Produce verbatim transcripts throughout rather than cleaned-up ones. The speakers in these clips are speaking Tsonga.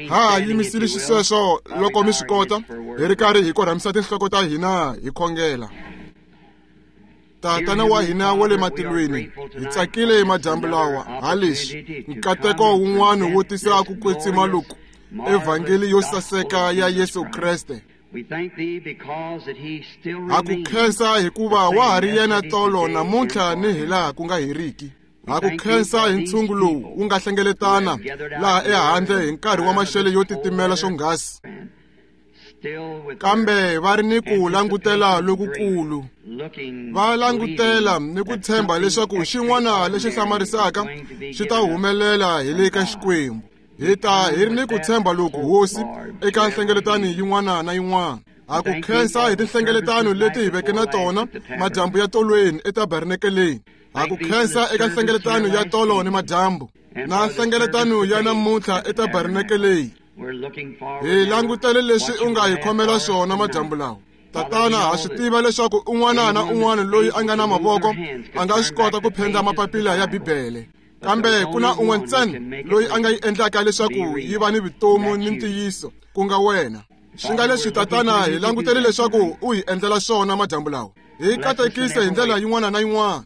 Ha yimisile xisweswo loko mi swi kota hi ri karhi hi korhamisa tinhloko ta hina hi khongela. Tatana wa hina wa le matilweni, hi tsakile madyambu lawa ha leswi nkateko wun'wana wo tisa ku kwetsima loku evhangeli yo saseka ya Yesu Kreste. Ha ku khensa hikuva wa ha ri yena tolo namuntlha ni hilaha ku nga heriki. Ha ku khensa hi ntshungu lowu wu nga hlengeletana laha ehandle hi nkarhi wa maxelo yo titimela swonghasi, kambe va ri ni ku langutela lokukulu. Va langutela ni ku tshemba leswaku xin'wana lexi hlamarisaka xi ta humelela hi le ka Xikwembu. Hi ta hi ri ni ku tshemba loku Hosi eka nhlengeletano yin'wana na yin'wana. Ha ku khensa hi tinhlengeletano leti hi veke na tona madyambu ya tolweni etabernakeleni. Ha ku khensa eka nhlengeletano ya tolo ni madyambu na nhlengeletano ya namuntlha etabernakeleni. Hi langutele leswi u nga hi khomela swona madyambu lawa. Tatana, ha swi tiva leswaku un'wana na un'wana loyi a nga na mavoko a nga swi kota ku phendla mapapila ya Bibele, kambe ku na un'we ntsena loyi a nga yi endlaka leswaku yi va ni vutomi ni ntiyiso, ku nga wena. Swi nga leswi Tatana, hi langutele leswaku u hi endlela swona madyambu lawa. Hi katekise hi ndlela yin'wana na yin'wana.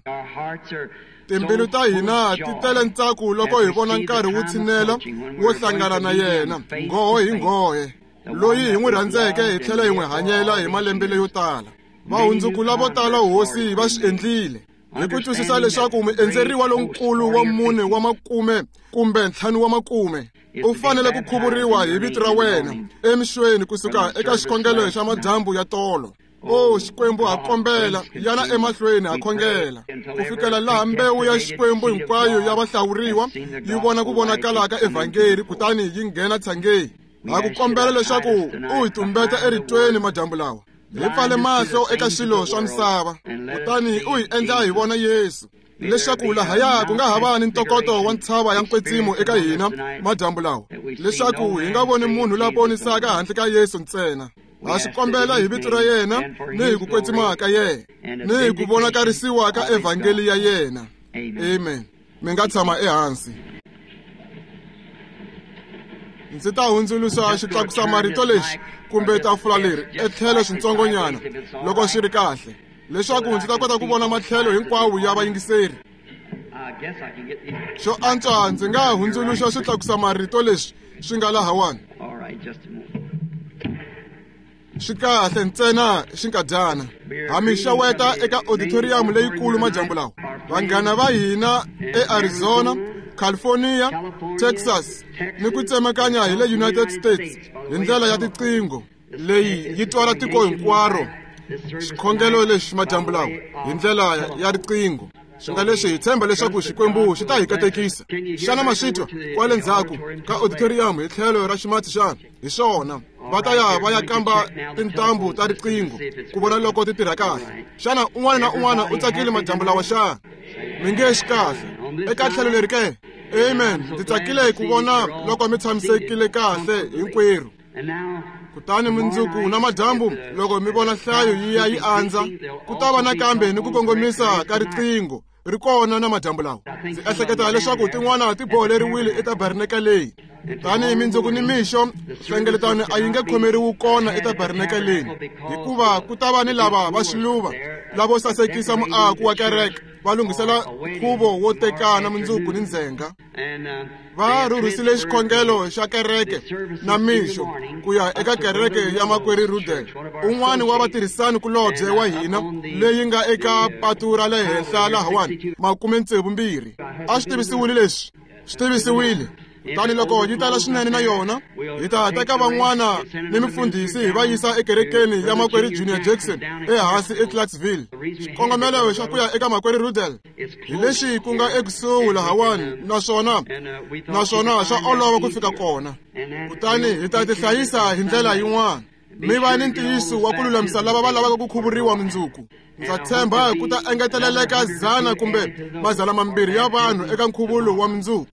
Timbilu ta hina ti tele ntsako loko hi vona nkarhi wu tshinela wo hlangana na yena nghohe hi nghohe, loyi hi n'wi rhandzeke hi tlhela hi n'wi hanyela hi malembe leyo tala. Vahundzuku lavo tala Hosi va swi endlile hi ku twisisa leswaku muendzeriwa lonkulu wa mune wa makume kumbe ntlhanu wa makume u fanele ku khuvuriwa hi vito ra wena emixweni kusuka eka xikhongelo xa madyambu ya tolo. O Xikwembu, ha kombela yana emahlweni ha khongela ku fikela laha mbewu ya Xikwembu hinkwayo ya vahlawuriwa yi vona ku vonakala ka evhangeli kutani yi nghena tshangeni. Ha ku kombela leswaku u hi tumbeta eritweni madyambu lawa, hi pfale mahlo eka swilo swa misava kutani u hi endla hi vona Yesu, leswaku lahaya ku nga ha va ni ntokoto wa ntshava ya nkwetsimo eka hina madyambu lawa, leswaku hi nga voni munhu la ponisaka handle ka Yesu ntsena. Ha swi kombela hi vito ra yena ni hi ku kwetsima ka yena ni hi ku vonakarisiwa ka evhangeli ya yena. Amen. Mi nga tshama ehansi. Ndzi ta hundzuluxa xitlakusa marito lexi kumbe tafula leri etlhelo swintsongonyana loko swi ri kahle, leswaku ndzi ta kota ku vona matlhelo hinkwawo ya vayingiseri. Xo antswa ndzi nga hundzuluxa xitlakusa marito leswi swi nga lahawani. Swi kahle ntsena xinkadyana. Ha mi xeweta eka auditorium leyikulu madyambu lawa. Vanghana va hina eArizona, California, Texas ni ku tsemakanya hi le United States hi ndlela ya tiqingho leyi yi twala tiko hinkwaro xikhongelo lexi madyambu lawa hi ndlela ya riqingho. Swi nga leswi hi tshemba leswaku Xikwembu xi ta hi katekisa. Xana ma swi twa kwale ndzhaku ka auditorium hi tlhelo ra ximatsi xana? Hi swona, va ta ya va ya kamba tintambu ta riqingho ku vona loko ti tirha kahle. Xana un'wana na un'wana u tsakile madyambu lawa xana? Mi nge xi kahle eka tlhelo leri ke? Amen. Ndzi tsakile ku vona loko mi tshamisekile kahle hinkwerhu. Kutani mundzuku na madyambu loko mi vona nhlayo yi ya yi andza, ku ta va nakambe ni ku kongomisa ka riqingho ri kona na madyambu lawa. Ndzi ehleketa leswaku tin'wana ti boholeriwile etabernakeleni. Tanihi mindzuku ni mixo, nhlengeletano a yi nge khomeriwi kona etabernakeleni, hikuva ku ta va ni lava va xiluva lavo sasekisa muako wa kereke va lunghisela nkhuvo wo tekana mundzuku ni ndzhenga. Va rhurhisile xikhongelo xa kereke na mixo ku ya eka kereke ya Makwerhu Rudel, un'wana wa vatirhisani kulobye wa hina, leyi nga eka patu ra le henhla lahawani makume tsevu mbirhi. A swi tivisiwile leswi, swi tivisiwile. Kutani loko yi tala swinene na yona, hi ta teka van'wana ni mifundhisi hi va yisa ekerekeni ya Makwerhu Junior Jackson ehansi eClarksville. Xikongomelo xa ku ya eka Makwerhu Rudel hi lexi ku nga ekusuhi lahawani, naswona naswona swa olova ku fika kona. Kutani hi ta tihlayisa hi ndlela yin'wana. Mi va ni ntiyiso wa ku lulamisa lava va lavaka ku khuvuriwa mundzuku. Ndza tshemba ku ta engeteleleka dzana kumbe mazana mambirhi ya vanhu eka nkhuvulo wa mundzuku.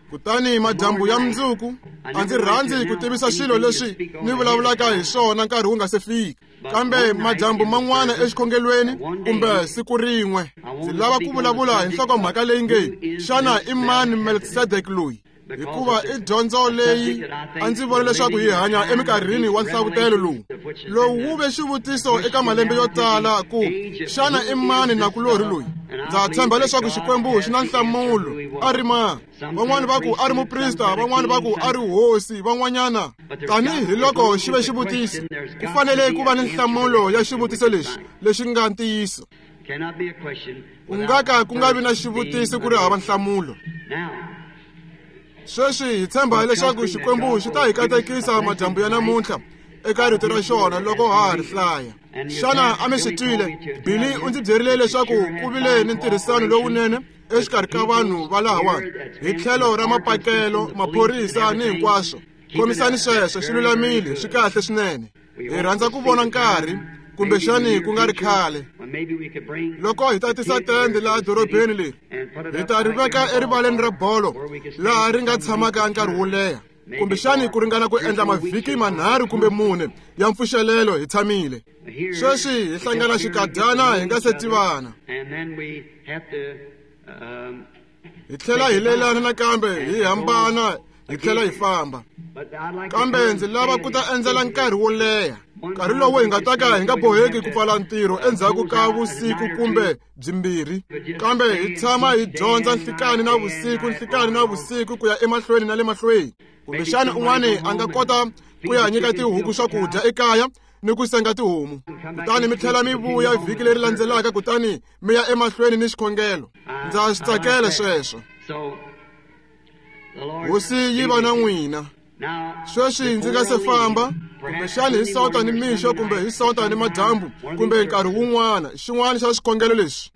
Kutani madyambu ya mundzuku, a ndzi rhandzi ku tivisa swilo leswi ni vulavulaka hi swona nkarhi wu nga se fika, kambe madyambu man'wana exikhongelweni kumbe siku rin'we ndzi lava ku vulavula hi nhlokomhaka leyi nge xana i mani Melkisedeke loyi. Hikuva i dyondzo leyi a ndzi vona leswaku hi hanya eminkarhini wa nhlavutelo lowu. Lowu wu ve xivutiso eka malembe yo tala ku xana i mani nakulorhi loyi? Ndza tshemba leswaku Xikwembu xi na nhlamulo. A ri mani? Van'wani va ku a ri muprista, van'wani va ku a ri hosi, van'wanyana. Tanihi loko xi ve xivutiso, ku fanele ku va ni nhlamulo ya xivutiso lexi lexi nga ntiyiso. Ku nga ka ku nga vi na xivutiso ku ri hava nhlamulo. Sweswi hi tshemba leswaku Xikwembu xi ta hi katekisa madyambu ya namuntlha eka rito ra xona loko ha ha ri hlaya. Xana a mi swi twile? Billy u ndzi byerile leswaku ku vile ni ntirhisano lowunene exikarhi ka vanhu va lahawani hi tlhelo ra mapakelo, maphorisa ni hinkwaswo. Khomisani sweswo, swi lulamile, swi kahle swinene. Hi rhandza ku vona nkarhi, kumbexani ku nga ri khale, loko hi ta tisa tende laha dorobeni leri, hi ta ri veka erivaleni ra bolo laha ri nga tshamaka nkarhi wo leha, kumbexani ku ringana ku endla mavhiki manharhu kumbe mune ya mpfuxelelo hi tshamile. Sweswi hi hlangana xikadyana hi nga se tivana. Hi tlhela hi lelana nakambe hi hambana hi tlhela hi famba. Kambe ndzi lava ku ta endzela nkarhi wo leha, nkarhi lowu hi nga ta ka hi nga boheki ku pfala ntirho endzhaku ka vusiku kumbe byimbirhi, kambe hi tshama hi dyondza nhlikani na vusiku, nhlikani na vusiku ku ya emahlweni na le mahlweni. Kumbexani un'wani a nga kota ku ya nyika tihuku swakudya ekaya ni ku senga tihomu, kutani mi tlhela mi vuya vhiki leri landzelaka, kutani mi ya emahlweni ni xikhongelo. Ndza swi tsakela sweswo. Hosi yi va na n'wina. Sweswi ndzi nga se famba, kumbexani hi Sonta ni mixo, kumbe hi Sonta ni madyambu, kumbe nkarhi wun'wana, xin'wana xa swikhongelo leswi.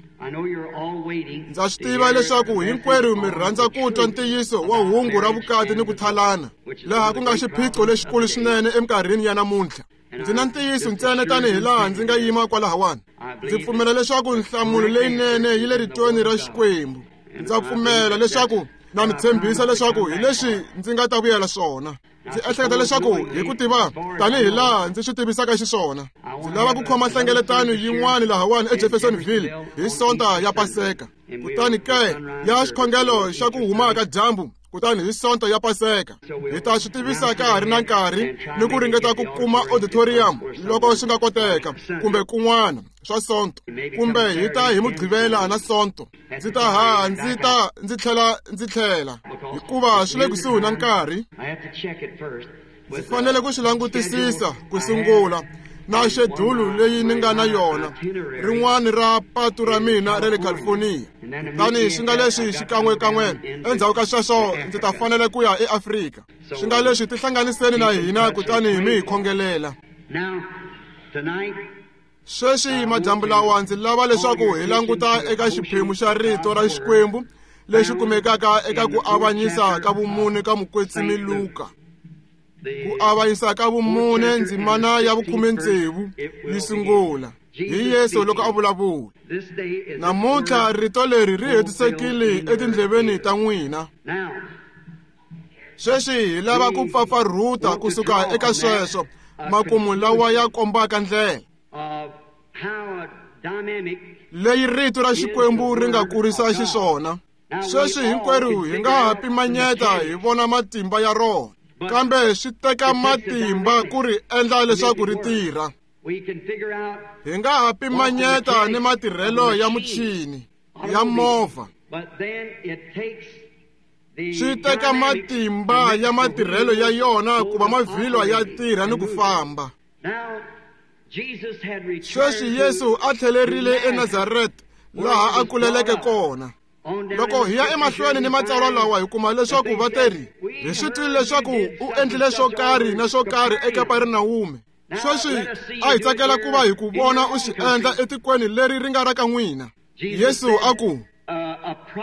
Ndza swi tiva leswaku hinkwerhu mi rhandza ku twa ntiyiso wa hungu ra vukati ni ku thalana, laha ku nga xiphiqo lexikulu swinene eminkarhini ya namuntlha. Ndzi na ntiyiso ntsena tanihi laha ndzi nga yima kwalahawani. Ndzi pfumela leswaku nhlamulo leyinene yi le ritweni ra Xikwembu. Ndza pfumela leswaku na mi tshembisa leswaku hi leswi ndzi nga ta vuyela swona. Ndzi ehleketa leswaku hi ku tiva tanihi laha ndzi swi tivisaka xiswona, ndzi lava ku khoma nhlengeletano yin'wana lahawani eJeffersonville hi Sonta ya Paseka, kutani ke ya xikhongelo xa ku huma ka dyambu, kutani hi Sonta ya Paseka. Hi ta swi tivisa ka ha ri na nkarhi ni ku ringeta ku kuma auditorium loko swi nga koteka, kumbe kun'wana swa Sonto, kumbe hi ta hi Mugqivela na Sonto. Ndzi ta haha ndzi ta ndzi tlhela ndzi tlhela, hikuva swi le kusuhi na nkarhi. Ndzi fanele ku swi langutisisa ku sungula na xedulu leyi ni nga na yona, rin'wana ra patu ra mina ra le California. Kutani swi nga leswi xikan'wekan'we endzhaku ka sweswo ndzi ta fanele ku ya eAfrika. Swi nga leswi tihlanganiseni na hina kutani mi hi khongelela. Sweswi madyambu lawa ndzi lava leswaku hi languta eka xiphemu xa rito ra Xikwembu lexi kumekaka eka ku avanyisa ka vumune ka mukwetsimi Luka. Ku avanyisa ka vumune ndzimana ya vukhume tsevu yi sungula hi Yesu loko a vulavula. Namuntlha rito leri ri hetisekile etindleveni ta n'wina. Sweswi hi lava ku pfapfarhuta kusuka eka sweswo makumu lawa ya kombaka ndlela leyi rito ra Xikwembu ri nga kurisa xiswona. Sweswi hinkwerhu hi nga ha pimanyeta hi vona matimba ya rona, kambe swi teka matimba ku ri endla leswaku ri tirha. Hi nga ha pimanyeta ni matirhelo ya muchini ya movha, swi teka matimba ya matirhelo ya yona ku va mavhilwa ya tirha ni ku famba. Sweswi Yesu a tlhelerile eNazareta laha a kuleleke kona. Loko hi ya emahlweni ni matsalwa lawa hi kuma leswaku va teri hi swi twile leswaku u endlile swo karhi na swo karhi eKapernawume. Sweswi a hi tsakela ku va hi ku vona u swi endla etikweni leri ri nga ra ka n'wina. Yesu a ku,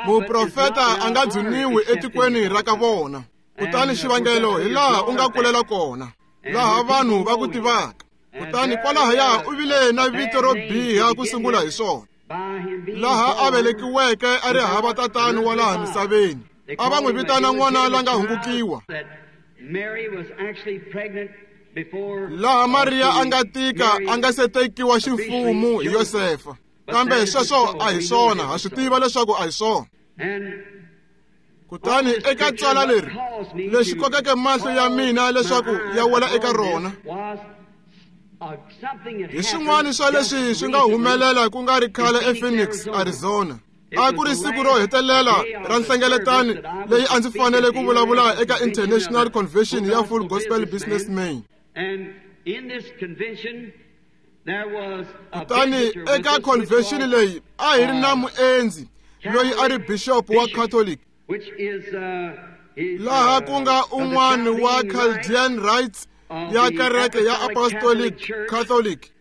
muprofeta a nga dzuniwi etikweni ra ka vona. Kutani xivangelo hi laha u nga kulela kona, laha vanhu va ku tivaka. Kutani kwalahaya u vile na vito ro biha ku sungula hi swona. Laha a velekiweke a ri hava tatani wa laha misaveni, a va n'wi vitana n'wana la nga hungukiwa. Laha Mariya a nga tika a nga se tekiwa ximfumo hi Yosefa. Kambe sweswo a hi swona, ha swi tiva leswaku a hi swona. Kutani eka tswala leri lexi kokeke mahlo ya mina leswaku ya wela eka rona hi swin'wana swa leswi swi nga humelela ku nga ri khale ePhoenix, Arizona. A ku ri siku ro hetelela ra nhlengeletano leyi a ndzi fanele ku vulavula eka International Convention ya Full Gospel Businessmen. Kutani eka convention leyi a hi ri na muendzi loyi a ri bishop wa Catholic, laha ku nga un'wana wa Chaldean Rites ya kereke ya Apostolic Catholic,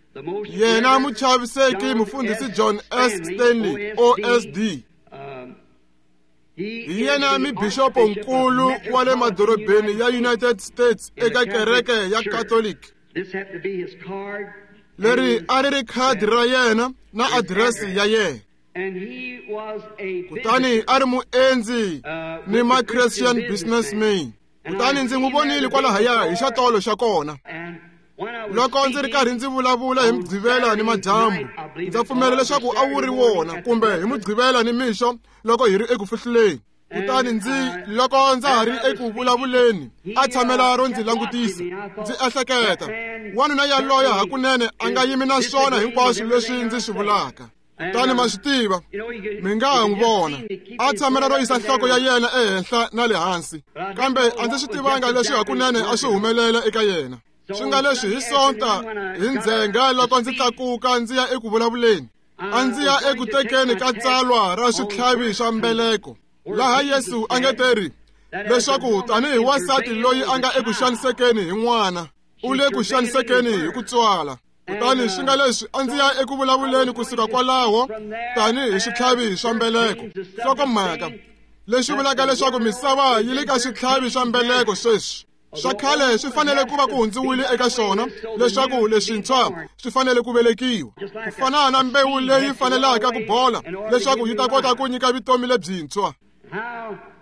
yena muchaviseki mufundhisi John S. Stanley O S D. Hi yena mibishopo nkulu wa le madorobeni ya United States eka kereke ya Catholic. Leri a ri ri khadi ra yena na adirese ya yena. Kutani a ri muendzi ni ma Christian businessman. Kutani ndzi n'wi vonile kwalahaya hi xatolo xa kona. Loko ndzi ri karhi ndzi vulavula hi Mugqivela ni madyambu, ndza pfumela leswaku a wu ri wona kumbe hi Mugqivela ni mixo loko hi ri eku fihluleni. Kutani ndzi loko ndza ha ri eku vulavuleni a tshamela ro ndzi langutisa, ndzi ehleketa wanuna yaloye hakunene a nga yimi na swona hinkwaswo leswi ndzi swi vulaka. Kutani ma swi tiva, mi nga ha n'wi vona a tshamela ro yisa nhloko ya yena ehenhla na le hansi, kambe a ndzi swi tivanga leswi hakunene a swi humelela eka yena. Swi nga leswi hi Sonta hi ndzhenga loko ndzi tlakuka ndzi ya eku vulavuleni, a ndzi ya eku tekeni ka tsalwa ra switlhavi swa mbeleko, laha Yesu a nge teri leswaku tanihi wansati loyi a nga eku xanisekeni hi n'wana, u le ku xanisekeni hi ku tswala. Kutani swi nga leswi a ndzi ya eku vulavuleni kusuka kwalaho tanihi switlhavi swa mbeleko. Nhlokomhaka leswi vulaka leswaku misava yi le ka switlhavi swa mbeleko sweswi. Swa khale swi fanele ku va ku hundziwile eka swona leswaku leswintshwa swi fanele ku velekiwa, ku fana na mbewu leyi fanelaka ku bola leswaku yi ta kota ku nyika vutomi lebyintshwa.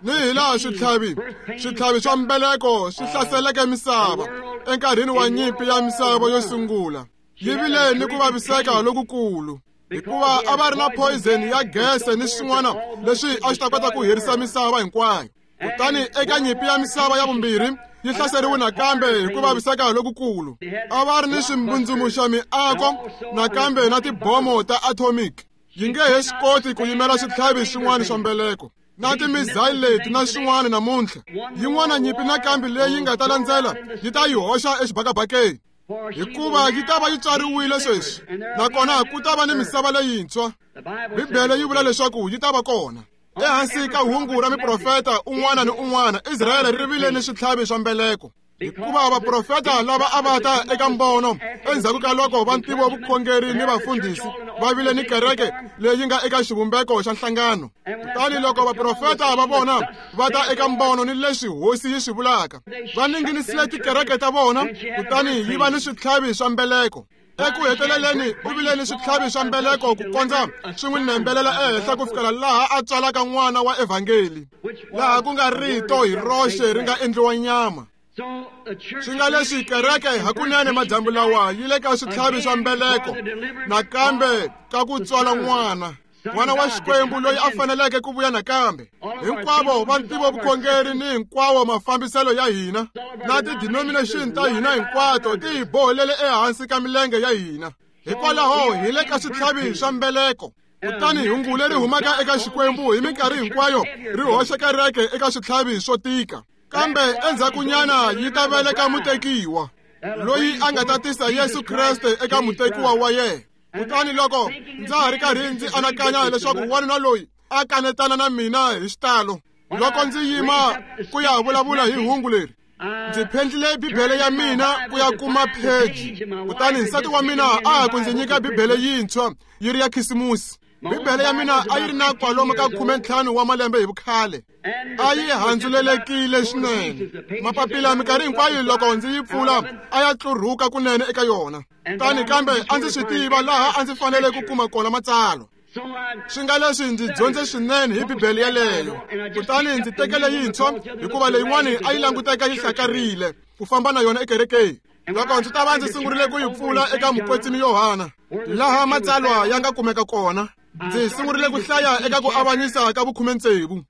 Ni hi laha switlhavi switlhavi swa mbeleko swi hlaseleke misava enkarhini wa nyimpi ya misava yo sungula, yi vile ni ku vaviseka lokukulu hikuva a va ri na poison ya gese ni swin'wana leswi a swi ta kota ku herisa misava hinkwayo. Kutani eka nyimpi ya misava ya vumbirhi yi hlaseriwe nakambe hi ku vaviseka lokukulu. A va ri ni swimbundzumuxa miako nakambe na tibomo ta atomic. Yi nge he swi koti ku yimela switlhavi swin'wana swa mbeleko na timizayili leti na swin'wana namuntlha. Yin'wana nyimpi nakambe leyi nga ta landzela yi ta yi hoxa exibakabakeni, hikuva yi ta va yi tswariwile sweswi, nakona ku ta va ni misava leyintshwa. Bibele yi vula leswaku yi ta va kona. Ehansi ka hungu ra miprofeta un'wana ni un'wana, Israyele ri vile ni switlhavi swa mbeleko, hikuva vaprofeta lava a va ta eka mbono endzhaku ka loko va ntivo vukhongeri ni vafundhisi va vile ni kereke leyi nga eka xivumbeko xa nhlangano. Kutani loko vaprofeta va vona va ta eka mbono ni leswi hosi yi swi vulaka, va ninginisile tikereke ta vona, kutani yi va ni switlhavi swa mbeleko. Eku heteleleni u vile ni switlhavi swa mbeleko ku kondza swi n'wi nembelela ehenhla ku fikela laha a tswalaka n'wana wa evhangeli, laha ku nga rito hi roxe ri nga endliwa nyama. Swi nga leswi kereke hakunene madyambu lawa yi le ka switlhavi swa mbeleko nakambe ka ku tswala n'wana, n'wana wa Xikwembu loyi a faneleke ku vuya nakambe. Hinkwavo va ntivo vukhongeri ni hinkwawo mafambiselo ya hina na ti-denomination ta hina hinkwato ti hi bohelele ehansi ka milenge ya hina. Hikwalaho hi le ka switlhavi swa mbeleko. Kutani hungu leri humaka eka Xikwembu hi minkarhi hinkwayo ri hoxa kereke eka switlhavi swo tika, kambe endzhakunyana yi ta veleka mutekiwa loyi a nga ta tisa Yesu Kreste eka mutekiwa wa yena. Kutani loko ndza ha ri karhi ndzi anakanya leswaku wanuna loyi a kanetana na mina hi xitalo loko ndzi yima ku ya vulavula hi hungu leri, ndzi phendlile Bibele ya mina ku ya kuma pheji. Kutani nsati wa mina a ha ku ndzi nyika Bibele yintshwa yi ri ya Khisimusi. Bibele ya mina a yi ri na kwalomu ka khume ntlhanu wa malembe hi vukhale, a yi handzulelekile swinene. Mapapila minkarhi hinkwayo loko ndzi yi pfula a ya tlurhuka kunene eka yona. Kutani kambe a ndzi swi tiva laha a ndzi fanele ku kuma kona matsalwa. Swi nga leswi ndzi dyondze swinene hi Bibele yeleyo. Kutani ndzi tekele yintshwa hikuva leyin'wani a yi languteka yi hlakarile ku famba na yona ekerekeni. Loko ndzi ta va ndzi sungurile ku yi pfula eka mukwetsimi Yohana, laha matsalwa ya nga kumeka kona, ndzi sungurile ku hlaya eka ku avanyisa ka vukhume tsevu.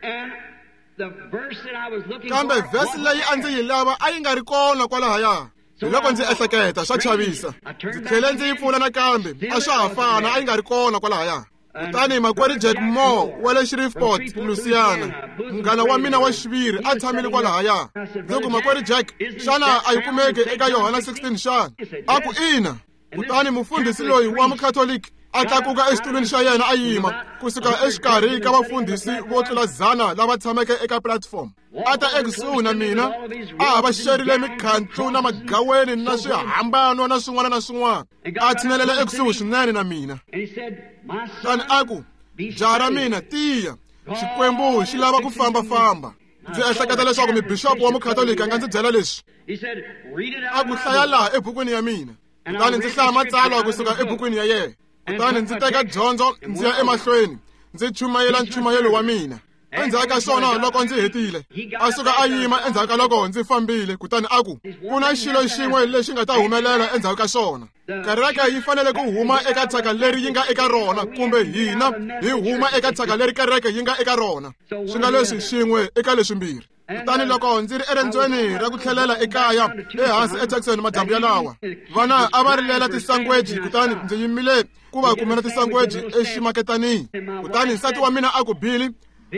Kambe vhesi leyi a ndzi yi lava a yi nga ri kona kwalahaya. Hi loko ndzi ehleketa swa chavisa. Ndzi tlhele ndzi yi pfula nakambe, a swa ha fana, a yi nga ri kona kwalahaya. Kutani makwerhu Jack Moore wa le Shreveport, Louisiana, munghana wa mina wa xiviri, a tshamile kwalahaya. Ndzi ku, makwerhu Jack, xana a yi kumeki eka Yohana sixteen xana? A ku ina. Kutani mufundhisi loyi wa mukhatoliki a tlakuka exitulwini xa yena a yima kusuka exikarhi ka vafundhisi vo tlula dzana lava tshameke eka platform. A ta ekusuhi na mina, a ha va xerile mikhantlu na magaweni na swihambano na swin'wana na swin'wana. A tshinelela ekusuhi swinene na mina. Kutani a ku, jaha ra mina, tiya, Xikwembu xi lava ku fambafamba. Ndzi ehleketa leswaku mibixopo wa mukhatoliki a nga ndzi byela leswi. A ku hlaya laha ebukwini ya mina. Kutani ndzi hlaya matsalwa kusuka ebukwini ya yena. Kutani ndzi teka dyondzo ndzi ya emahlweni, ndzi chumayela nchumayelo wa mina. Endzhaku ka swona loko ndzi hetile, a suka a yima endzhaku ka loko ndzi fambile, kutani a ku, ku na xilo xin'we lexi nga ta humelela endzhaku ka swona. Kereke yi fanele ku huma eka thyaka leri yi nga eka rona, kumbe hina hi huma eka thyaka leri kereke yi nga eka rona. Swi nga leswi xin'we eka leswimbirhi. Kutani loko ndzi ri erendzweni ra ku tlhelela ekaya ehansi eTucson madyambu yalawa, vana a va rilela tisangweji, kutani ndzi yimile ku va kumela tisangweji eximaketanini. Kutani nsati wa mina a ku, Billy,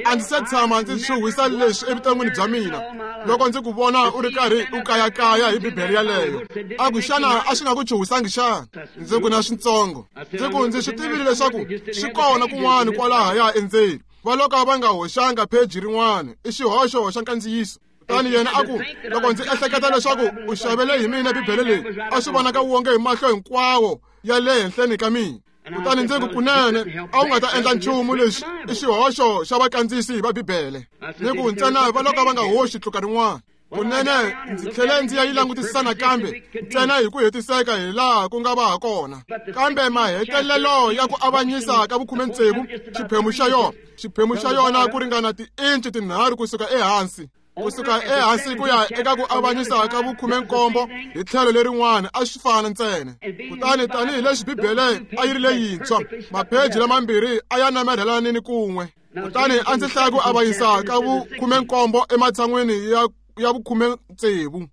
a ndzi se tshama ndzi chuhisa leswi evuton'wini bya mina loko ndzi ku vona u ri karhi u kayakaya hi Bibele yaleyo. A ku, xana a swi nga ku chuhisangi xana? Ndzi ku, na switsongo. Ndzi ku, ndzi swi tivile leswaku swi kona kun'wana kwalahaya endzeni. Va loko va nga hoxanga pheji rin'wana, i xihoxo xa nkandziyiso. Kutani yena a ku, loko ndzi ehleketa leswaku u xavele hi mina Bibele leyi, a swi vonaka wonge hi mahlo hinkwawo ya le henhleni ka mina. Kutani ndzi ku, kunene a wu nga ta endla nchumu lexi i xihoxo xa vakandziyisi va Bibele. Ni ku ntsena va loko va nga hoxi tluka rin'wana. Kunene ndzi tlhele ndzi ya yi langutisisa nakambe ntsena hi ku hetiseka hi laha ku nga va ha kona. Kambe mahetelelo ya ku avanyisa ka vukhume tsevu, xiphemu xa yona, xiphemu xa yona ku ringana tiinci tinharhu kusuka ehansi. Kusuka ehansi ku ya eka ku avanyisa ka vukhume nkombo hi tlhelo lerin'wana a swi fana ntsena. Kutani tanihileswi Bibele a yi ri leyintshwa, mapheji lamambirhi a ya namarhelanini kun'we. Kutani a ndzi hlaya ku avanyisa ka vukhume nkombo ematshan'wini ya ya vukhume tsevu.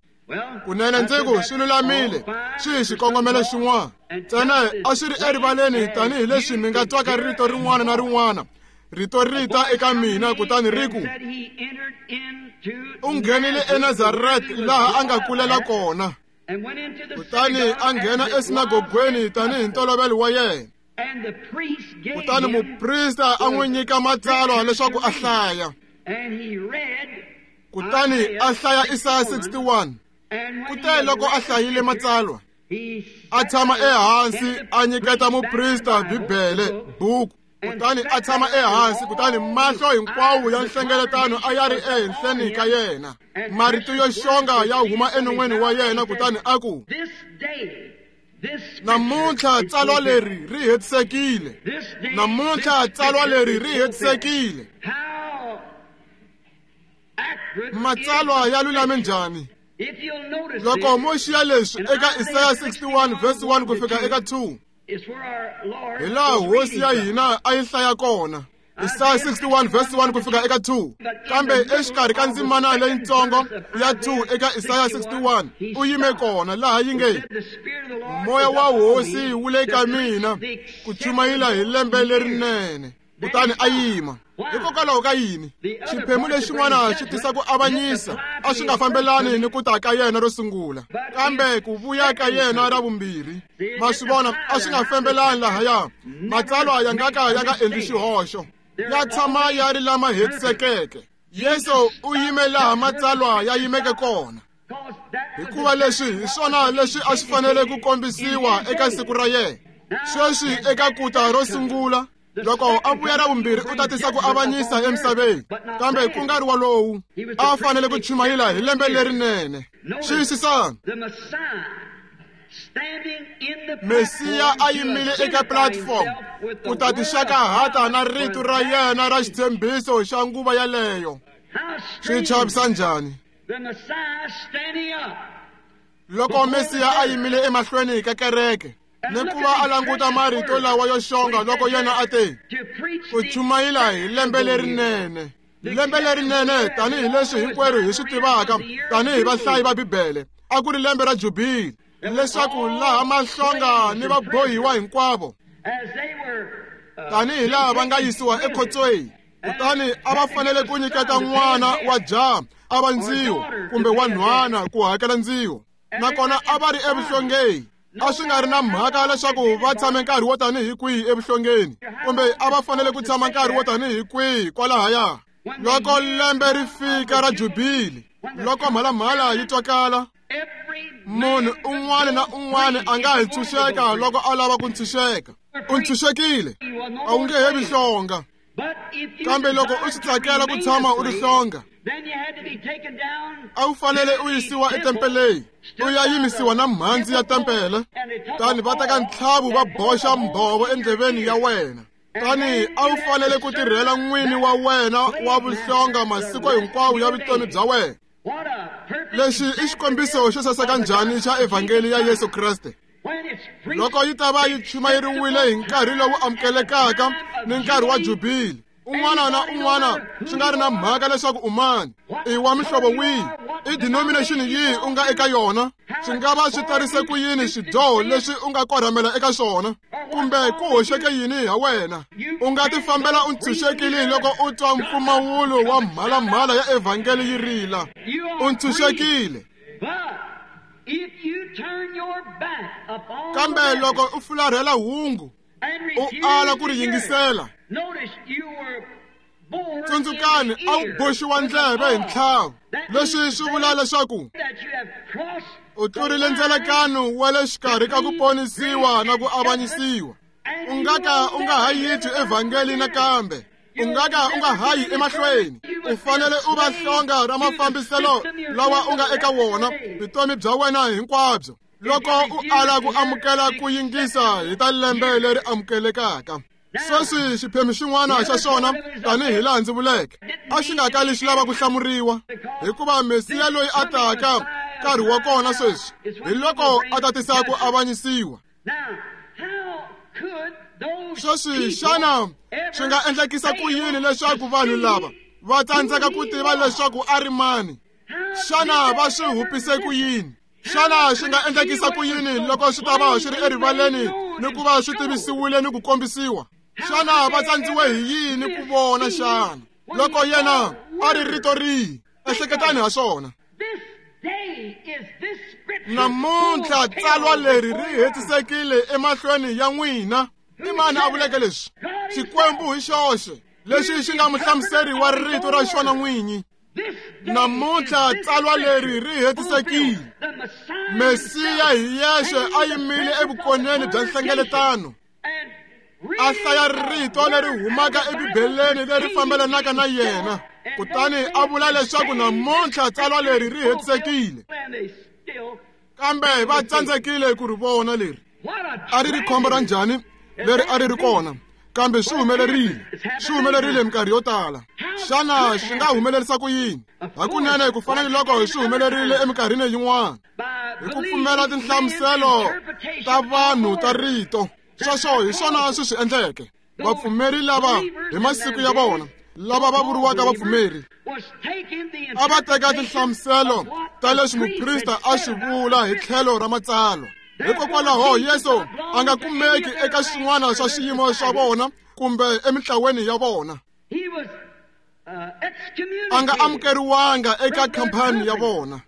Kunene ndzi ku swi lulamile, swi hi xikongomelo xin'wana. Ntsena a swi ri erivaleni tanihileswi mi nga twaka rito rin'wana na rin'wana. Rito ri ta eka mina kutani ri ku, u nghenile eNazaret laha a nga kulela kona. Kutani a nghena esinagogweni tanihi ntolovelo wa yena. Kutani muprista a n'wi nyika matsalwa leswaku a hlaya. Kutani a hlaya Isaya sixty-one. Kute loko a hlayile matsalwa, a tshama ehansi a nyiketa muprista Bibele buku. Kutani a tshama ehansi, kutani mahlo hinkwawo ya nhlengeletano a ya ri ehenhleni ka yena. Marito yo xonga ya huma enon'weni wa yena, kutani a ku, namuntlha tsalwa leri ri hetisekile. Namuntlha tsalwa leri ri hetisekile. Matsalwa ya lulame njhani? Loko mo xiya leswi eka Isaya sixty-one verse one ku fika eka two, hi laha hosi ya hina a yi hlaya kona. Isaya sixty-one verse one ku fika eka two. Kambe exikarhi ka ndzimana leyitsongo ya two eka Isaya sixty-one, u yime kona laha yi nge, moya wa hosi wu le ka mina ku chumayela hi lembe lerinene. Kutani a yima. Hikokwalaho ka yini? Xiphemu lexin'wana xi tisa ku avanyisa, a swi nga fambelani ni ku ta ka yena ro sungula, kambe ku vuya ka yena ra vumbirhi. Ma swi vona, a swi nga fambelani lahaya. Matsalwa ya nga ka ya nga endli xihoxo, ya tshama ya ri lama hetisekeke. Yesu u yime laha matsalwa ya yimeke kona, hikuva leswi hi swona leswi a swi fanele ku kombisiwa eka siku ra yena. Sweswi eka kuta ro sungula, loko a vuya ra vumbirhi u ta tisa ku avanyisa emisaveni, kambe ku nga ri walowu. A fanele ku chumayela hi lembe lerinene. Xiyisisani, Mesiya a yimile eka platform ku ta tixaka hata na rito ra yena ra xitshembiso xa nguva yaleyo. Swi chavisa njhani? Loko Mesiya a yimile emahlweni ka kereke, ni ku va a languta marito lawa yo xonga loko yena a te, ku chumayela hi lembe lerinene. Lembe lerinene tanihileswi hinkwerhu hi swi tivaka tanihi vahlayi va Bibele, a ku ri lembe ra Jubili, leswaku laha mahlonga ni vabohiwa hinkwavo tanihi laha va nga yisiwa ekhotsweni, kutani a va fanele ku nyiketa n'wana wa jaha a va ndziho kumbe wa nhwana ku hakela ndziho, nakona a va ri evuhlongeni. A swi nga ri na mhaka leswaku va tshame nkarhi wo tanihi kwihi evuhlongeni kumbe a va fanele ku tshama nkarhi wo tanihi kwihi kwalahaya. Loko lembe ri fika ra Jubili, loko mhalamhala yi twakala, munhu un'wana na un'wana a nga hi ntshunxeka loko a lava ku ntshunxeka. U ntshunxekile, a wu nge he vi hlonga. Kambe loko u swi tsakela ku tshama u ri hlonga, a wu fanele u yisiwa etempeleni, u ya yimisiwa na mhandzi ya tempele, tani va teka ntlhavu va boxa mbhovo endleveni ya wena. Tani a wu fanele ku tirhela n'wini wa wena wa vuhlonga masiku hinkwawo ya vutomi bya wena. Lexi i xikombiso xo saseka njhani xa evhangeli ya Yesu Kreste. Loko yi ta va yi chumayeriwile hi nkarhi lowu amukelekaka ni nkarhi wa Jubili, un'wana na un'wana swi nga ri na mhaka leswaku u mani, i wa mihlovo wihi, i denomination yihi u nga eka yona, swi nga va swi tarise ku yini swidyoho leswi u nga korhamela eka swona, kumbe ku hoxeke yini ha wena, u nga tifambela u ntshunxekile loko u twa mpfumawulo wa mhalamhala ya evhangeli yi rila. U ntshunxekile. Kambe loko u fularhela hungu, u ala ku ri yingisela, tsundzukani a wu boxiwa ndleve hi ntlhavu. Leswi swi vula leswaku u tlurile ndzelekano wa le xikarhi ka ku ponisiwa na ku avanyisiwa. U nga ka u nga ha yi twi evhangeli nakambe, u nga ka u nga ha yi emahlweni. U fanele u va hlonga ra mafambiselo lawa u nga eka wona vutomi bya wena hinkwabyo, loko u ala ku amukela ku yingisa hi ta lembe leri amukelekaka. Sweswi xiphemu xin'wana xa xona, tanihi laha ndzi vuleke, a xi nga kali xi lava ku hlamuriwa, hikuva Mesiya loyi a taka nkarhi wa kona sweswi hi loko a ta tisa ku avanyisiwa. Sweswi xana swi nga endlekisa ku yini leswaku vanhu lava va tsandzeka ku tiva leswaku a ri mani? Xana va swi hupise ku yini? Xana swi nga endlekisa ku yini loko swi ta va swi ri erivaleni ni ku va swi tivisiwile ni ku kombisiwa? Xana va tsandziwe hi yini ku vona xana loko yena a ri rito rihi? Ehleketani ha swona. Namuntlha tsalwa leri ri hetisekile emahlweni ya n'wina. I mani a vuleke leswi? Xikwembu hi xoxe, lexi xi nga muhlamuseri wa rito ra xona n'winyi. Namuntlha tsalwa leri ri hetisekile. Mesiya hi yexe a yimile evukoneni bya nhlengeletano, a hlaya rito leri humaka eBibeleni leri fambelanaka na yena, kutani a vula leswaku namuntlha tsalwa leri ri hetisekile. Kambe va tsandzekile ku ri vona leri. A ri ri khombo ra njhani leri a ri ri kona, kambe swi humelerile, swi humelerile minkarhi yo tala. Xana swi nga humelerisa ku yini? Hakunene ku fana ni loko swi humelerile eminkarhini yin'wana, hi ku pfumela tinhlamuselo ta vanhu ta rito. Sweswo hi swona swi swi endleke. Vapfumeri lava hi masiku ya vona, lava va vuriwaka vapfumeri, a va teka tinhlamuselo ta leswi muprista a swi vula hi tlhelo ra matsalwa. Hikokwalaho Yesu a nga kumeki eka swin'wana swa swiyimo swa vona kumbe emintlaweni ya vona. A nga amukeriwanga eka khampani ya vona.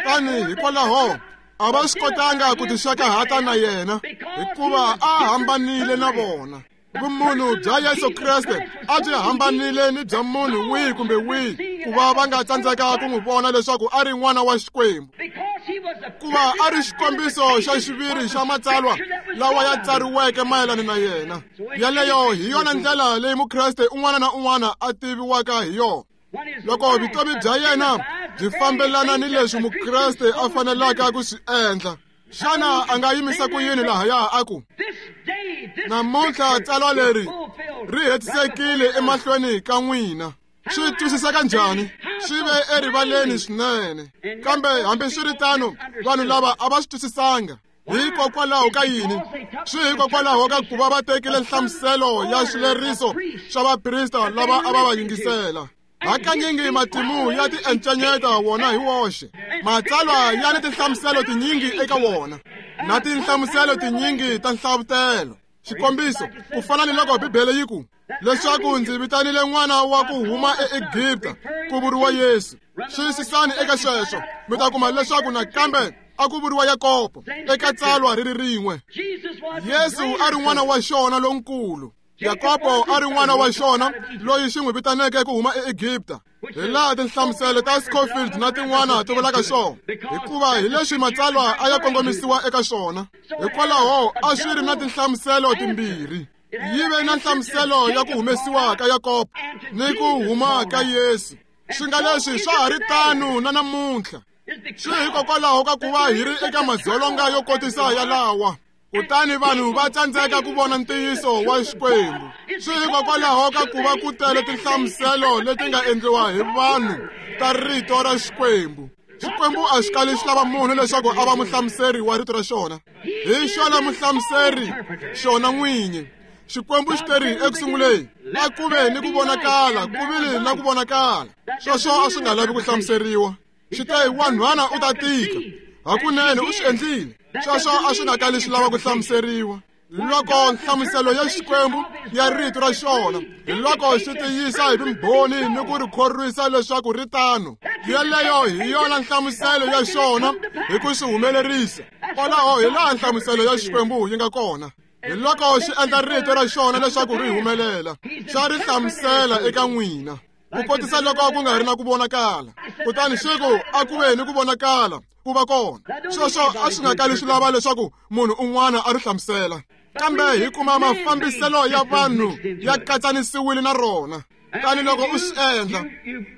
Tani hikwalaho a va swi kotanga ku tixakahata na yena, hikuva a hambanile na vona. Vumunhu bya Yesu Kreste a byi hambanile ni bya munhu wihi kumbe wihi, ku va va nga tsandzeka ku n'wi vona leswaku a ri n'wana wa Xikwembu, ku va a ri xikombiso xa xiviri xa matsalwa lawa ya tsariweke mayelana na yena. Yaleyo hi yona ndlela leyi Mukreste un'wana na un'wana a tiviwaka hi yona. Loko vutomi bya yena byi fambelana ni leswi Mukreste a fanelaka ku swi endla, xana a nga yimisa ku yini lahaya a ku, namuntlha tsalwa leri ri hetisekile emahlweni ka n'wina? Swi twisiseka njhani? Swi ve erivaleni swinene. Kambe hambiswiritano vanhu lava a va swi twisisanga. Hikokwalaho ka yini? Swi hikokwalaho ka ku va va tekile nhlamuselo ya xileriso xa vaprista lava a va va yingisela. Hakanyingi matimu ya tiencenyeta wona hi woxe. Matsalwa ya ni tinhlamuselo tinyingi eka wona, na tinhlamuselo tinyingi ta nhlavutelo. Xikombiso, ku fana ni loko Bibele yi ku leswaku ndzi vitanile n'wana wa ku huma eEgipta, ku vuriwa Yesu. Xiyisisani eka sweswo, mi ta kuma leswaku nakambe a ku vuriwa Yakobo eka tsalwa ri ri rin'we. Yesu a ri n'wana wa xona lonkulu, Yakobo a ri n'wana wa xona loyi xi n'wi vitaneke ku huma eEgipta. Hi laha tinhlamuselo ta Scofield na tin'wana ti vulaka swona, hikuva hi leswi matsalwa a ya kongomisiwa eka swona. Hikwalaho a swi ri na tinhlamuselo timbirhi. Yi ve na nhlamuselo ya ku humesiwa ka Yakobo ni ku huma ka Yesu. Swi nga leswi swa ha ri tano na namuntlha. Swi hikokwalaho ka ku va hi ri eka madzolonga yo kotisa yalawa, kutani vanhu va tsandzeka ku vona ntiyiso wa Xikwembu. Swi hikokwalaho ka ku va ku tele tinhlamuselo leti nga endliwa hi vanhu ta rito ra Xikwembu. Xikwembu a xi kali xi lava munhu leswaku a va muhlamuseri wa rito ra xona. Hi xona muhlamuseri xona n'winyi. Xikwembu xi teri ekusunguleni, a ku ve ni ku vonakala, ku vile na ku vonakala. Sweswo a swi nga lavi ku hlamuseriwa. Xi te wanhwana u ta tika, hakunene u swi endlile. Sweswo a swi nga kali swi lava ku hlamuseriwa. Loko nhlamuselo ya Xikwembu ya rito ra xona, hi loko xi tiyisa hi vumbhoni ni ku ri khorwisa leswaku ri tano, yeleyo hi yona nhlamuselo ya xona hi ku swi humelerisa. Kwalaho hi laha nhlamuselo ya Xikwembu yi nga kona. Hi loko xi endla rito ra xona leswaku ri humelela, xa ri hlamusela eka n'wina, ku kotisa loko ku nga ri na ku vonakala. Kutani xi ku a ku ve ni ku vonakala, ku va kona. Sweswo a swi nga kali swi lava leswaku munhu un'wana a ri hlamusela. Kambe hi kuma mafambiselo ya vanhu ya katsanisiwile na rona. Tani loko u swi endla,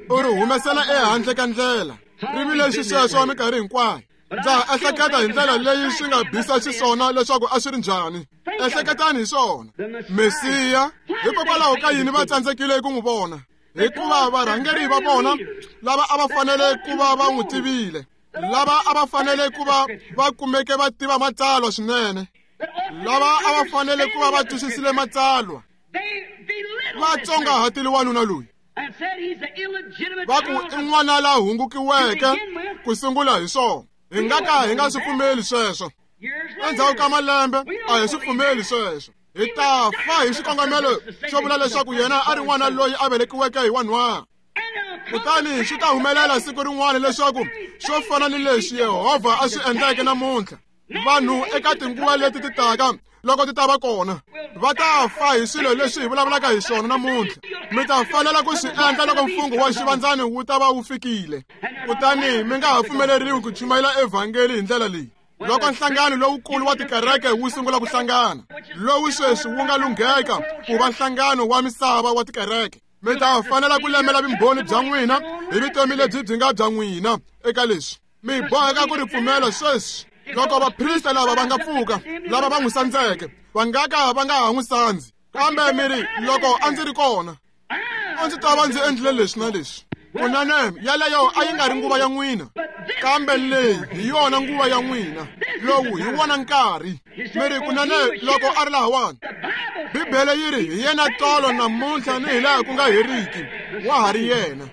u ri humesela ehandle ka ndlela. Ri vile xisweswo minkarhi hinkwayo. Ndza ehleketa hi ndlela leyi swi nga bisa xiswona leswaku a swi ri njhani. Ehleketani hi swona. Mesiya, hikokwalaho ka yini va tsandzekile ku n'wi vona? Hikuva varhangeri va vona lava a va fanele ku va va n'wi tivile, lava a va fanele ku va va kumeke va tiva matsalwa swinene, lava a va fanele ku va va twisisile matsalwa, va tsongahatile wanuna loyi, va ku i n'wana la hungukiweke ku sungula hi swona. Hi nga ka hi nga swi pfumeli sweswo. Endzhaku ka malembe a hi swi pfumeli sweswo. Hi ta fa hi xikongomelo xo vula leswaku yena a ri n'wana loyi a velekiweke hi wanhwana. Kutani swi ta humelela siku rin'wana leswaku swo fana ni leswi Yehovha a swi endleke namuntlha, vanhu eka tinguva leti ti taka loko ti ta va kona va ta fa hi swilo leswi hi vulavulaka hi swona namuntlha. Mi ta fanela ku swi endla loko mfungho wa xivandzani wu ta va wu fikile. Kutani mi nga ha pfumeleriwi ku chumayela evhangeli hi ndlela leyi. Loko nhlangano lowukulu wa tikereke wu sungula ku hlangana, lowu sweswi wu nga lungheka ku va nhlangano wa misava wa tikereke, mi ta fanela ku lemela vumbhoni bya n'wina hi vutomi lebyi byi nga bya n'wina eka leswi. Mi boheka ku ri pfumela sweswi. Loko vaprista lava va nga pfuka, lava va n'wi sandzeke, va nga ka va nga ha n'wi sandzi. Kambe mi ri, loko a ndzi ri kona, a ndzi ta va ndzi endlile leswi na leswi. Kunene yeleyo a yi nga ri nguva ya n'wina, kambe leyi hi yona nguva ya n'wina. Lowu hi wona nkarhi. Mi ri, kunene loko a ri lahawani, Bibele yi ri hi yena tolo namuntlha ni hi laha ku nga heriki, wa ha ri yena.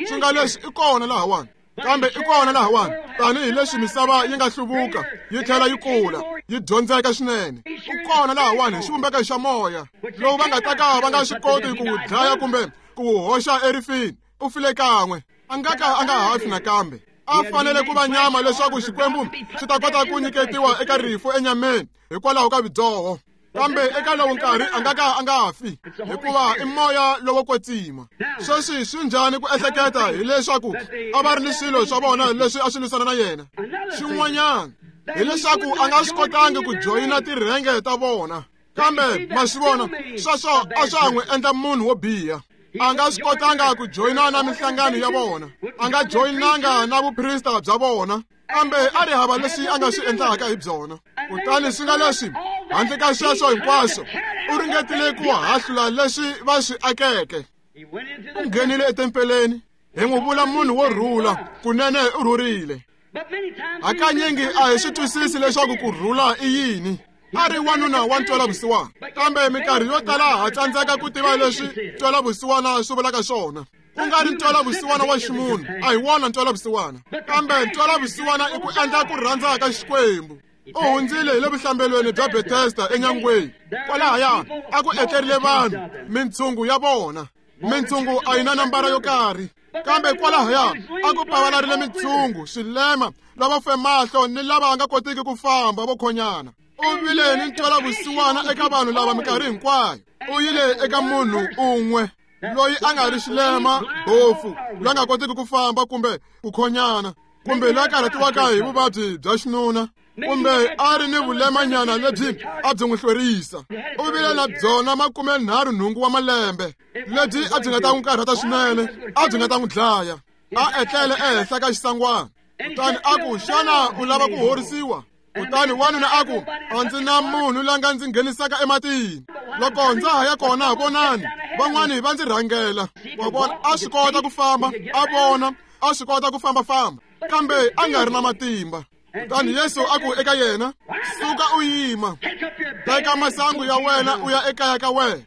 Swi nga leswi i kona lahawani, kambe i kona lahawani tanihi leswi misava yi nga hluvuka yi tlhela yi kula yi dyondzeka swinene. U kona lahawani hi xivumbeko xa moya lowu va nga ta ka va nga swi koti ku wu dlaya kumbe ku wu hoxa erifini. U file kan'we, a nga ka a nga ha fi nakambe. A fanele ku va nyama leswaku Xikwembu xi ta kota ku nyiketiwa eka rifu enyameni hikwalaho ka vudyoho. Kambe eka lowu nkarhi a nga ka a nga fi, hikuva i moya lowo kwetsima. Sweswi swi njhani ku ehleketa hileswaku a va ri ni swilo swa vona leswi a swi lwisana na yena? Xin'wanyana hileswaku a nga swi kotangi ku joyina tirhenge ta vona. Kambe ma swi vona, sweswo a swa ha n'wi endla munhu wo biha. A nga swi kotanga ku joyina na minhlangano ya vona, a nga joyinanga na vuprista bya vona, kambe a ri hava leswi a nga swi endlaka hi byona. Kutani swi nga leswi, handle ka sweswo hinkwaswo, u ringetile ku hahlula leswi va swi akeke. U nghenile etempeleni, hi n'wi vula munhu wo rhula, kunene u rhurile. Hakanyingi a hi swi twisisi leswaku ku rhula i yini. A ri wanuna wa ntwelavusiwana, kambe minkarhi yo tala ha tsandzeka ku tiva leswi ntwelavusiwana swi vulaka swona. Ku nga ri ntwelavusiwana wa ximunhu, a hi wona ntwelavusiwana, kambe ntwelavusiwana i ku endla ku rhandza ka Xikwembu. U hundzile hi le vuhlambelweni bya Bethesda enyangweni. Kwalahaya a ku etlerile vanhu, mintshungu ya vona. Mintshungu a yi na nambara yo karhi, kambe kwalahaya a ku pavalarile mintshungu, swilema, lava fe mahlo ni lava nga kotiki ku famba vo khonyana. U vile ni ntwelavusiwana eka vanhu lava minkarhi hinkwayo. U yile eka munhu un'we loyi a nga ri xilema, bofu, loyi a nga kotiki ku famba kumbe ku khonyana, kumbe loyi a karhatiwaka hi vuvabyi bya xinuna, kumbe a ri ni vulemanyana lebyi a byi n'wi hlwerisa. U vile na byona makume nharhu nhungu wa malembe, lebyi a byi nga ta n'wi karhata swinene, a byi nga ta n'wi dlaya. A etlele ehenhla ka xisangwana. Kutani a ku, xana u lava ku horisiwa? Kutani wanuna a ku, a ndzi na munhu la nga ndzi nghenisaka ematini. Loko ndza ha ya kona, vonani, van'wani va ndzi rhangela. Wa vona, a swi kota ku famba, a vona, a swi kota ku fambafamba, kambe a nga ri na matimba. Kutani Yesu a ku eka yena, suka u yima, teka masangu ya wena u ya ekaya ka wena.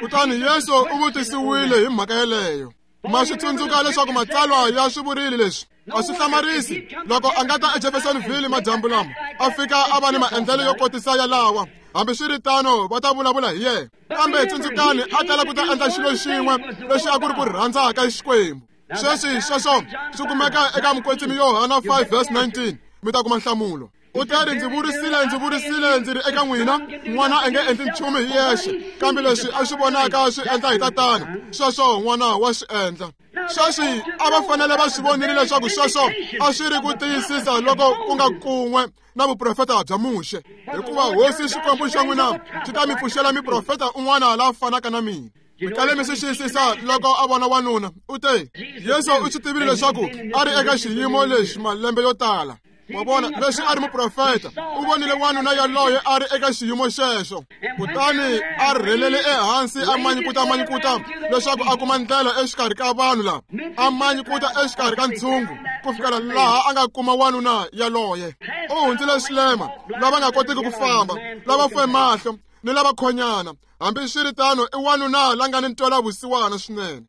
Kutani Yesu u vutisiwile hi mhaka yeleyo. Ma swi tsundzuka leswaku matsalwa ya swi vurile leswi. A swi hlamarisi loko a nga ta eJeffersonville madyambu lama, a fika a va ni maendlelo yo kotisa yalawa. Hambiswiritano va ta vulavula hi yena. Kambe tsundzukani, a tala ku ta endla xilo xin'we lexi a ku ri ku rhandza ka Xikwembu. Sweswi sweswo swi kumeka eka Mukwetsimi Yohana five verse nineteen. Mi ta kuma nhlamulo. U teri, ndzi vurisile, ndzi vurisile, ndzi ri eka n'wina, n'wana a nge endli nchumu hi yexe, kambe leswi a swi vonaka swi endla hi tatana, sweswo n'wana wa swi endla. Sweswi a va fanele va swi vonile leswaku sweswo a swi ri ku tiyisisa loko ku nga kun'we na vuprofeta bya Muxe, hikuva Hosi Xikwembu xa n'wina xi ta mi pfuxela miprofeta un'wana la fanaka na mina. Mi kale mi swi xiyisisa loko a vona wanuna, u te, Yesu u swi tivile leswaku a ri eka xiyimo lexi malembe yo tala. Wa vona, leswi a ri muprofeta, u vonile wanuna yaloye a ri eka xiyimo xexo. Kutani a rhelele ehansi a manyikuta manyikuta leswaku a kuma ndlela exikarhi ka vanhu lava, a manyikuta exikarhi ka ntshungu ku fikela laha a nga kuma wanuna yaloye. U hundzile swilema, lava nga kotiki ku famba, lava fe mahlo ni lava khonyana. Hambiswiritano i wanuna la nga ni ntwelavusiwana swinene.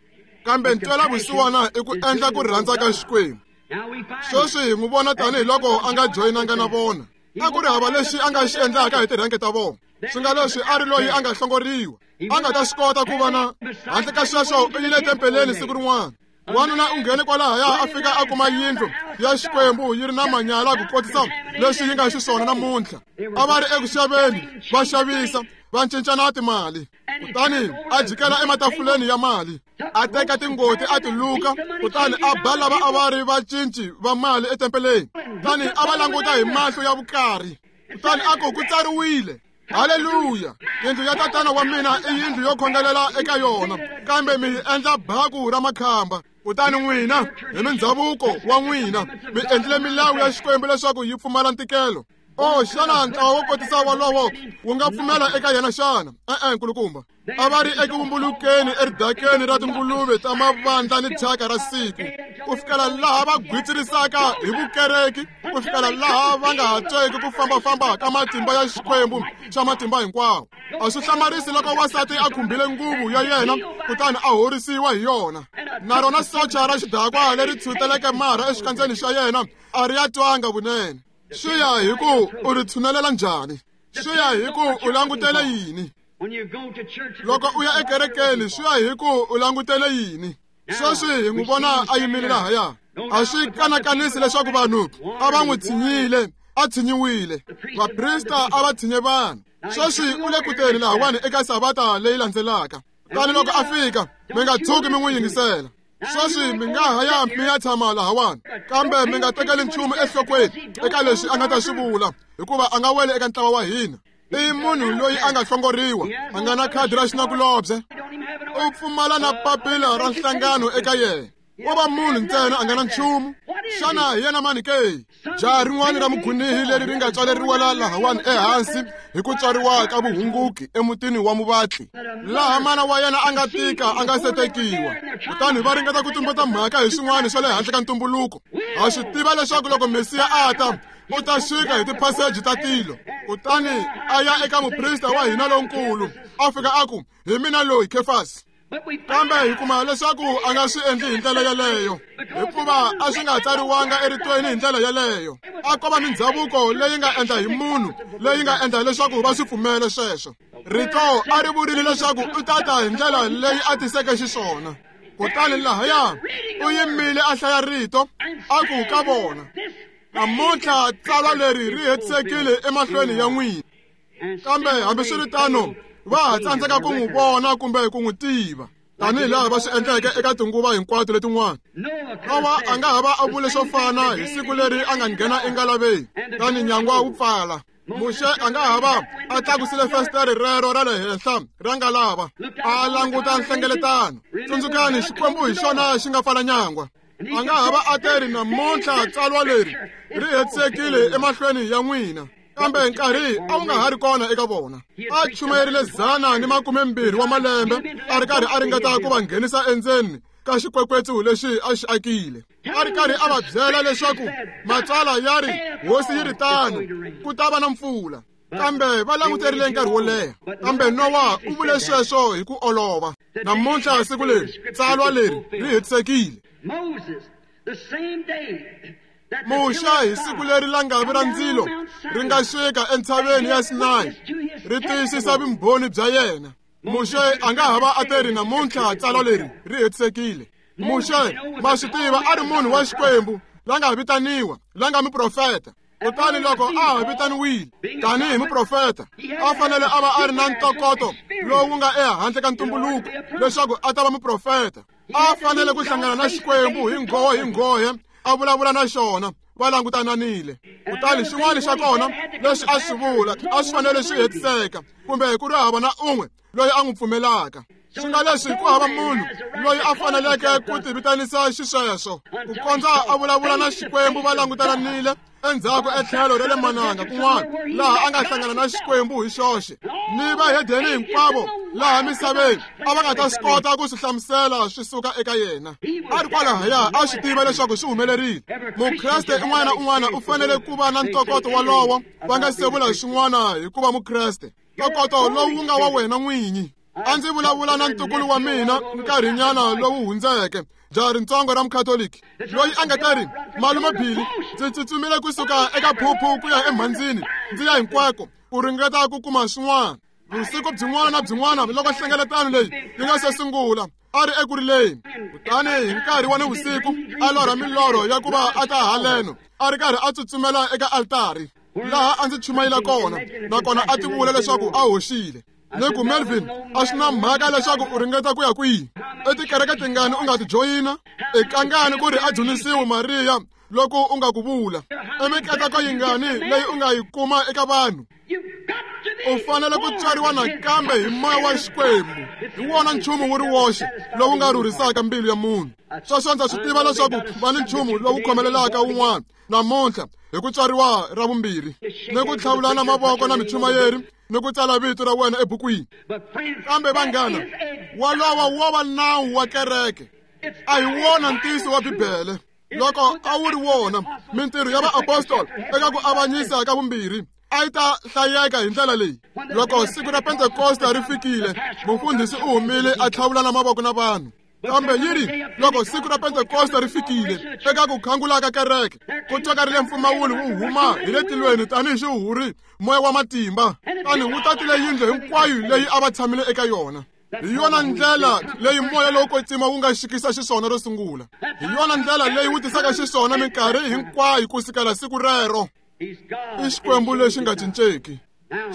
Kambe ntwelavusiwana i ku endla ku rhandza ka Xikwembu. Sweswi hi n'wi vona tanihiloko a nga joyinanga na vona. A ku ri hava lexi a nga xi endlaka hi tirhange ta vona. Swi nga leswi a ri loyi a nga hlongoriwa, a nga ta swi kota ku va na. Handle ka sweswo u yile tempeleni siku rin'wana. Wanuna u nghene kwalahaya a fika a kuma yindlu ya Xikwembu yi ri na manyala ku kotisa leswi yi nga xiswona namuntlha. A va ri eku xaveni, va xavisa, va cincana timali. Kutani a jikela ematafuleni ya mali, a teka tingoti a ti luka, kutani a ba lava a va ri vacinci va mali etempeleni. Kutani a va languta hi mahlo ya vukarhi. Kutani a ku, ku tsariwile, haleluya, yindlu ya tatana wa mina i yindlu yo khongelela eka yona, kambe mi yi endla baku ra makhamba. Kutani n'wina hi mindzhavuko wa n'wina mi endlile milawu ya Xikwembu leswaku yi pfumala ntikelo. O xana ntlawa wo kotisa wolowo wu nga pfumela eka yena xana? E-e, nkulukumba. A va ri eku vumbulukeni eridakeni ra tinguluve ta mavandla ni thyaka ra siku, ku fikela laha va gwitsirisaka hi vukereki, ku fikela laha va nga ha tweki ku fambafamba ka matimba ya Xikwembu xa matimba hinkwawo. A swi hlamarisi loko wansati a khumbile nguvu ya yena kutani a horisiwa hi yona. Na rona socha ra xidakwa leri tshuteleke marha exikandzeni xa yena a ri ya twanga vunene. Swi ya hi ku u ri tshunelela njhani, swi ya hi ku u langutele yini. Loko u ya ekerekeni, swi ya hi ku u langutele yini. Sweswi hi n'wi vona a yimile lahaya. A swi kanakanisi leswaku vanhu a va n'wi tshinyile, a tshinyiwile. Vaprista a va tshinye vanhu. Sweswi u le ku teni lahawani eka savata leyi landzelaka. Kutani loko a fika, mi nga tshuki mi n'wi yingisela. Sweswi mi nga ha ya mi ya tshama lahawani, kambe mi nga tekeli nchumu enhlokweni eka leswi a nga ta swi vula, hikuva a nga weli eka ntlawa wa hina. I munhu loyi a nga hlongoriwa, a nga na khadi ra xinakulobye, u pfumala na papila ra nhlangano eka yena. Wo va munhu ntsena a nga na nchumu. Xana hi yena mani ke? Jaha rin'wana ra mugunihi leri ri nga tswaleriwa lahawani ehansi hi ku tswariwa ka vuhunguki emutini wa muvatli, laha mana wa yena a nga tika a nga se tekiwa. Kutani va ringeta ku tumbeta mhaka hi swin'wana swa le handle ka ntumbuluko. Ha swi tiva leswaku loko Mesiya a ta, u ta xika hi tiphaseji ta tilo. Kutani a ya eka muprista wa hina lonkulu, a fika a ku, hi mina loyi Kefasi. Kambe hi kuma leswaku a nga swi endli hi ndlela yeleyo, hikuva a swi nga tsariwanga eritweni hi ndlela yeleyo. A ko va mindhavuko leyi nga endla hi munhu, leyi nga endla leswaku va swi pfumele sweswo. Rito a ri vurile leswaku u ta ta hi ndlela leyi a tiseke xiswona. Kutani lahaya u yimile a hlaya rito, a ku ka vona, namuntlha tsalwa leri ri hetisekile emahlweni ya n'wina. Kambe hambiswiritano va ha tsandzeka ku n'wi vona kumbe ku n'wi tiva, tanihi laha va swi endleke eka tinguva hinkwato letin'wana. Nowa a nga ha va a vule swo fana hi siku leri a nga nghena engalaveni, tani nyangwa wu pfala. Muxe a nga ha va a tlakusile fesitere rero ra le henhla ra ngalava, a languta nhlengeletano. Tsundzukani, Xikwembu hi xona xi nga pfala nyangwa. A nga ha va a teri, namuntlha tsalwa leri ri hetisekile emahlweni ya n'wina. Kambe nkarhi a wu nga ha ri kona eka vona. A chumayerile dzana ni makume mbirhi wa malembe a ri karhi a ringeta ku va nghenisa endzeni ka xikwekwetsu lexi a xi akile. A ri karhi a va byela leswaku matsalwa ya ri hosi yi ri tano, ku ta va na mpfula. Kambe va languterile nkarhi wo leha. Kambe Nowa u vule sweswo hi ku olova. Namuntlha siku leri tsalwa leri ri hetisekile. Muxe hi siku leri langavi ra ndzilo ri nga xika entshaveni ya Sinayi ri tiyisisa vumbhoni bya yena. Muxe a nga ha va a teri, namuntlha tsalwa leri ri hetisekile. Muxe ma swi tiva a ri munhu wa Xikwembu la nga vitaniwa, la nga muprofeta. Kutani loko a ha vitaniwile tanihi muprofeta, a fanele a va a ri na ntokoto lowu nga ehandle ka ntumbuluko leswaku a ta va muprofeta. A fanele ku hlangana na Xikwembu hi nghohe hi nghohe, a vulavula na xona, va langutananile. Kutani xin'wana xa kona leswi a swi vula a swi fanele swi hetiseka, kumbe ku ri hava na un'we loyi a n'wi pfumelaka. Swi nga leswi ku hava munhu loyi a faneleke ku tivitanisa xisweswo, ku kondza a vulavula na Xikwembu va langutananile endzhaku etlhelo ra le mananga kun'wana, laha a nga hlangana na Xikwembu hi xoxe. Ni vahedeni hinkwavo laha misaveni a va nga ta swi kota ku swi hlamusela swi suka eka yena. A ri kwalahaya a swi tiva leswaku swi humelerile. Mukreste un'wana na un'wana u fanele ku va na ntokoto wolowo va nga se vula xin'wana hi ku va Mukreste. Ntokoto lowu nga wa wena n'winyi. A ndzi vulavula na ntukulu wa mina nkarhinyana lowu hundzeke, jaha rintsongo ra mukhatoliki loyi a nga ta ri, malume Billy, ndzi tsutsumile kusuka eka phuphu ku ya emhandzini ndzi ya hinkwako ku ringeta ku kuma swin'wana. Vusiku byin'wana na byin'wana loko nhlengeletano leyi yi nga se sungula, a ri eku rileni. Kutani hi nkarhi wa nivusiku a lorha milorho ya ku va a ta haleno, a ri karhi a tsutsumela eka altari laha a ndzi chumayela kona, nakona a tivula leswaku a hoxile. Ni ku, Melvin, a swi na mhaka leswaku u ringeta ku ya kwihi, etikereke tingani u nga ti joyina, i kangani ku ri a dzunisiwe Mariya loko u nga ku vula, i mikateko yingani leyi u nga yi kuma eka vanhu. U fanele ku tswariwa nakambe hi moya wa Xikwembu. Hi wona nchumu wu ri woxe lowu nga rhurhisaka mbilu ya munhu. Sweswo ndza swi tiva leswaku va ni nchumu lowu khomelelaka wun'wana namuntlha hi ku tswariwa ra vumbirhi, ni ku tlhavulana mavoko na michumayeri, ni ku tsala vito ra wena ebukwini. Kambe vanghana, walowo wo va nawu wa kereke, a hi wona ntiyiso wa Bibele. Loko a wu ri wona, mintirho ya vaapostoli eka ku avanyisa ka vumbirhi a yi ta hlayeka hi ndlela leyi. Loko siku ra Pentekosta ri fikile, mufundhisi u humile a tlhavulana mavoko na vanhu. Kambe yi ri, loko siku ra Pentekosta ri fikile, eka ku khangula ka kereke, ku twakarile mpfumawulo wu huma hi le tilweni tanihi xihuhuri, moya wa matimba, tani wu tatile yindlu hinkwayo leyi a va tshamile eka yona. Hi yona ndlela leyi moya lowo kwetsima wu nga xikisa xiswona ro sungula. Hi yona ndlela leyi wu tisaka xiswona minkarhi hinkwayo ku sukela siku rero. I Xikwembu lexi nga cinceki.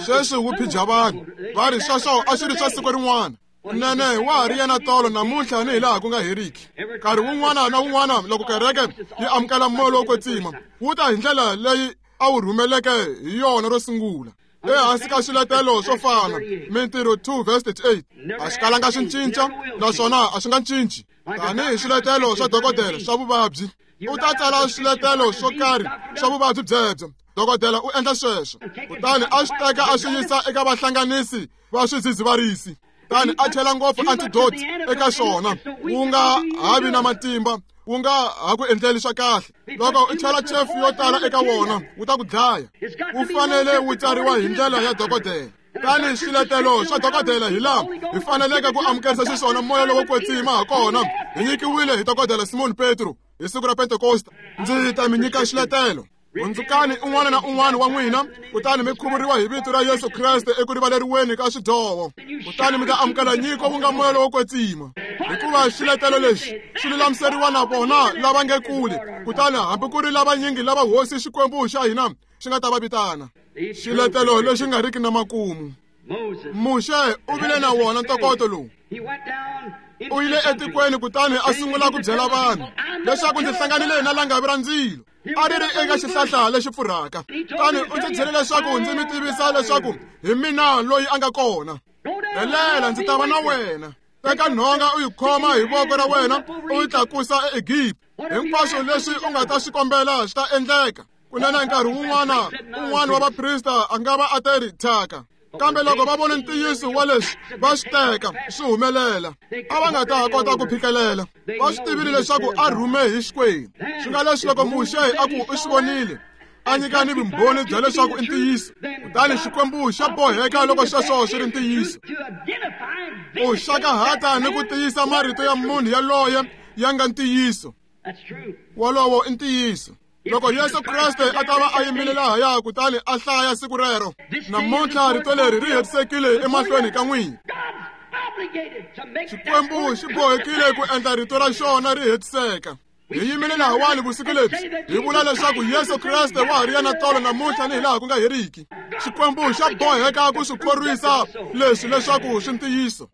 Sweswi wu phija vanhu va ri sweswo a swi ri swa siku rin'wana. Nene wa ha ri yena tolo namuntlha ni hi laha ku nga heriki. Nkarhi wun'wana na wun'wana loko kereke yi amukela moya lowo kwetsima, wu ta hi ndlela leyi a wu rhumeleke hi yona ro sungula. Ehansi ka swiletelo swo fana, Mintirho two verse thirty-eight, a swi kalanga swi cinca naswona a swi nga cinci. Tanihi swiletelo swa dokodela swa vuvabyi, u ta tsala swiletelo swo karhi swa vuvabyi byebyo. Dokodela u endla sweswo, kutani a swi teka a swi yisa eka vahlanganisi va swidzidziharisi, kutani a chela ngopfu antidote eka swona, wu nga ha vi na matimba, wu nga ha ku endleli swa kahle. Loko u chela chefu yo tala eka wona, wu ta ku dlaya. Wu fanele wu tsariwa hi ndlela ya dokodela. Tani swiletelo swa dokodela hi laha hi faneleke ku amukerisa xiswona moya lowo kwetsima ha kona. Hi nyikiwile hi dokodela Simon Petro hi siku ra Pentekosta. Ndzi ta mi nyika xiletelo. Hundzukani un'wana na un'wana wa n'wina, kutani mi khuvuriwa hi vito ra Yesu Kreste eku rivaleriweni ka swidyoho, kutani mi ta amukela nyiko wu nga moya lowo kwetsima. Hikuva xiletelo lexi xi lulamiseriwa na vona lava nge kule, kutani hambi ku ri lavanyingi lava Hosi Xikwembu xa hina xi nga ta va vitana. Xiletelo lexi nga riki na makumu. Muxe u vile na wona ntokoto lowu. U yile etikweni kutani a sungula ku byela vanhu leswaku ndzi hlanganile na langavi ra ndzilo, a ri ri eka xihlahla lexi pfurhaka. Kutani u ndzi byele leswaku ndzi mi tivisa leswaku hi mina loyi a nga kona. Rhelela, ndzi ta va na wena. Teka nhonga u yi khoma hi voko ra wena u yi tlakusa eEgipta. Hinkwaswo leswi u nga ta swi kombela swi ta endleka. Kunene nkarhi wun'wana un'wana wa vaprista a nga va a te ri thyaka, kambe loko va vone ntiyiso wa leswi va swi teka swi humelela, a va nga ta kota ku phikelela. Va swi tivile leswaku a rhume hi Xikwembu. Swi nga leswi loko Muxe a ku u swi vonile, a nyika ni vumbhoni bya leswaku i ntiyiso, kutani Xikwembu xa boheka loko sweswo swi ri ntiyiso. U xakahata ni ku tiyisa marito ya munhu yaloye ya nga ntiyiso. Wolowo i ntiyiso. Loko Yesu Kreste a ta va a yimile lahaya kutani a hlaya siku rero, namuntlha rito leri ri hetisekile emahlweni ka n'wina. Xikwembu xi bohekile ku endla rito ra xona ri hetiseka. Hi yimile lahawani vusiku lebyi hi vula leswaku Yesu Kreste wa ha ri yena tolo namuntlha ni hilaha ku nga heriki. Xikwembu xa boheka ku swi khorwisa leswi leswaku swi ntiyiso,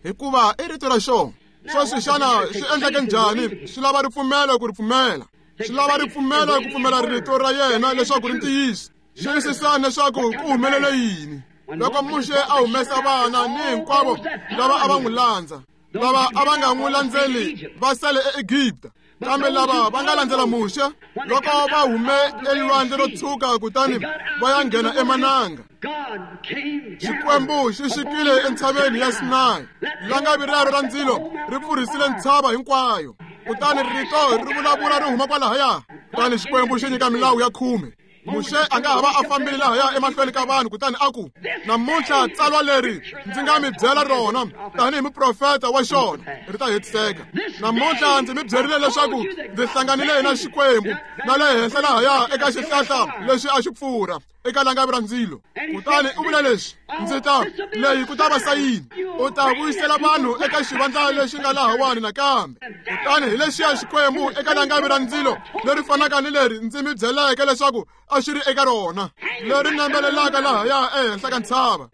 hikuva i rito ra xona. Sweswi xana swi endleke njhani? Swi lava ripfumelo ku ri pfumela. Swi lava ripfumelo ku pfumela rito ra yena leswaku ri ntiyiso. Xiyisisani leswaku ku humelele yini loko Muxe a humesa vana ni hinkwavo lava a va n'wi landza. Lava a va nga n'wi landzeli va sale eEgipta, kambe lava va nga landzela Muxe loko va hume elwandle ro tshuka kutani va ya nghena emananga, Xikwembu xi xikile entshaveni ya Sinayi. Langavi rero ra ndzilo ri pfurhisile ntshava hinkwayo, kutani rito ri vulavula ri huma kwalahaya. Kutani Xikwembu xi nyika milawu ya khume. Muxe a nga ha va a fambile lahaya emahlweni ka vanhu kutani a ku, namuntlha tsalwa leri ndzi nga mi byela rona tanihi muprofeta wa xona ri ta hetiseka. Namuntlha ndzi mi byerile leswaku ndzi hlanganile na Xikwembu na le henhla lahaya eka xihlahla lexi a xi pfurha eka langavi ra ndzilo. Kutani u vula leswi, ndzi ta leyi ku ta va sayini, u ta vuyisela vanhu eka xivandla lexi nga lahawani nakambe. Kutani hi lexiya Xikwembu eka langavi ra ndzilo leri fanaka ni leri ndzi mi byeleke leswaku a xi ri eka rona, leri nambelelaka lahaya ehenhla ka ntshava.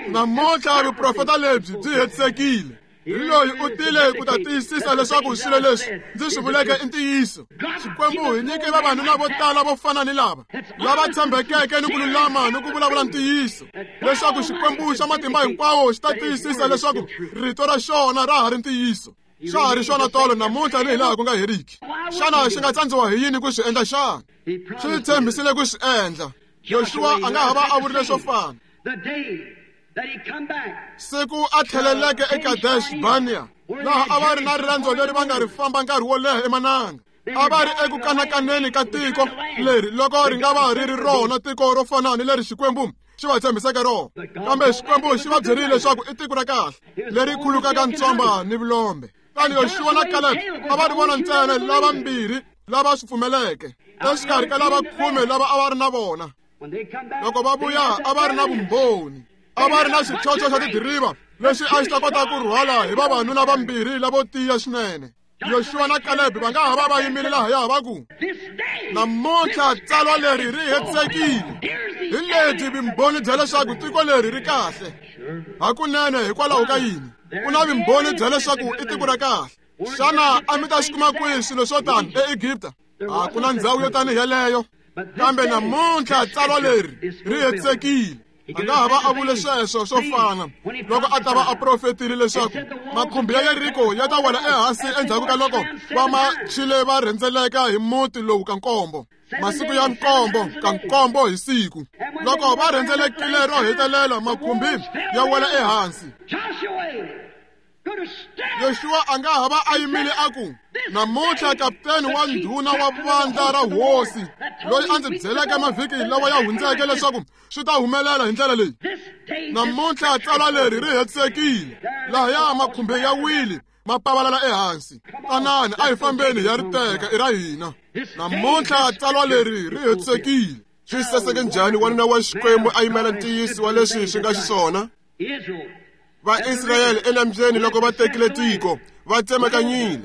Namuntlha vuprofeta lebyi byi hetisekile. Hi loyi u tile ku ta tiyisisa leswaku swilo leswi ndzi swi vuleke i ntiyiso. Xikwembu hi nyike vavanuna vo tala vo fana ni lava, lava tshembekeke ni ku lulama ni ku vulavula ntiyiso, leswaku Xikwembu xa matimba hinkwawo xi ta tiyisisa leswaku rito ra xona ra ha ri ntiyiso. Xa ha ri xona tolo namuntlha ni hilaha ku nga heriki. Xana xi nga tsandziwa hi yini ku swi endla xana? Xi tshembisile ku swi endla. Yoxuwa a nga ha va a vurile swo fana. Siku a tlheleleke eKadesh Barnea, laha a va ri na rirendzo leri va nga ri famba nkarhi wo leha emananga. A va ri eku kanakaneni ka tiko leri loko ri nga va ri ri rona tiko ro fana ni leri Xikwembu xi va tshembiseke rona. Kambe Xikwembu xi va byerile leswaku i tiko ra kahle leri khulukaka ntswamba ni vulombe. Kutani Yoxuwa na Kalebe a va ri vona ntsena lavambirhi lava swi pfumeleke exikarhi ka lava khume lava a va ri na vona. Loko va vuya a va ri na vumbhoni, a va ri na xichocho xa tidiriva lexi a xi ta kota ku rhwala hi vavanuna vambirhi lavo tiya swinene. Yoxuwa na Kalebe va nga ha va va yimile lahaya va ku, namuntlha tsalwa leri ri hetisekile. Hi lebyi vumbhoni bya leswaku tiko leri ri kahle. Hakunene hikwalaho ka yini? Ku na vumbhoni bya leswaku i tiko ra kahle. Xana a mi ta swi kuma kwihi swilo swo tani eEgipta? A ku na ndhawu yo tani yeleyo. Kambe namuntlha tsalwa leri ri hetisekile. A nga ha va a vule sweswo swo fana loko a ta va a profetile leswaku makhumbi ya Yeriko ya ta wela ehansi endzhaku ka loko va machile va rhendzeleka hi muti lowu ka nkombo, masiku ya nkombo ka nkombo hi siku. Loko va rhendzelekile ro hetelela, makhumbi ya wela ehansi. Yoshua a nga ha va a yimile a ku, namuntlha kaputeni wa ndhuna wa vandla ra hosi loyi a ndzi byeleke mavhiki lawa ya hundzeke leswaku swi ta humelela hi ndlela leyi, namuntlha tsalwa leri ri hetisekile. Lahaya makhumbi ya wile ma pavalala ehansi. Tanani a hi fambeni hi ya ri teka, i ra hina. Namuntlha tsalwa leri ri hetisekile. Swi saseke njhani wanuna wa Xikwembu a yimela ntiyiso wa leswi swi nga xiswona. Vaisrayele enambyeni loko va tekile tiko va tsemakanyile.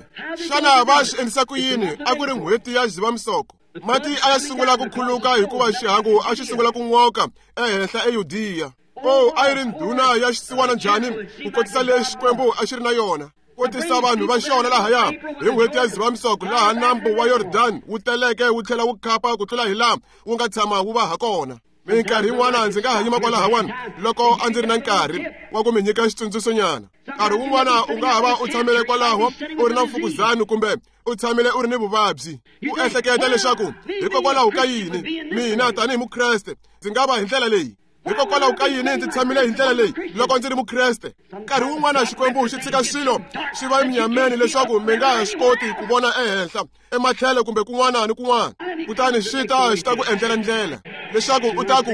Xana va swi endlisa ku yini? A ku ri n'hweti ya Dzivamisoko. Mati a ya sungula ku khuluka hikuva xihangu a xi sungula ku n'oka ehenhla eYudiya. O a yi ri ndhuna ya xisiwana njhani ku kotisa leswi Xikwembu a xi ri na yona, ku tisa vanhu va xona lahaya hi n'hweti ya Dzivamisoko, laha nambu wa Yordani wu teleke wu tlhela wu khapa ku tlula hi laha wu nga tshama wu va ha kona. Minkarhi yin'wana ndzi nga ha yima kwalahawani loko a ndzi ri na nkarhi wa ku mi nyika xitsundzuxonyana. Nkarhi wun'wana u nga ha va u tshamile kwalaho u ri na mfukuzani kumbe u tshamile u ri ni vuvabyi, u ehleketa leswaku hikokwalaho ka yini mina tanihi Mukreste ndzi nga va hi ndlela leyi, hikokwalaho ka yini ndzi tshamile hi ndlela leyi loko ndzi ri Mukreste. Nkarhi wun'wana Xikwembu xi tshika swilo swi va eminyameni leswaku mi nga ha swi koti ku vona ehenhla, ematlhelo kumbe kun'wana ni kun'wana, kutani xi ta xi ta ku endlela ndlela leswaku u ta ku,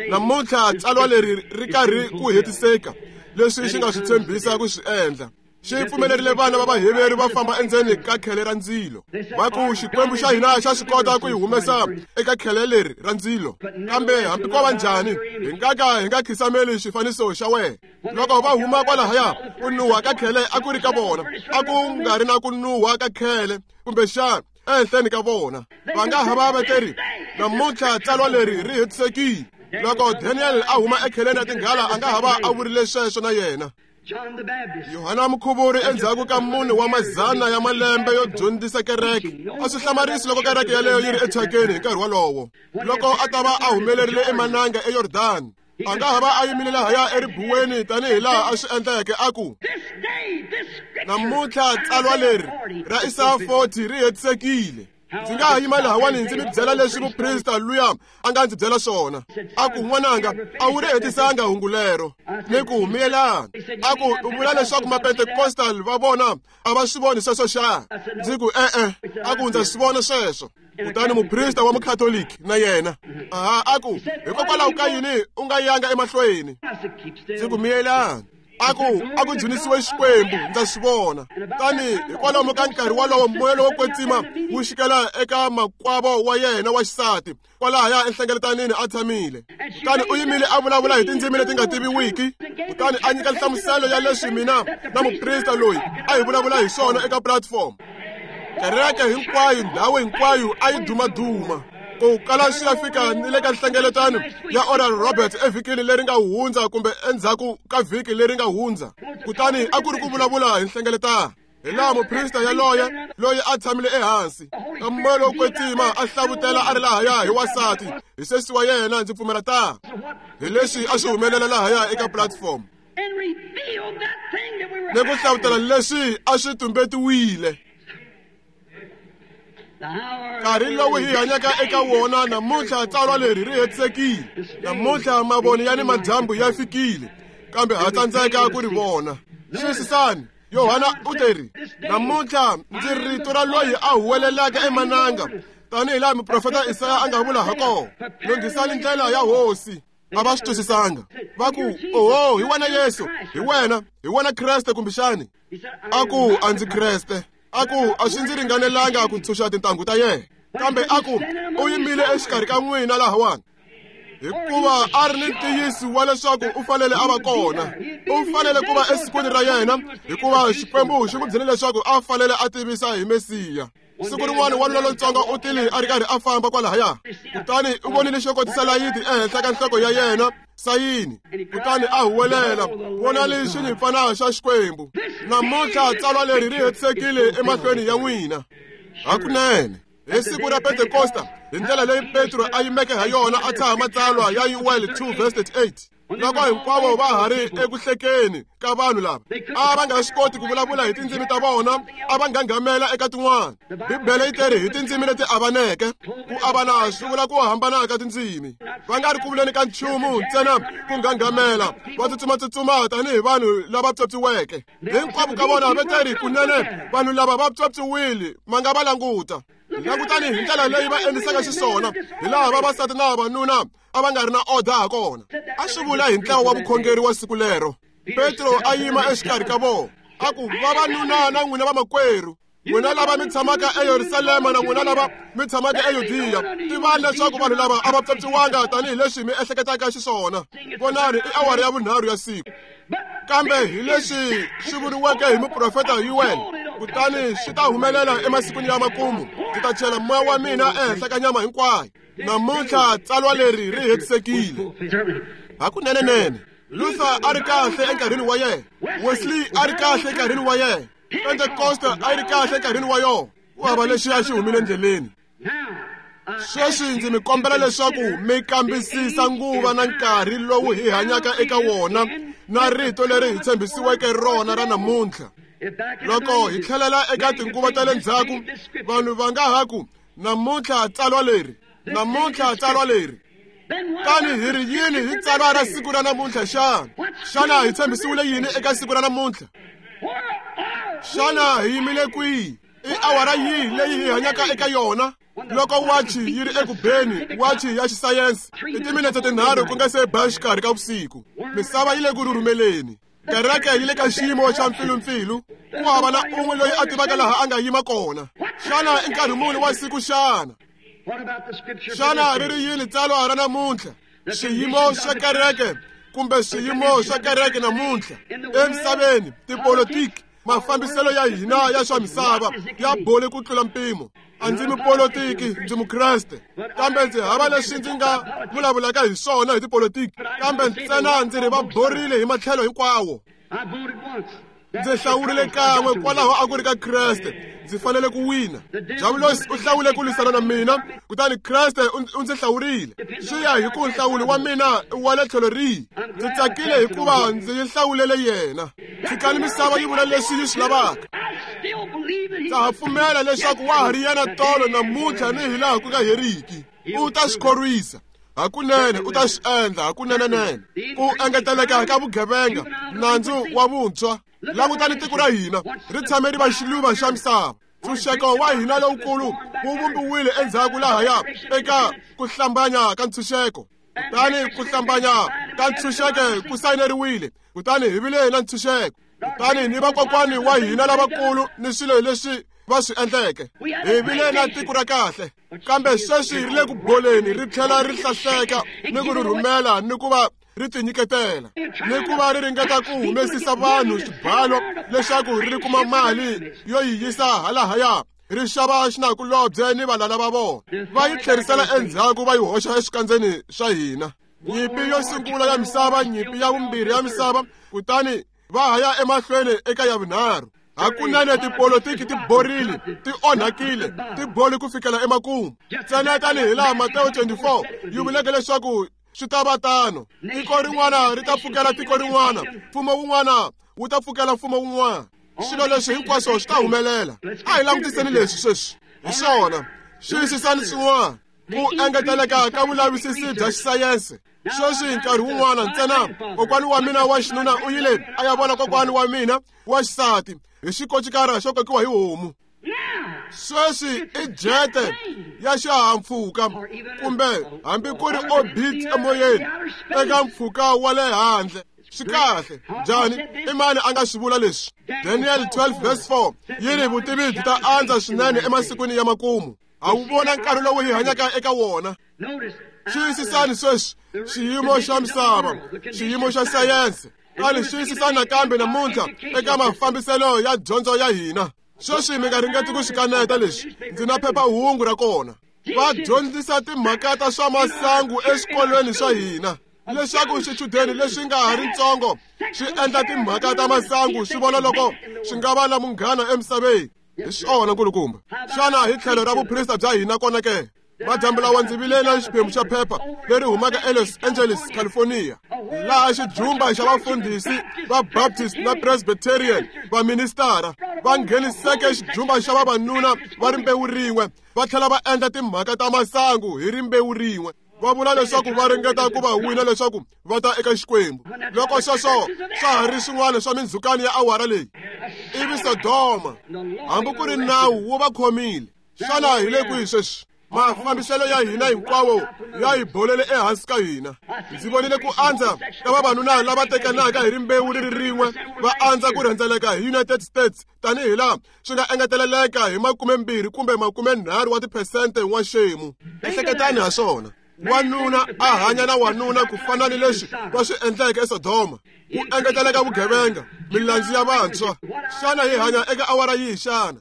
namuntlha tsalwa leri ri karhi ku hetiseka leswi xi nga swi tshembisa ku swi endla. Xi pfumelerile vana va Vaheveri va famba endzeni ka khele ra ndzilo. Va ku Xikwembu xa hina xa swi kota ku hi humesa eka khele leri ra ndzilo, kambe hambi ko va njhani hi nga ka hi nga khisameli xifaniso xa wena. Loko va huma kwalahaya, ku nuha ka khele a ku ri ka vona, a ku nga ri na ku nuha ka khele kumbexana ehenhleni ka vona. Va nga ha va veteri, namuntlha tsalwa leri ri hetisekile. Loko Daniel a huma ekheleni ya tinghala, a nga ha va a vurile sweswo na yena. Yohana Mukhuvuri endzhaku ka mune wa mazana ya malembe yo dyondzisa kereke, a swi hlamarisi loko kereke yaleyo yi ri ethyakeni hi nkarhi wolowo. Loko a ta va a humelerile emananga eYordani, a nga ha va a yimile lahaya eribuweni tanihi laha a swi endleke, a ku, namuntlha tsalwa leri ra Isaya forty ri hetisekile. Ndzi nga ha yima lahawani ndzi mi byela leswi muprista luya a nga ndzi byela swona. A ku, n'wananga, a wu ri hetisanga hungu lero. Ni ku miyelani. A ku, u vula leswaku Mapentecostal va vona a va swi voni sweswo xa? Ndzi ku, e-e. A ku, ndza swi vona sweswo. Kutani muprista wa Mukhatoliki na yena, aha, a ku, hikokwalaho ka yini u nga yanga emahlweni? Ndzi ku, miyelani. A ku, a ku dzunisiwe Xikwembu, ndza swi vona. Tani hikwalomu ka nkarhi wolowo moya lowo kwetsima wu xikela eka makwavo wa yena wa xisati kwalahaya enhlengeletanini a tshamile. Kutani u yimile a vulavula hi tindzimi leti nga tiviwiki, kutani a nyika nhlamuselo ya leswi mina na muprista loyi a hi vulavula hi swona eka platform. Kereke hinkwayo, ndhawu hinkwayo a yi dumaduma ku kala swi ya fika ni le ka nhlengeletano ya Oral Roberts evhikini leri nga hundza kumbe endzhaku ka vhiki leri nga hundza. Kutani a ku ri ku vulavula hi nhlengeletano, hi laha muprista yaloye loyi a tshamile ehansi ka moya lowo kwetsima a hlavutela a ri lahaya hi wansati hi sesi wa yena, ndzi pfumela ta hi leswi a swi humelela lahaya eka platform, ni ku hlavutela leswi a swi tumbetiwile. Nkarhi lowu hi hanyaka eka wona namuntlha tsalwa leri ri hetisekile. Namuntlha mavoni ya ni madyambu ya fikile, kambe ha tsandzeka ku ri vona. Xiyisisani, Yohana u teri, namuntlha ndzi rito ra loyi a huwelelaka emananga, tanihi laha muprofeta Isaya a nga vula ha kona, lunghisani ndlela ya Hosi. A va swi twisisanga. Va ku, oho, hi wena Yesu, hi wena, hi wena Kreste kumbexani. A ku, a ndzi Kreste. A ku, a swi ndzi ringanelanga ku ntshunxa tintangu ta yena. Kambe a ku, u yimile exikarhi ka n'wina lahawani, hikuva a ri ni ntiyiso wa leswaku u fanele a va kona. U fanele ku va esikwini ra yena, hikuva Xikwembu xi n'wi byele leswaku a fanele a tivisa hi Mesiya. Siku rin'wana wanuna lontsongo u tile a ri karhi a famba kwalahaya, kutani u vonile xo kotisa layiti ehenhla ka nhloko ya yena, sayini, kutani a huwelela, vonani xinyimpfana xa Xikwembu. Namuntlha tsalwa leri ri hetisekile emahlweni ya n'wina. Hakunene, hi siku ra Pentekosta, hi ndlela leyi Petro a yimeke ha yona a tshaha matsalwa ya Yoel two verse thirty-eight. Loko hinkwavo va ha ri eku hlekeni ka vanhu lava, a va nga swi koti ku vulavula hi tindzimi ta vona, a va nghanghamela eka tin'wana. Bibele yi teri hi tindzimi leti avaneke. Ku avana swi vula ku hambana ka tindzimi. Va nga ri ku vuleni ka nchumu ntsena ku nghanghamela, va tsutsumatsutsuma tanihi vanhu lava pyopyiweke. Hinkwavo ka vona va teri kunene vanhu lava va pyopyiwile, ma nga va languta. Langutani hi ndlela leyi va endlisaka xiswona, hi laha vavasati na vavanuna a va nga ri na order ha kona. A swi vula hi ntlawa wa vukhongeri wa siku lero. Petro a yima exikarhi ka vona, a ku, vavanuna na n'wina vamakwerhu, n'wina lava mi tshamaka eYerusalema na n'wina lava mi tshamaka eYudiya, tivani leswaku vanhu lava a va pyopyiwanga tanihileswi mi ehleketaka xiswona. Vonani, i awara ya vunharhu ya siku. Kambe hi leswi swi vuriweke hi muprofeta Yuwele, kutani swi ta humelela emasikwini ya makumu, ndzi ta chela moya wa mina ehenhla ka nyama hinkwayo. Namuntlha tsalwa leri ri hetisekile. Hakunenenene, Luther a ri kahle enkarhini wa yena, Wesley a ri kahle enkarhini wa yena, Pentecost a yi ri kahle enkarhini wa yona. Ku hava lexi a xi humile endleleni. Sweswi ndzi mi kombela leswaku mi kambisisa nguva na nkarhi lowu hi hanyaka eka wona na rito leri hi tshembisiweke rona ra namuntlha. Loko hi tlhelela eka tinguva ta le ndzhaku, vanhu va nga ha ku, namuntlha tsalwa leri, namuntlha tsalwa leri. Tani hi ri yini hi tsalwa ra siku ra namuntlha xana? Xana hi tshembisiwile yini eka siku ra namuntlha? Xana hi yimile kwihi? I awara yihi leyi hi hanyaka eka yona? Loko wachi yi ri eku beni, wachi ya xisayense, i timinetse tinharhu ku nga se ba xikarhi ka vusiku. Misava yi le ku rhurhumeleni. Kereke yi le ka xiyimo xa mpfilumpfilu. Ku hava na un'we loyi a tivaka laha a nga yima kona. Xana i nkarhi muni wa siku xana? Xana ri ri yini tsalwa ra namuntlha? Xiyimo xa kereke kumbe swiyimo swa kereke namuntlha emisaveni, tipolitiki, mafambiselo ya hina ya swa misava ya bole ku tlula mpimo. A ndzi mupolitiki, ndzi mukreste, kambe ndzi hava leswi ndzi nga vulavulaka hi swona hi tipolitiki, kambe ntsena ndzi ri va borile hi matlhelo hinkwawo. Ndzi hlawurile kan'we, kwalaho a ku ri ka Kreste, ndzi fanele ku wina. Diabulosi u hlawule ku lwisana na mina, kutani Kreste u ndzi hlawurile. Swi ya hi ku nhlawulo wa mina wa le tlhelo rihi. Ndzi tsakile hikuva ndzi yi hlawulele yena. Tshikani misava yi vula leswi yi swi lavaka. Ndza ha pfumela leswaku wa ha ri yena tolo namuntlha ni hilaha ku nga heriki. U ta swi khorwisa. Hakunene u ta swi endla, hakunenenene. Ku engeteleka ka vugevenga, nandzu wa vuntshwa. Langutani tiko ra hina ri tshame ri va xiluva xa misava. Ntshunxeko wa hina lowukulu wu vumbiwile endzhaku lahaya eka ku hlambanya ka ntshunxeko. Kutani ku hlambanya ka ntshunxeko ku sayineriwile, kutani hi vile na ntshunxeko. Kutani ni vakokwani wa hina lavakulu ni swilo leswi va swi endleke, hi vile na tiko ra kahle. Kambe sweswi ri le ku boleni, ri tlhela ri hlahleka ni ku rhurhumela ni ku va ri tinyiketela, ni ku va ri ringeta ku humesisa vanhu xibalo leswaku ri kuma mali yo yi yisa halahaya, ri xava xinakulobye ni valala va vona, va yi tlherisela endzhaku va yi hoxa eswikandzeni swa hina. Nyimpi yo sungula ya misava, nyimpi ya vumbirhi ya misava, kutani va ha ya emahlweni eka ya vunharhu. Hakunene tipolitiki ti borile, ti onhakile, ti boli ku fikela emakumu. Ntsena tanihi laha Matewu twenty-four yi vuleke leswaku swi ta va tano. Tiko rin'wana ri ta pfukela tiko rin'wana, mfumo wun'wana wu ta pfukela mfumo wun'wana. Swilo leswi hinkwaswo swi ta humelela. A hi langutiseni leswi sweswi. Hi swona, xiyisisani swin'wana. Ku engeteleka ka vulavisisi bya xisayense. Sweswi nkarhi wun'wana ntsena kokwani wa mina wa xinuna u yile a ya vona kokwani wa mina wa xisati hi xikocikara xo kokiwa hi homu. Sweswi i jete ya xihahampfhuka kumbe hambi ku ri orbit emoyeni eka mpfhuka wa le handle. Swi kahle. Njhani? I mani a nga swi vula leswi? Daniel twelve verse four yi ri vutivi byi ta andza swinene emasikwini ya makumu. A wu vona nkarhi lowu hi hanyaka eka wona. Xiyisisani sweswi xiyimo xa misava, xiyimo xa sayense. Kani xiyisisani nakambe namuntlha eka mafambiselo ya dyondzo ya hina. Sweswi mi nga ringeti ku swi kaneta leswi, ndzi na phephahungu ra kona. Va dyondzisa timhaka ta swa masangu eswikolweni swa hina, leswaku swichudeni leswi nga ha ri ntsongo swi endla timhaka ta masangu swi vona loko swi nga va na munghana emisaveni. Hi swona nkulukumba. Xana hi tlhelo ra vuprista bya hina kona ke? Madyambu lawa ndzi vilela xiphemu xa phepha leri humaka eLos Angeles, California, laha xijumba xa vafundhisi va Baptist na Presbyterian va ministara va ngheniseke xijumba xa vavanuna va rimbewu rin'we va tlhela va endla timhaka ta masangu hi rimbewu rin'we. Va vula leswaku va ringeta ku va wina leswaku va ta eka Xikwembu. Loko sweswo swa ha ri swin'wana swa mindzhukano ya awara leyi, ivi Sodoma hambi ku ri nawu wu va khomile. Xana hi le kwihi sweswi? Mafambiselo ya hina hinkwawo ya hi bolele ehansi ka hina. Ndzi vonile ku andza ka vavanuna lava tekanaka hi rimbewu ri ri rin'we va andza ku rhendzeleka hi United States tanihi laha swi nga engeteleleka hi makumembirhi kumbe makumenharhu wa tiphesente n'waxemu. Ehleketani ha swona. Wanuna a hanya na wanuna ku fana ni leswi va swi endleke eSodoma, ku engeteleka vugevenga, milandzu ya vantshwa. Xana hi hanya eka awara yihi xana?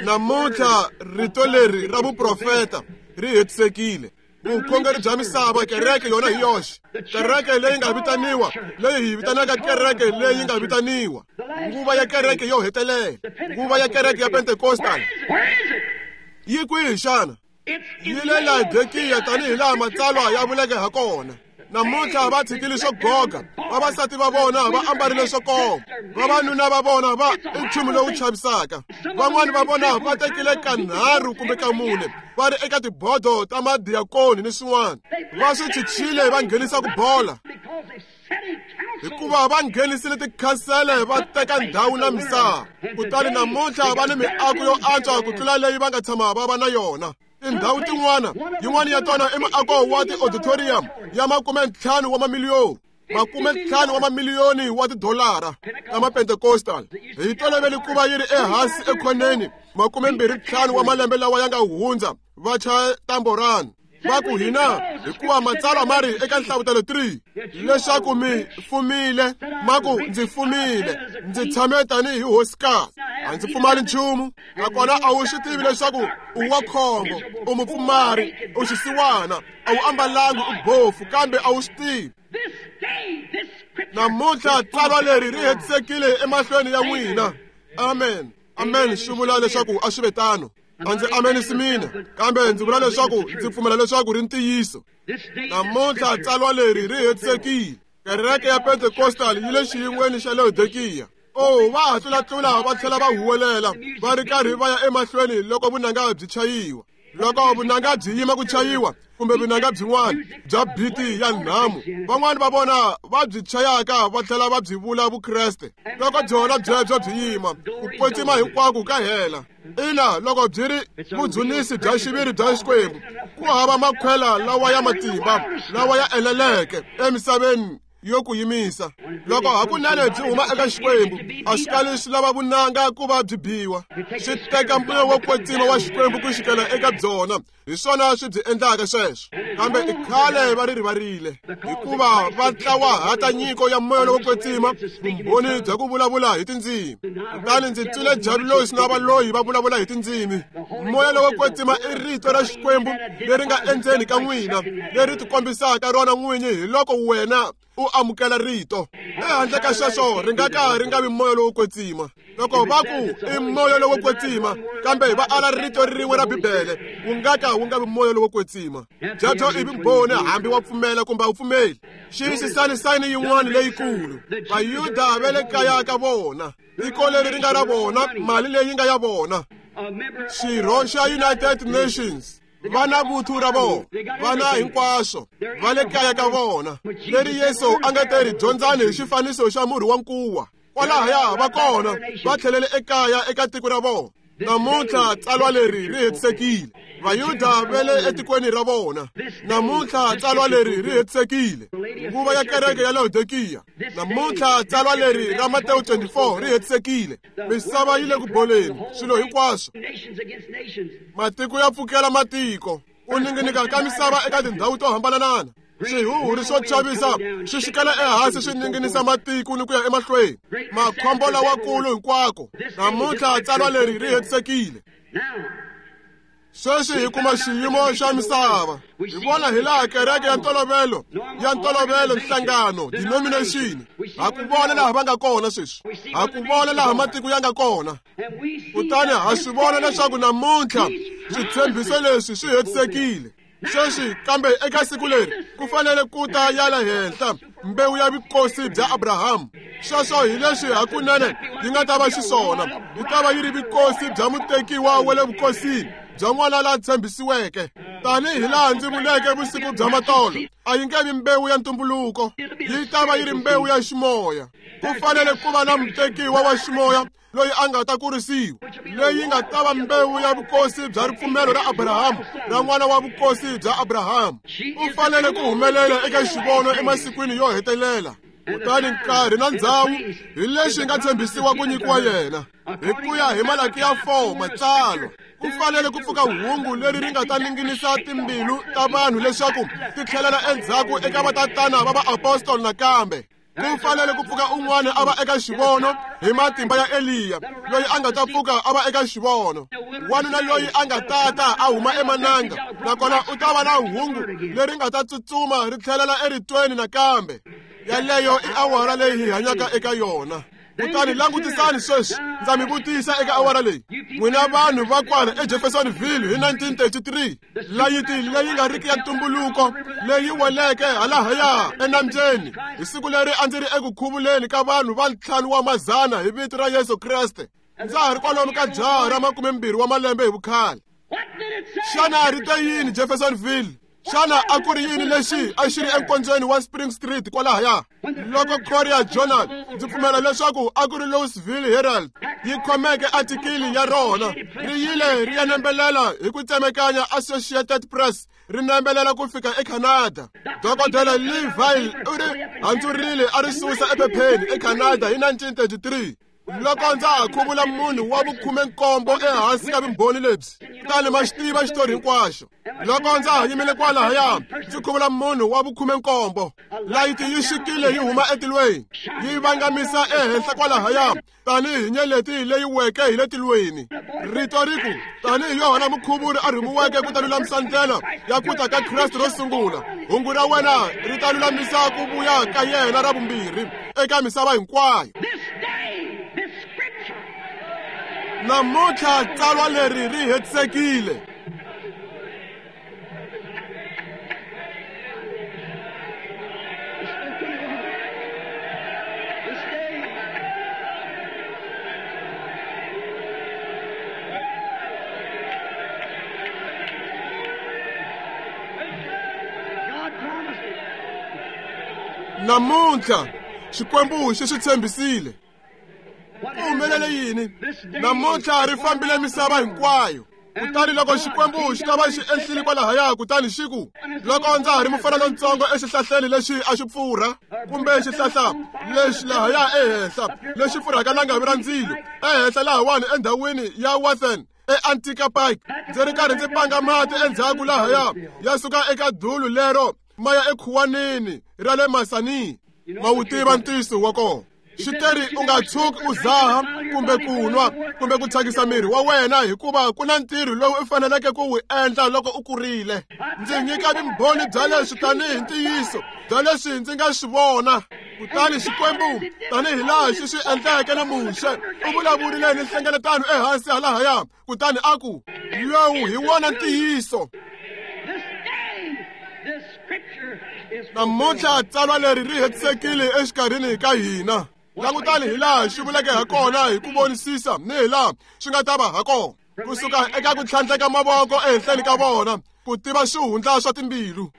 Namuntlha rito leri ra vuprofeta ri hetisekile. Vukhongeri bya misava, kereke yona hi yoxe, kereke leyi nga vitaniwa, leyi hi vitanaka kereke leyi nga vitaniwa, nguva ya kereke yo hetelela, nguva ya kereke ya Pentecostal, yi kwihi xana? Yi le Laodikiya tanihi laha matsalwa ya vuleke ha kona. Namuntlha va tshikile swo goga, vavasati va vona va ambarile swo koma, vavanuna va vona va i nchumu lowu chavisaka. Van'wani va vona va tekile kanharhu kumbe kamune va ri eka tibodo ta madiyakoni ni swin'wana. Va swi chichile va nghenisa ku bola, hikuva va nghenisile tikhansele va teka ndhawu na misava. Kutani namuntlha va ni miako yo antswa ku tlula leyi va nga tshama va va na yona. Tindhawu tin'wana, yin'wana ya tona i muako wa ti-auditorium ya makumentlhanu wa mamiliyoni, makumentlhanu wa mamiliyoni wa tidolara ta ma-Pentecostal. Hi tolovele ku va yi ri ehansi ekhoneni makumembirhi ntlhanu wa malembe lawa ya nga hundza va chaya tamborani. Va ku hina hikuva matsalwa ma ri eka Nhlavutelo three leswaku mi fumile, ma ku ndzi fumile, ndzi tshame tanihi hosikazi, a ndzi pfumali nchumu. Nakona a wu swi tivi leswaku u wa khombo, u mupfumari, u xisiwana, a wu ambalangi, u bofu, kambe a wu swi tivi. Namuntlha tsalwa leri ri hetisekile emahlweni ya n'wina. Amen. Amen. Swi vula leswaku a swi ve tano. A ndzi amenisi mina, kambe ndzi vula leswaku ndzi pfumela leswaku ri ntiyiso. Namuntlha tsalwa leri ri hetisekile. Kereke ya Pentecostal yi le xiyin'weni xa Laodikiya. Oh, va ha tlulatlula va tlhela va huwelela va ri karhi va ya emahlweni loko vunanga byi chayiwa. Loko vunanga byi yima ku chayiwa kumbe vunanga byin'wana bya biti ya nhamu, van'wani va vona va byi chayaka va tlhela va byi vula Vukreste. Loko byona byebyo byi yima, ku kwetsima hinkwako ka hela. Ina, loko byi ri vudzunisi bya xiviri bya Xikwembu, ku hava makhwela lawa ya matimba lawa ya eneleke emisaveni yo ku yimisa. Loko hakunene byi huma eka Xikwembu, a swi kali swi lava vunanga ku va byi biwa. Swi teka moya wo kwetsima wa Xikwembu ku xikela eka byona. Hi swona swi byi endlaka sweswo. Kambe i khale va ri rivarile, hikuva va ntlawa nyiko ya moya lowo kwetsima, vumbhoni bya ku vulavula hi tindzimi. Kutani ndzi twile Javulosi na valoyi va vulavula hi tindzimi. Moya lowo kwetsima i rito ra Xikwembu leri nga endzeni ka n'wina, leri tikombisaka rona n'winyi hi loko wena u amukela rito. Ehandle ka sweswo ri nga ka ri nga vi moya lowo kwetsima. Loko va ku i moya lowo kwetsima, kambe va ala rito rin'we ra Bibele, wu nga ka wu nga vi moya lowo kwetsima. Byebyo i vumbhoni hambi wa pfumela kumbe a wu pfumeli. Xiyisisani sayini yin'wana leyikulu. Vayuda va le kaya ka vona, tiko leri ri nga ra vona, mali leyi nga ya vona. Xirho xa United Nations, va na vuthu ra vona, va na hinkwaswo, va le kaya ka vona. Leri Yesu a nga te ri dyondzani hi xifaniso xa murhi wa nkuwa. Kwalahaya va kona, va tlhelele ekaya eka tiko ra vona. Namuntlha tsalwa leri ri hetisekile. Vayuda va le etikweni ra vona. Namuntlha tsalwa leri ri hetisekile. Nguva ya kereke ya Laodikiya. Namuntlha tsalwa leri ra Matewu twenty-four ri hetisekile. Misava yi le ku boleni, swilo hinkwaswo. Matiko ya pfukela matiko. Ku ninginika ka misava eka tindhawu to hambanana. Swihuhuri swo chavisa swi xikela ehansi swi ninginisa matiko ni ku ya emahlweni. Makhombo lawakulu hinkwako. Namuntlha tsalwa leri ri hetisekile. Sweswi hi kuma xiyimo xa misava. Hi vona hi laha kereke ya ntolovelo ya ntolovelo nhlangano denomination. Ha ku vona laha va nga kona sweswi. Ha ku vona laha matiko ya nga kona. Kutani ha swi vona leswaku namuntlha switshembiso leswi swi hetisekile. Sweswi kambe eka siku leri ku fanele ku ta ya le henhla mbewu ya vukosi bya Abraham. Sweswo hi leswi hakunene yi nga ta va xiswona. Yi ta va yi ri vukosi bya mutekiwa wa le vukosini bya n'wana la tshembisiweke. Tanihi laha ndzi vuleke vusiku bya matolo, a yi nge vi mbewu ya ntumbuluko, yi ta va yi ri mbewu ya ximoya. Ku fanele ku va na mutekiwa wa ximoya loyi a nga ta kurisiwa, leyi nga ta va mbewu ya vukosi bya ripfumelo ra Abraham, ra n'wana wa vukosi bya Abraham. U fanele ku humelela eka xivono emasikwini yo hetelela. Kutani nkarhi na ndzhawu hi leswi nga tshembisiwa ku nyikiwa yena. Hi ku ya hi Malakiya four matsalwa, ku fanele ku pfuka hungu leri ri nga ta ninginisa timbilu ta vanhu leswaku ti tlhelela endzhaku eka vatatana va vaapostoli nakambe. Ku fanele ku pfuka un'wana a va eka xivono hi matimba ya Eliya, loyi a nga ta pfuka a va eka xivono. Wanuna loyi a nga tata a huma emananga, nakona u ta va na hungu leri nga ta tsutsuma ri tlhelela eritweni nakambe. Yaleyo i awara leyi hi hanyaka eka yona. Kutani langutisani sweswi, ndza mi vutisa eka awara leyi. N'wina vanhu va kwala eJeffersonville hi nineteen thirty-three, layiti leyi nga riki ya ntumbuluko leyi weleke halahaya enambyeni hi siku leri a ndzi ri eku khuvuleni ka vanhu va ntlhanu wa mazana hi vito ra Yesu Kreste. Ndza ha ri kwalomu ka jaha ra makumembirhi wa malembe hi vukhale. Xana ri te yini Jeffersonville? Xana a ku ri yini lexi a xi ri enkondzweni wa Spring Street kwalahaya? Loko Courier Journal, ndzi pfumela leswaku a ku ri Louisville Herald, yi khomeke atikili ya rona, ri yile ri ya nembelela hi ku tsemekanya Associated Press, ri nembelela ku fika eCanada. Dokodela Lee Vail u ri handzurile a ri susa ephepheni eCanada hi nineteen thirty-three. Loko ndza ha khuvula munhu wa vukhume-nkombo ehansi ka vumbhoni lebyi, kutani ma xi tiva xitori hinkwaxo. Loko ndza ha yimile kwalahaya ndzi khuvula munhu wa vukhume-nkombo, layiti yi xikile yi huma etilweni, yi vangamisa ehenhla kwalahaya tanihi nyeleti leyi weke hi le tilweni. Rito ri ku, tanihi Yohana Mukhuvuri a rhumiweke ku ta lulamisa ndlela ya ku ta ka Kreste ro sungula, hungu ra wena ri ta lulamisa ku vuya ka yena ra vumbirhi eka misava hinkwayo. Namuntlha tsalwa leri ri hetisekile. Namuntlha Xikwembu xi swi tshembisile. Ku humelele yini? Namuntlha ri fambile misava hinkwayo. Kutani loko Xikwembu xi ta va xi ehlile kwalahaya, kutani xi ku, loko ndza ha ri mufana lontsongo exihlahleni lexi a xi pfurha, kumbe xihlahla lexi lahaya ehenhla lexi pfurhaka langavi ra ndzilo, ehenhla lahawani endhawini ya Wathen eAntica Park, ndzi ri karhi ndzi panga mati endzhaku lahaya ya suka eka dulu lero ma ya ekhuwanini ra le Masani. Ma wu tiva ntiyiso wa kona. Xiteri u nga tshuki u zaha kumbe ku nwa kumbe ku thyakisa miri wa wena, hikuva ku na ntirho lowu u faneleke ku wu endla loko u kurile. Ndzi nyika vumbhoni bya leswi tanihi ntiyiso bya leswi ndzi nga swi vona. Kutani Xikwembu, tanihi laha xi swi endleke na Muxe, u vulavurile ni nhlengeletano ehansi halahaya, kutani a ku, lowu hi wona ntiyiso. Namuntlha tsalwa leri ri hetisekile exikarhini ka hina. Langutani hi laha xi vuleke ha kona hi ku vonisisa ni hi laha swi nga ta va ha kona, kusuka eka ku tlhandleka mavoko ehenhleni ka vona ku tiva swihundla swa timbilu.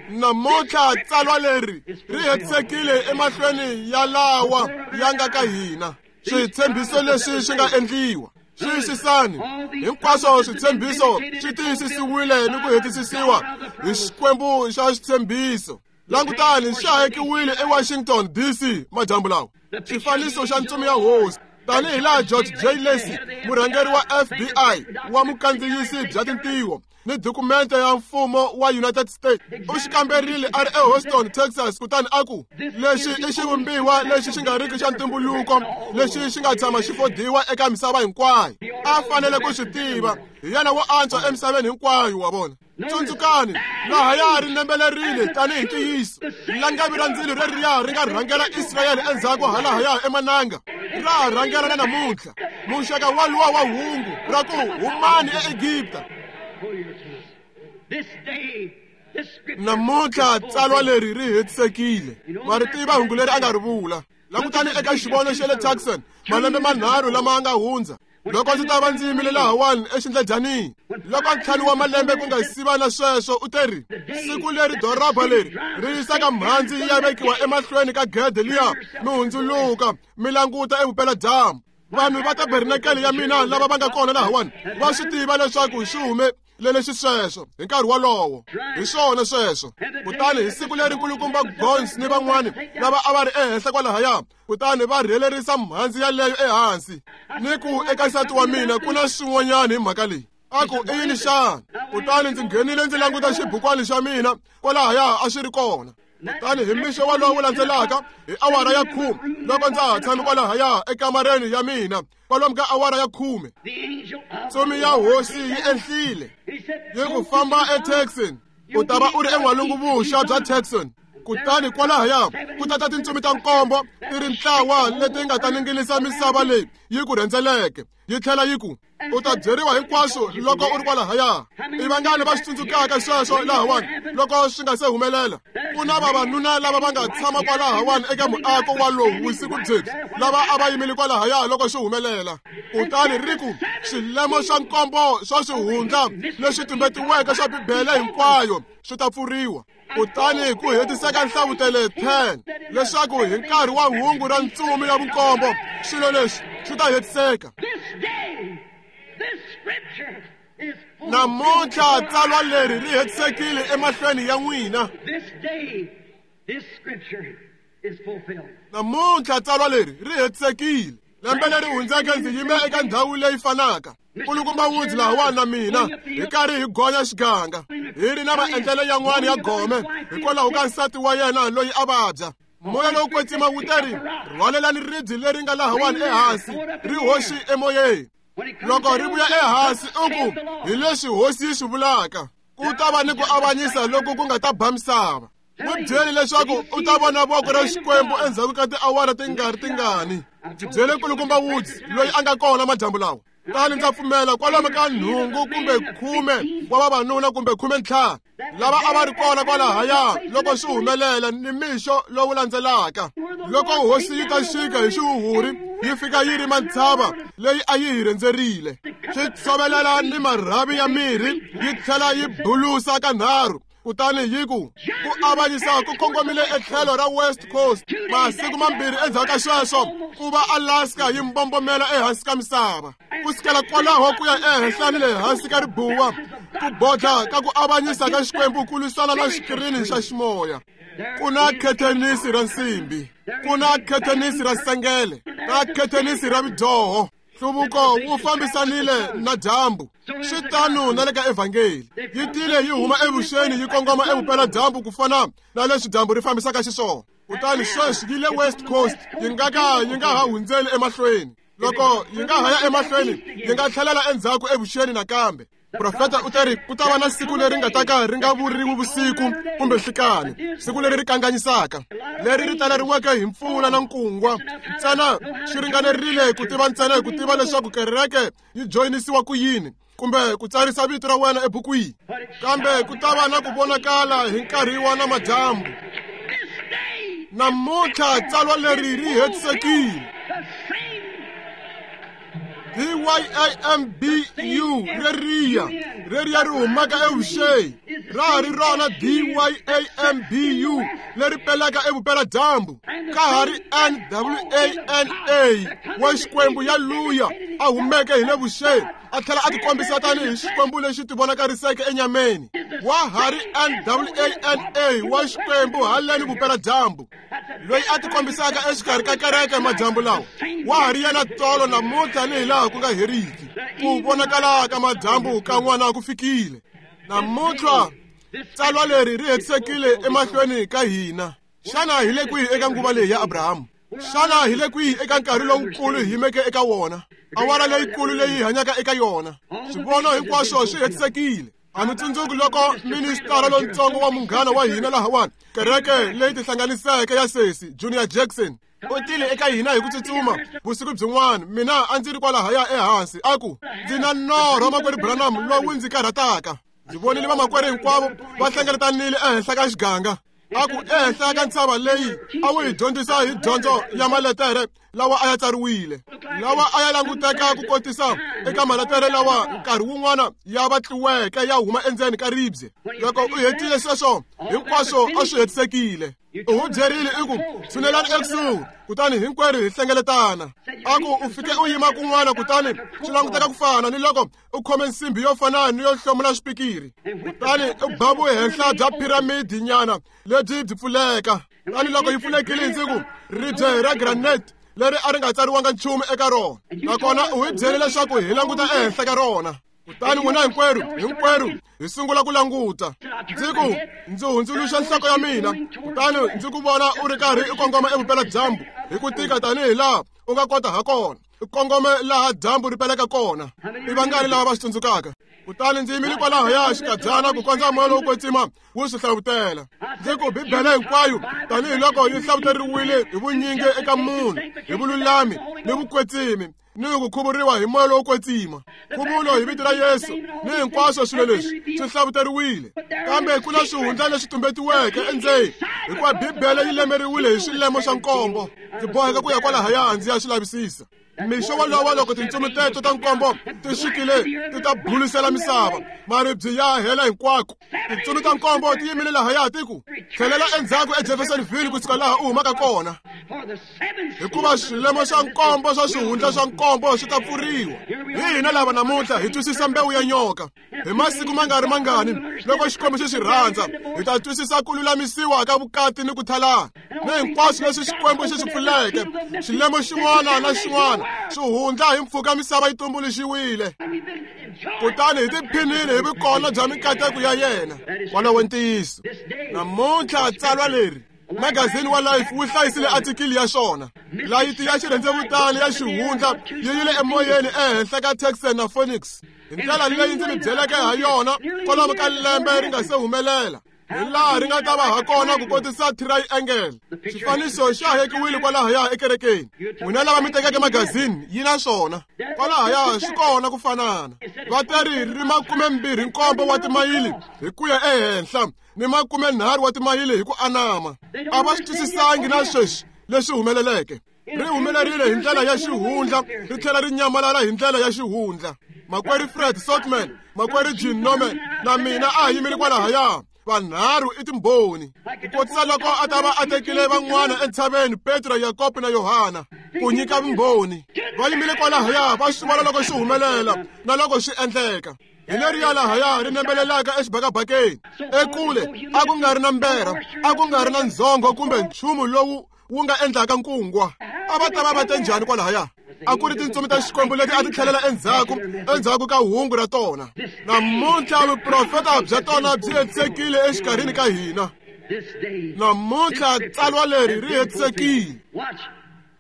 Namuntlha tsalwa leri ri hetisekile emahlweni ya lawa ya nga ka hina. Switshembiso leswi swi nga endliwa. Xiyisisani, hinkwaswo switshembiso swi tiyisisiwile ni ku hetisisiwa hi Xikwembu xa xitshembiso. Langutani, xi hayekiwile eWashington D C madyambu lawa, xifaniso xa ntsumi ya hosi, tanihi laha George J. Lacy, murhangeri wa F B I wa mukandziyisi bya tintiho ni dokumende ya mfumo wa United States, u xi kamberile a ri eHouston, Texas, kutani a ku, lexi i xivumbiwa lexi xi nga riki xa ntumbuluko lexi xi nga tshama xi fodiwa eka misava hinkwayo. A fanele ku swi tiva. Hi yena wo antswa emisaveni hinkwayo wa vona. Tsundzukani, laha ya ri nembelerile tanihi ntiyiso. Langavi ra ndzilo reriya ri nga rhangela Israyele endzhaku halahaya emananga. Ra rhangela na namuntlha. Muxaka waluwa wa hungu ra ku humani eEgipta. Namuntlha tsalwa leri ri hetisekile. Ma ri tiva hungu leri a nga ri vula. Langutani eka xivono xa le Tucson malembe manharhu lama nga hundza. Loko ndzi ta va ndzi yimile lahawani exindledyanini, loko ntlhanu wa malembe ku nga siva na sweswo, u teri siku leri doroba leri ri yisaka mhandzi yi ya vekiwa emahlweni ka gede liya mi hundzuluka mi languta evupeladyambu. Vanhu va tabernakele ya mina lava va nga kona lahawani va swi tiva leswaku swi humelele xisweswo hi nkarhi wolowo. Hi swona sweswo. Kutani hi siku leri nkulukumba Gons ni van'wani lava a va ri ehenhla kwalahaya, kutani va rhelerisa mhandzi yaleyo ehansi. Ni ku eka nsati wa mina ku na swin'wanyana hi mhaka leyi. A ku i yini xana? Kutani ndzi nghenile ndzi languta xibukwani xa mina kwalahaya a swi ri kona. Kutani hi mixo walowu landzelaka hi awara ya khume loko ndza ha tshame kwalahaya ekamareni ya mina kwalomu ka awara ya khume, ntsumi ya hosi yi enhlile yi ku famba eTucson, u ta va u ri en'walungu-vuxa bya Tucson. Kutani kwalahaya ku tata tintsumi ta nkombo ti ri ntlawa leti nga ta ninginisa misava leyi yi ku rhendzeleke. Yi tlhela yi ku u ta byeriwa hinkwaswo loko u ri kwalahaya. I vangani va swi tsundzukaka sweswo lahawani loko swi nga se humelela? Ku na vavanuna lava va nga tshama kwalahawani eka muako walowu vusiku byebyi lava a va yimile kwalahaya loko swi humelela. Kutani ri ku swilemo swa nkombo swa swihundla leswi tumbetiweke swa Bibele hinkwayo swi ta pfuriwa. Kutani ku hetiseka nhlavutelo ten leswaku hi nkarhi wa hungu ra ntsumi ya vunkombo swilo leswi swi ta hetiseka. Namuntlha tsalwa leri ri hetisekile emahlweni ya n'wina. Namuntlha tsalwa leri ri hetisekile. Lembe leri hundzeke ndzi yime eka ndhawu leyi fanaka. Nkulukumba Woods lahawani na mina hi karhi hi gonya xiganga hi ri na maendlelo yan'wana ya gome hikwalaho ka nsati wa yena loyi a vabya. Moya lowo kwetsima wu teri rhwalelani ribye leri nga lahawani ehansi ri hoxi emoyeni. Loko ri vuya ehansi u ku hi leswi hosi yi swi vulaka, ku ta va ni ku avanyisa loko ku nga ta ba misava. N'wi byeli leswaku u ta vona voko ra Xikwembu endzhaku ka tiawara ti nga ri tingani. Ndzi byele nkulukumba Woods loyi a nga kona madyambu lawa. Kutani ndza pfumela kwalomu ka nhungu kumbe khume wa vavanuna kumbe khume ntlhanu lava a va ri kona kwalahaya loko swi humelela ni mixo lowu landzelaka. Loko hosi yi ta xika hi xihuhuri yi fika yi rima ntshava leyi a yi hi rhendzerile, swi tshovelela ni marhavi ya mirhi yi tlhela yi bulusa kanharhu. Kutani yi ku ku avanyisa ku kongomile etlhelo ra West Coast. Masiku mambirhi endzhaku ka sweswo ku va Alaska yi mbombomela ehansi ka misava. Ku sukela kwalaho ku ya ehenhla ni le hansi ka ribuwa, ku bodla ka ku avanyisa ka Xikwembu ku lwisana na xikirini xa ximoya. Ku na khethenisi ra nsimbi, ku na khethenisi ra sengele, na khethenisi ra vidyoho. Nhluvuko wu fambisanile na dyambu. Swi tano na le ka evhangeli. Yi tile yi huma evuxeni yi kongoma evupeladyambu ku fana na leswi dyambu ri fambisaka xiswona. Kutani sweswi yi le West Coast, yi nga ka yi nga ha hundzeli emahlweni. Loko yi nga ha ya emahlweni, yi nga tlhelela endzhaku evuxeni nakambe. Profeta u teri ku ta va na siku leri nga ta ka ri nga vuriwi vusiku kumbe nhlikani, siku leri ri kanganyisaka, leri ri taleriweke hi mpfula na nkungwa. Ntsena swi ringanerile ku tiva ntsena hi ku tiva leswaku kereke yi joyinisiwa ku yini kumbe ku tsarisa vito ra wena ebukwini. Kambe ku ta va na ku vonakala hi nkarhi wa namadyambu. Namuntlha tsalwa leri ri hetisekile. D Y A M B U reriya reriya ri humaka evuxeni ra ha ri rona D Y A M B U leri pelaka evupeladyambu ka ha ri N W A N A wa Xikwembu ya luya a humeke hi le vuxeni a tlhela a tikombisa tanihi Xikwembu lexi tivonakariseke enyameni. Wa ha ri N W A N A wa Xikwembu haleni vupeladyambu loyi a tikombisaka exikarhi ka kereke madyambu lawa wa ha ri yena tolo namuntlha ni hi laha ku nga heriki. Ku vonakala ka madyambu ka n'wana ku fikile. Namuntlha tsalwa leri ri hetisekile emahlweni ka hina. Xana hi le kwihi eka nguva leyi ya Abrahamu? Xana hi le kwihi eka nkarhi lowukulu hi yimeke eka wona? Awara leyikulu leyi hi hanyaka eka yona. Swivono hinkwaswo swi hetisekile. A mi tsundzuki loko ministara lontsongo wa munghana wa hina lahawani, kereke leyi tihlanganiseke ya sesi Junior Jackson, u tile eka hina hi ku tsutsuma vusiku byin'wana. Mina a ndzi ri kwalahaya ehansi, a ku ndzi na norho makwerhu Branham lowu ndzi karhataka. Ndzi vonile vamakwerhu hinkwavo va hlengeletanile ehenhla ka xiganga. A ku ehenhla ka ntshava leyi a wu hi dyondzisa hi dyondzo ya maletere lawa a ya tsariwile, lawa a ya languteka ku kotisa eka maletere lawa nkarhi wun'wana ya vatliweke ya huma endzeni ka ribye. Loko u hetile sweswo hinkwaswo a swi hetisekile. U hu byerile i ku tshunelani ekusuhi, kutani hinkwerhu hi hlengeletana. A ku u fike u yima kun'wana, kutani swi languteka ku fana ni loko u khome nsimbhi yo fana ni yo hlomula xipikiri, kutani u ba vuhenhla bya piramidi nyana lebyi byi pfuleka. Kutani loko yi pfulekile ndzi ku ribye ra granite leri a ri nga tsariwanga nchumu eka rona, nakona u hi byele leswaku hi languta ehenhla ka rona. Kutani n'wina hinkwerhu hinkwerhu hi sungula ku languta. Ndzi ku ndzi hundzuluxa nhloko ya mina, kutani ndzi ku vona u ri karhi u kongoma evupeladyambu hi ku tika tanihi laha u nga kota ha kona, u kongome laha dyambu ri peleka kona. I vangani lava va swi tsundzukaka? Kutani ndzi yimile kwalahaya xikadyana ku kondza moya lowo kwetsima wu swi hlavutela. Ndzi ku Bibele hinkwayo tanihiloko yi hlavuteriwile hi vunyingi eka munhu hi vululami ni vukwetsimi ni ku khuvuriwa hi moya lowo kwetsima, nkhuvulo hi vito ra Yesu ni hinkwaswo swilo leswi swi hlavuteriwile. Kambe ku na swihundla leswi tumbetiweke endzeni, hikuva Bibele yi lemeriwile hi swilemo swa nkombo. Ndzi boheka ku ya kwalahaya ndzi ya swi lavisisa. Mixo wolowo loko tintsumi teto ta nkombo ti xikile ti ta bulisela misava, maribye ya hela hinkwako. Tintsumi ta nkombo ti yimile lahaya ti ku tlhelela endzhaku eJeffersonville kusuka laha u humaka kona, hikuva swilemo swa nkombo swa swihundla swa nkombo swi ta pfuriwa. Hi hina lava namuntlha hi twisisa mbewu ya nyoka. Hi masiku ma nga ri mangani loko Xikwembu xi swi rhandza, hi ta twisisa ku lulamisiwa ka vukati ni ku thalana ni hinkwaswo leswi Xikwembu xi swi pfuleke. Xilemo xin'wana na xin'wana swihundla hi mpfhuka misava yi tumbuluxiwile, kutani hi tiphinile hi vukona bya mikateko ya yena. Walowo ntiyiso. Namuntlha tsalwa leri magazini wa Life wu hlayisile atikili ya xona. Layiti ya xirhendzevutani ya xihundla yi yile emoyeni ehenhla ka Texas na Phoenix hi ndlela leyi ndzi mi byeleke ha yona kwalomu ka lembe ri nga se humelela, hi laha ri nga ta va ha kona ku kotisa triangle. Xifaniso xa hekiwile kwalahaya ekerekeni. N'wina lava mi tekeke magazini yi na swona kwalahaya, swi kona ku fanana. Va teri ri makumembirhi nkombo wa timayili hi ku ya ehenhla ni makumenharhu wa timayili hi ku anama. A va swi twisisangi na sweswi leswi humeleleke. Ri humelerile hi ndlela ya xihundla, ri tlhela ri nyamalala hi ndlela ya xihundla. Makwerhu Fred Sotman, makwerhu Jim Norman na mina a hi yimile kwalahaya. Vanharhu i timbhoni. Ku kotisa loko a ta va a tekile van'wana entshaveni, Petro, Yakobo na Yohana, ku nyika vumbhoni. Va yimile kwalahaya va swi vona loko swi humelela na loko swi endleka. Hi leriya lahaya ri nembelelaka exibakabakeni. Ekule a ku nga ri na mberha, a ku nga ri na ndzhongho kumbe nchumu lowu wu nga endlaka nkungwa. A va ta va va te njhani kwalahaya? A ku ri tintsumi ta Xikwembu leti a ti tlhelela endzhaku endzhaku ka hungu ra tona. Namuntlha vuprofeta bya tona byi hetisekile exikarhini ka hina. Namuntlha tsalwa leri ri hetisekile.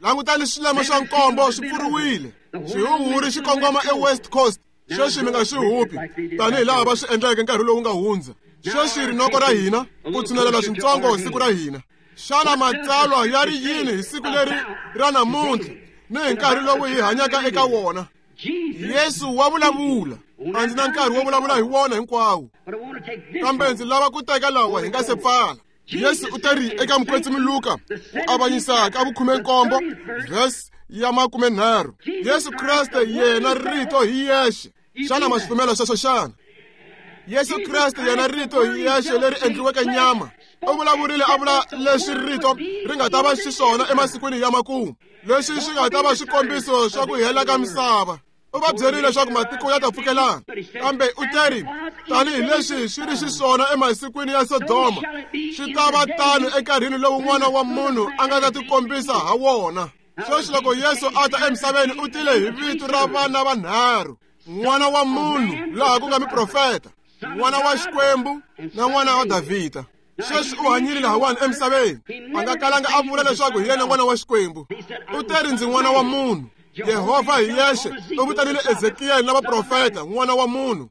Langutani swilemo swa nkombo swi pfuriwile. Xihuhuri xi kongoma eWest Coast. Sweswi mi nga swi hupi tanihi laha va swi endleke nkarhi lowu nga hundza. Sweswi rinoko ra hina ku tshunelela swintsongo siku ra hina. Xana matsalwa ya ri yini hi siku leri ra namuntlha ni hi nkarhi lowu hi hanyaka eka wona? Yesu wa vulavula. A ndzi na nkarhi wo vulavula hi wona hinkwawo, kambe ndzi lava ku teka lawa hi nga se pfala. Yesu u teri eka mukwetsimi Luka ku avanyisa ka vukhume-nkombo verse ya makumenharhu. Yesu Kreste yena rito hi yexe. Xana ma swi pfumela sweswo xana? Yesu Kreste yena rito hi yexe leri endliweke nyama. U vulavurile a vula leswi rito ri nga ta va xiswona emasikwini ya makumu, leswi swi nga ta va swikombiso swa ku hela ka misava. U va byerile leswaku matiko ya ta pfukelana, kambe u teri tanihileswi swi ri xiswona emasikwini ya Sodoma, swi ta va tano enkarhini lowu N'wana wa Munhu a nga ta tikombisa ha wona. Sweswi loko Yesu a ta emisaveni u tile hi vito ra vana vanharhu: N'wana wa Munhu laha ku nga muprofeta, N'wana wa Xikwembu na N'wana wa Davhida. Sweswi u hanyile lahawani emisaveni. A nga kalanga a vula leswaku hi yena n'wana wa Xikwembu. U teri ndzi n'wana wa munhu. Yehovha hi yexe u vitanile Ezekiyeli na vaprofeta n'wana wa munhu.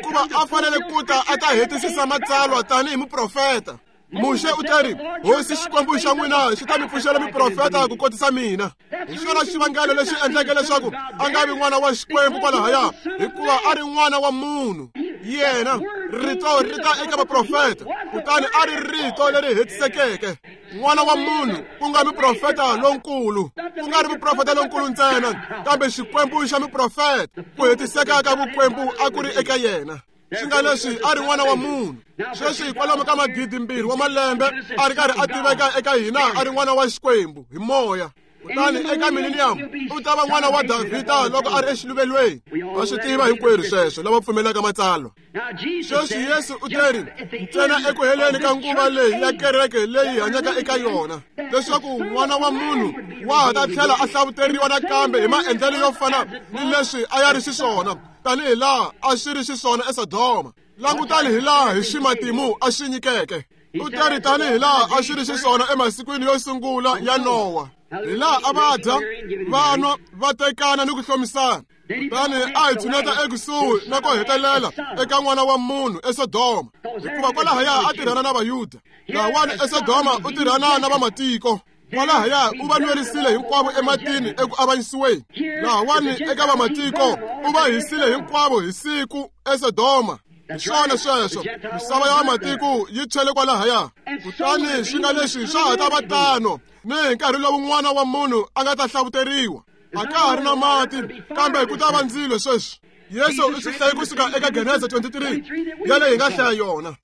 Kuva a fanele ku ta a ta hetisisa matsalwa tanihi muprofeta. Muxe u teri Hosi Xikwembu xa n'wina xi ta mi pfuxela miprofeta ku kotisa mina. Hi xona xivangelo lexi endleke leswaku a nga vi n'wana wa Xikwembu kwalahaya, hikuva a ri n'wana wa munhu. Yena rito ri ta eka vaprofeta, kutani a ri rito leri hetisekeke. N'wana wa munhu ku nga muprofeta lonkulu, ku nga ri muprofeta lonkulu ntsena, kambe Xikwembu xa muprofeta. Ku hetiseka ka vukwembu a ku ri eka yena. Swi nga leswi a ri n'wana wa munhu. Sweswi kwalomu ka magidi mbirhi wa malembe a ri karhi a tiveka eka hina a ri n'wana wa Xikwembu hi moya. Kutani eka mileniyamu u ta va n'wana wa Davhida loko a ri exiluvelweni. Va swi tiva hinkwerhu sweswo lava pfumelaka matsalwa. Sweswi Yesu u teri ntsena eku heleni ka nguva leyi ya kereke leyi hanyaka eka yona, leswaku n'wana wa munhu wa ha ta tlhela a hlavuteriwa nakambe hi maendlelo yo fana ni leswi a ya ri xiswona, tanihi laha a swi ri xiswona eSodoma. Langutani hi laha hi ximatimu a swi nyikeke. U teri tanihi laha a swi ri xiswona emasikwini yo sungula ya Nowa, hi laha a va dya, va nwa, va tekana ni ku hlomisana. Kutani a hi tshuneta ekusuhi na ku hetelela eka n'wana wa munhu eSodoma, hikuva kwalahaya a tirhana na Vayuda. Lahawani eSodoma u tirhana na vamatiko. Kwalahaya u va nwerisile hinkwavo ematini eku avanyisiweni. Lahawani eka vamatiko u va hisile hinkwavo hi siku eSodoma. Hi swona sweswo, misava ya vamatiko yi tshwele kwalahaya. Kutani swi nga leswi swa ha ta va tano ni hi nkarhi lowu n'wana wa munhu a nga ta hlavuteriwa. A ka ha ri na mati, kambe ku ta va ndzilo sweswi. Yesu u swi hlaye kusuka eka Genesa twenty-three yaleyi hi nga hlaya yona.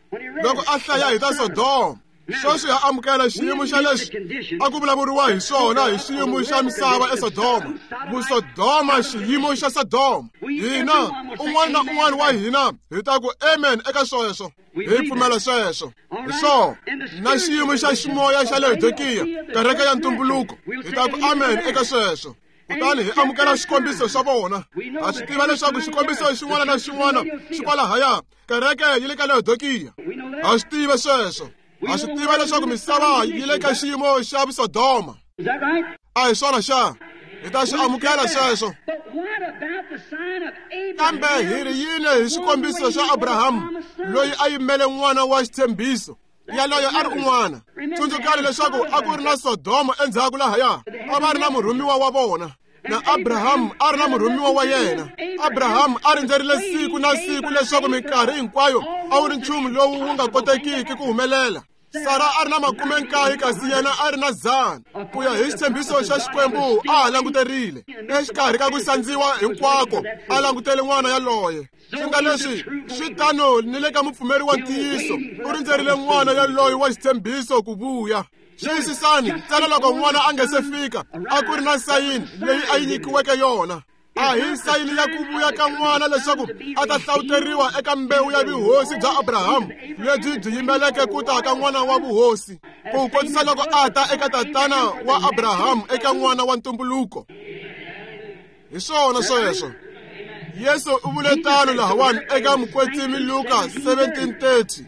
Loko a hlaya hi ta Sodoma, sweswi ha amukela xiyimo xa leswi a ku vulavuriwa hi swona hi xiyimo xa misava eSodoma. Vusodoma, xiyimo xa Sodoma. Hina un'wana na un'wana wa hina hi ta ku amen eka sweswo. Hi pfumela sweswo. Hi swona na xiyimo xa ximoya xa Laodikiya, kereke ya ntumbuluko, hi ta ku amen eka sweswo. Kutani hi amukela xikombiso xa vona. Ha swi tiva leswaku xikombiso xin'wana na xin'wana xi kwalahaya, kereke yi le ka Laodikiya. Ha swi tiva sweswo. Ha swi tiva leswaku misava yi le ka xiyimo xa Vusodoma. A hi swona xa? Hi ta swi amukela sweswo. Kambe hi ri yini hi xikombiso xa Abrahamu loyi a yimele n'wana wa xitshembiso? Yaloyo a ri un'wana. Tsundzukani leswaku a ku ri na Sodoma endzhaku lahaya. A va ri na murhumiwa wa vona. Na Abrahamu a ri na murhumiwa wa yena. Abrahamu a rindzerile siku na siku leswaku minkarhi hinkwayo a wu ri nchumu lowu wu nga kotekiki ku humelela. Sara a ri na makume nkaye kasi yena a ri na dzana. Ku ya hi xitshembiso xa Xikwembu a ha languterile. Exikarhi ka ku sandziwa hinkwako a langutele n'wana yaloye. Swi nga leswi swi tano ni le ka mupfumeri wa ntiyiso, u rindzerile n'wana yaloye wa xitshembiso ku vuya. Xiyisisani ntsena loko n'wana a nga se fika, a ku ri na sayini leyi a yi nyikiweke yona. A hi sayini ya ku vuya ka n'wana leswaku a ta hlawuteriwa eka mbewu ya vuhosi bya Abrahamu lebyi byi yimeleke ku ta ka n'wana wa vuhosi, ku kotisa loko a ta eka tatana wa Abrahamu eka n'wana wa ntumbuluko. Hi swona sweswo. Yesu u vule tano lahawani eka mukwetsimi Luka seventeen thirty.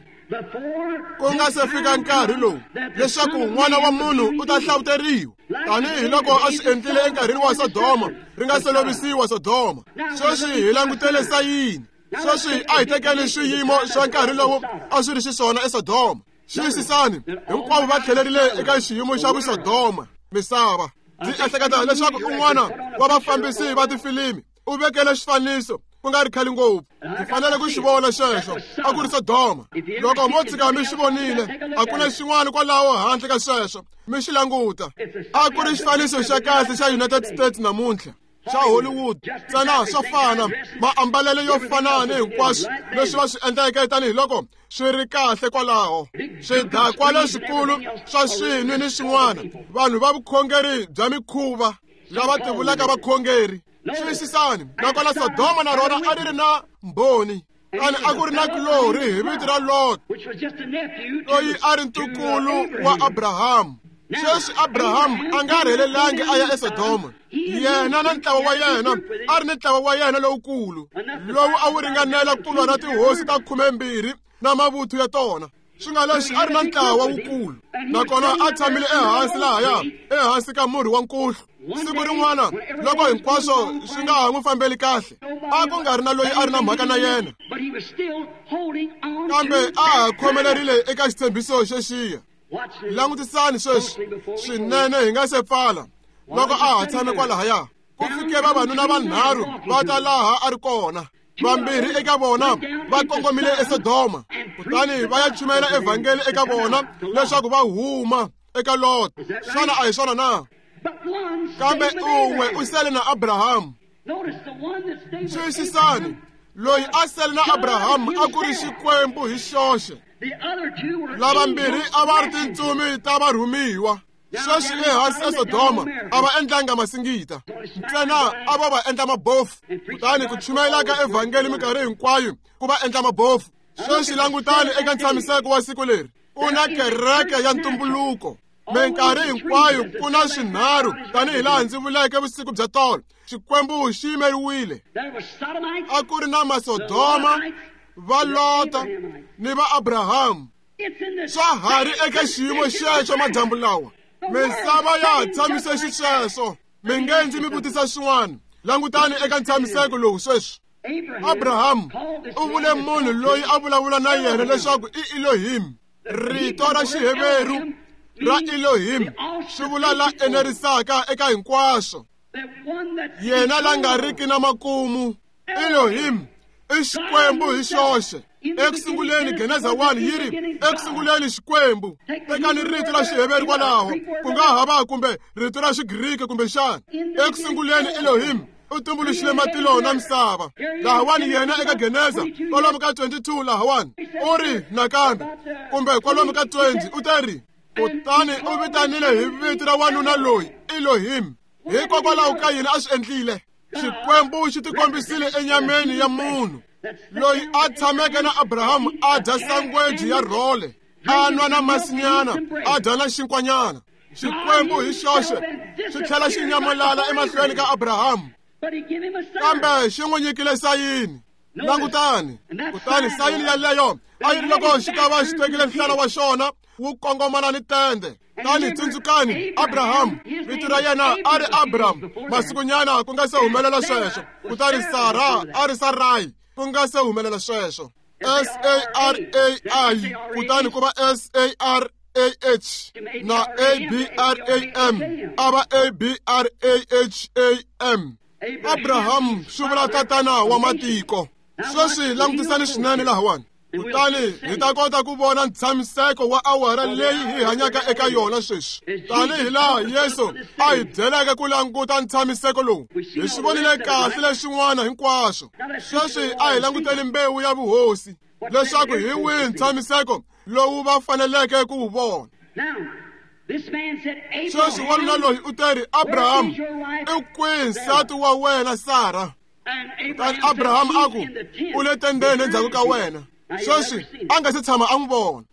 Ku nga se fika nkarhi lowu leswaku n'wana wa munhu u ta hlawuteriwa tanihi loko a swi endlile enkarhini wa Sodoma, ri nga se lovisiwa Sodoma. Sweswi hi langutele sayini. Sweswi a hi tekeni swiyimo swa nkarhi lowu a swi ri xiswona eSodoma. Xiyisisani, hinkwavo va tlhelerile eka xiyimo xa Vusodoma misava. Ndzi ehleketa leswaku un'wana wa vafambisi va tifilimi u vekele xifaniso ku nga ri khale ngopfu. Ndzi fanele ku xi vona xexo, a ku ri Sodoma. Loko mo tshika mi xi vonile, a ku na xin'wana kwalaho handle ka sweswo, mi xi languta. A ku ri xifaniso xa kahle xa United States namuntlha, xa Hollywood, ntsena swo fana, maambalelo yo fana ni hinkwaswo leswi va swi endleke tanihiloko swi ri kahle kwalaho. Swidakwa leswikulu swa swinwi ni swin'wana, vanhu va vukhongeri bya mikhuva lava tivulaka vakhongeri. Xiyisisani, nakona Sodoma na rona a ri ri na mbhoni. Kani a ku ri na kulorhi hi vito ra Lot, loyi a ri ntukulu wa Abrahamu. Sweswi Abrahamu a nga rhelelangi a ya eSodoma. Yena na ntlawa wa yena a ri ni ntlawa wa yena lowukulu, lowu a wu ringanela ku lwa na tihosi ta khumembirhi na mavuthu ya tona. Swi nga leswi a ri na ntlawa wukulu, nakona a tshamile ehansi lahaya, ehansi ka murhi wa nkuhlu. Siku rin'wana loko hinkwaswo swi nga ha n'wi fambeli kahle, a ku nga ri na loyi a ri na mhaka na yena, kambe a ha khomelerile eka xitshembiso xexiya. Langutisani sweswi swinene hi nga se pfala. Loko a ha tshame kwalahaya, ku fike vavanuna vanharhu va ta laha a ri kona. Vambirhi eka vona va kongomile eSodoma, kutani va ya chumayela evhangeli eka vona leswaku va huma eka Lot. Xana a hi swona na? Kambe un'we u sele na Abrahamu. Twisisani, loyi a sele na Abrahamu a ku ri Xikwembu hi xoxe. Lavambirhi a va ri tintsumi ta varhumiwa. Sweswi ehansi eSodoma a va endlanga masingita, ntsena a va va endla mabofu. Kutani ku chumayela ka evhangeli minkarhi hinkwayo ku va endla mabofu. Sweswi langutani eka ntshamiseko wa siku leri, ku na kereke ya ntumbuluko. Minkarhi hinkwayo ku na swinharhu, tanihi laha ndzi vuleke vusiku bya tolo. Xikwembu xi yimeriwile. A ku ri na Masodoma, va Lota ni va Abrahamu. Swa ha ri eka xiyimo xexo madyambu lawa. Misava ya tshamise xisweswo. Mi nge ndzi mi vutisa swin'wana. Langutani eka ntshamiseko lowu sweswi. Abrahamu u vule munhu loyi a vulavula na yena leswaku i Elohim. Rito ra Xiheveru ra Elohim swi vula la enerisaka eka hinkwaswo, yena la nga riki na makumu. Elohim i Xikwembu hi xoxe. Ekusunguleni Geneza one yi ri, ekusunguleni Xikwembu. Tekani rito ra Xiheveru kwalaho, ku nga ha va kumbe rito ra Xigriki kumbe xana. Ekusunguleni Elohim u tumbuluxile matilo na misava. Lahawani yena eka Geneza kwalomu ka twenty-two lahawani u ri nakambe, kumbe kwalomu ka twenty u ta ri, kutani u vitanile hi vito ra wanuna loyi Elohim. Hikokwalaho ka yini a swi endlile? Xikwembu xi tikombisile enyameni ya munhu loyi a tshameke na Abrahamu, a dya sangweji ya rhole, a nwa na masinyana, a dya na xinkwanyana. Xikwembu hi xoxe xi tlhela xi nyamalala emahlweni ka Abrahamu, kambe xi n'wi nyikile sayini. Langutani, kutani sayini yaleyo a yi ri loko xi ta va xi tekile nhlana wa xona wu kongomana ni tende. Tani tsundzukani, Abrahamu vito ra yena a ri Abram masikunyana ku nga se humelela sweswo. Kutani Sara a ri Sarai ku nga se humelela sweswo. S A R A I kutani ku va S A R A H na A B R A M, a va A B R A H A M. Abrahamu swi vula tatana wa matiko. Sweswi langutisani swinene lahawani, kutani hi ta kota ku vona ntshamiseko wa awara leyi hi hanyaka eka yona sweswi. Tanihi laha Yesu a hi byeleke ku languta ntshamiseko lowu, hi swi vonile kahle leswin'wana hinkwaswo. Sweswi a hi languteli mbewu ya vuhosi leswaku hi wihi ntshamiseko lowu va faneleke ku wu vona. Sweswi wanuna loyi u teri, Abrahamu, i kwihi nsati wa wena Sara? Kutani Abrahamu a ku, u le tendeni endzhaku ka wena. Sweswi a nga se tshama a n'wi vona.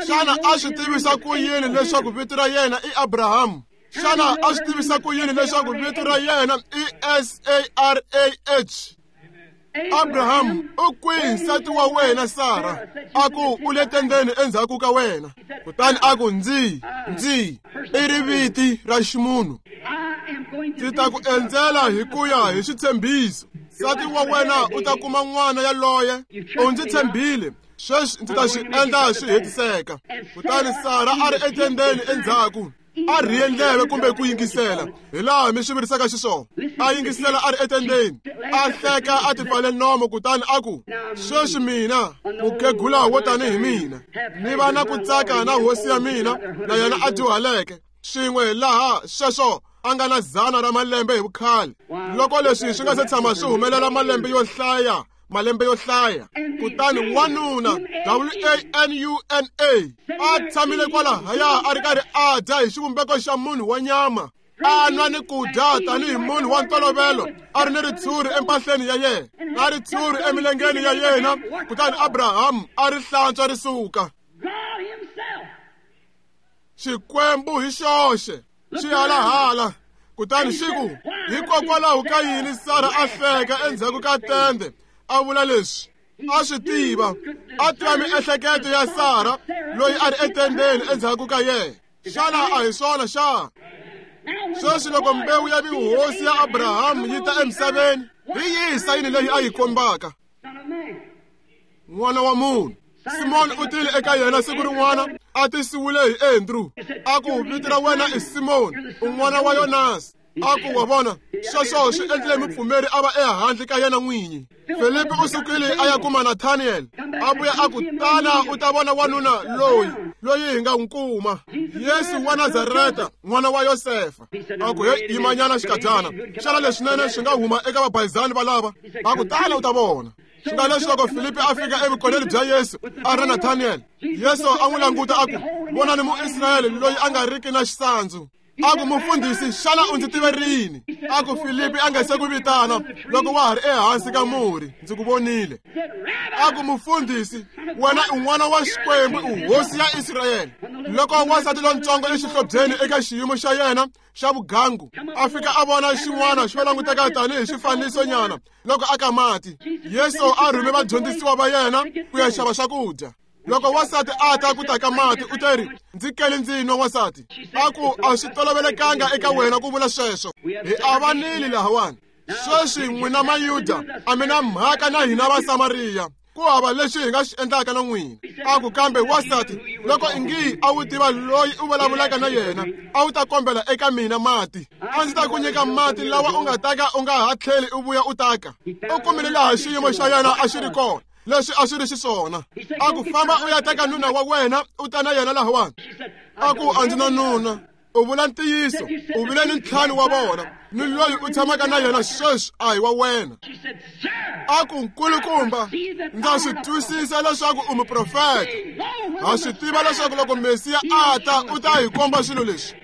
Xana a swi tivisa ku yini leswaku vito ra yena i Abrahamu? Xana a swi tivisa ku yini leswaku vito ra yena i S A R A H? Abrahamu, u kwihi nsati wa wena Sara? A ku, u le tendeni endzhaku ka wena. Kutani a ku, ndzi ndzi i riviti ra ximunhu. Ndzi ta ku endzela hi ku ya hi xitshembiso. Nsati wa wena u ta kuma n'wana yaloye. U ndzi tshembile, sweswi ndzi ta swi endla swi hetiseka. Kutani Sara a ri etendeni endzhaku, a rhiye ndleve kumbe ku yingisela, hi laha mi swi vurisaka xiswona. A yingisela a ri etendeni, a hleka a tipfale nomo, kutani a ku, sweswi mina mukhegula wo tanihi mina ni va na ku tsaka na hosi ya mina na yena a dyuhaleke swin'we laha sweswo a nga na dzana ra malembe hi vukhale. Loko leswi swi nga se tshama swi humelela malembe yo hlaya, malembe yo hlaya. Kutani wanuna W A N U N A a tshamile kwalahaya a ri karhi a dya hi xivumbeko xa munhu wa nyama, a nwa ni ku dya tanihi munhu wa ntolovelo, a ri ni ritshuri empahleni ya yena, na ritshuri emilengeni ya yena. Kutani Abrahamu a ri hlantswa ri suka. Xikwembu hi xoxe xi halahala. Kutani xi ku, hikokwalaho ka yini Sara a hleka endzhaku ka tende a vula leswi? A swi tiva, a tiva miehleketo ya Sara loyi a ri etendeni endzhaku ka yena. Xana a hi swona xa? Sweswi loko mbewu ya vuhosi ya Abrahamu yi ta emisaveni, hi yihi sayini leyi a yi kombaka? N'wana wa munhu. Simoni u tile eka yena siku rin'wana a tisiwile hi Andrew. A ku, vito ra wena i Simoni, u n'wana wa Yonasi. A ku, wa vona, sweswo swi endlile mupfumeri a va ehandle ka yena n'winyi. Filipi u sukile a ya kuma Nathaniel. A vuya a ku, tana u ta vona wanuna loyi, loyi hi nga n'wi kuma, Yesu wa Nazareta, n'wana wa Yosefa. A ku, hey, yimanyana xikadyana, xana leswinene swi nga huma eka vabayizani valava? A ku, tana u ta vona. Swi nga leswi loko Filipi a fika evukoneni bya Yesu a ri Nathaniel, Yesu a n'wi languta a ku, vonani Muisrayele loyi a nga riki na xisandzu. A ku, mufundhisi, xana u ndzi tive rini? A ku, Filipi a nga se ku vitana loko wa ha ri ehansi ka murhi, ndzi ku vonile. A ku, mufundhisi, wena u n'wana wa Xikwembu, u hosi ya Israyele. Loko wansati lontsongo exihlobyeni eka xiyimo xa yena xa vugangu a fika a vona xin'wana xo languteka tanihi xifanisonyana loko a ka mati, Yesu a rhume vadyondzisiwa va yena ku ya xava swakudya. Loko wansati a ta ku ta ka mati, u teri, ndzi kele ndzi nwa wansati. A ku, a swi tolovelekanga eka wena ku vula sweswo. Hi avanile lahawani. Sweswi n'wina Mayuda a mi na mhaka na hina Vasamariya. Ku hava lexi hi nga xi endlaka na n'wina. A ku, kambe wansati, loko ingi a wu tiva loyi u vulavulaka na yena, a wu ta kombela eka mina mati. A ndzi ta ku nyika mati lawa u nga ta ka u nga ha tlheli u vuya u taka. U kumile laha xiyimo xa yena a xi ri kona, leswi a swi ri xiswona. A ku, famba u ya teka nuna wa wena u ta na yena lahawani. A ku, a ndzi na nuna. U vula ntiyiso, u vile ni ntlhanu wa vona, ni loyi u tshamaka na yena sweswi a hi wa wena. A ku, nkulukumba, ndza swi twisisa leswaku u muprofeta. Ha swi tiva leswaku loko Mesiya a ta, u ta hi komba swilo leswi.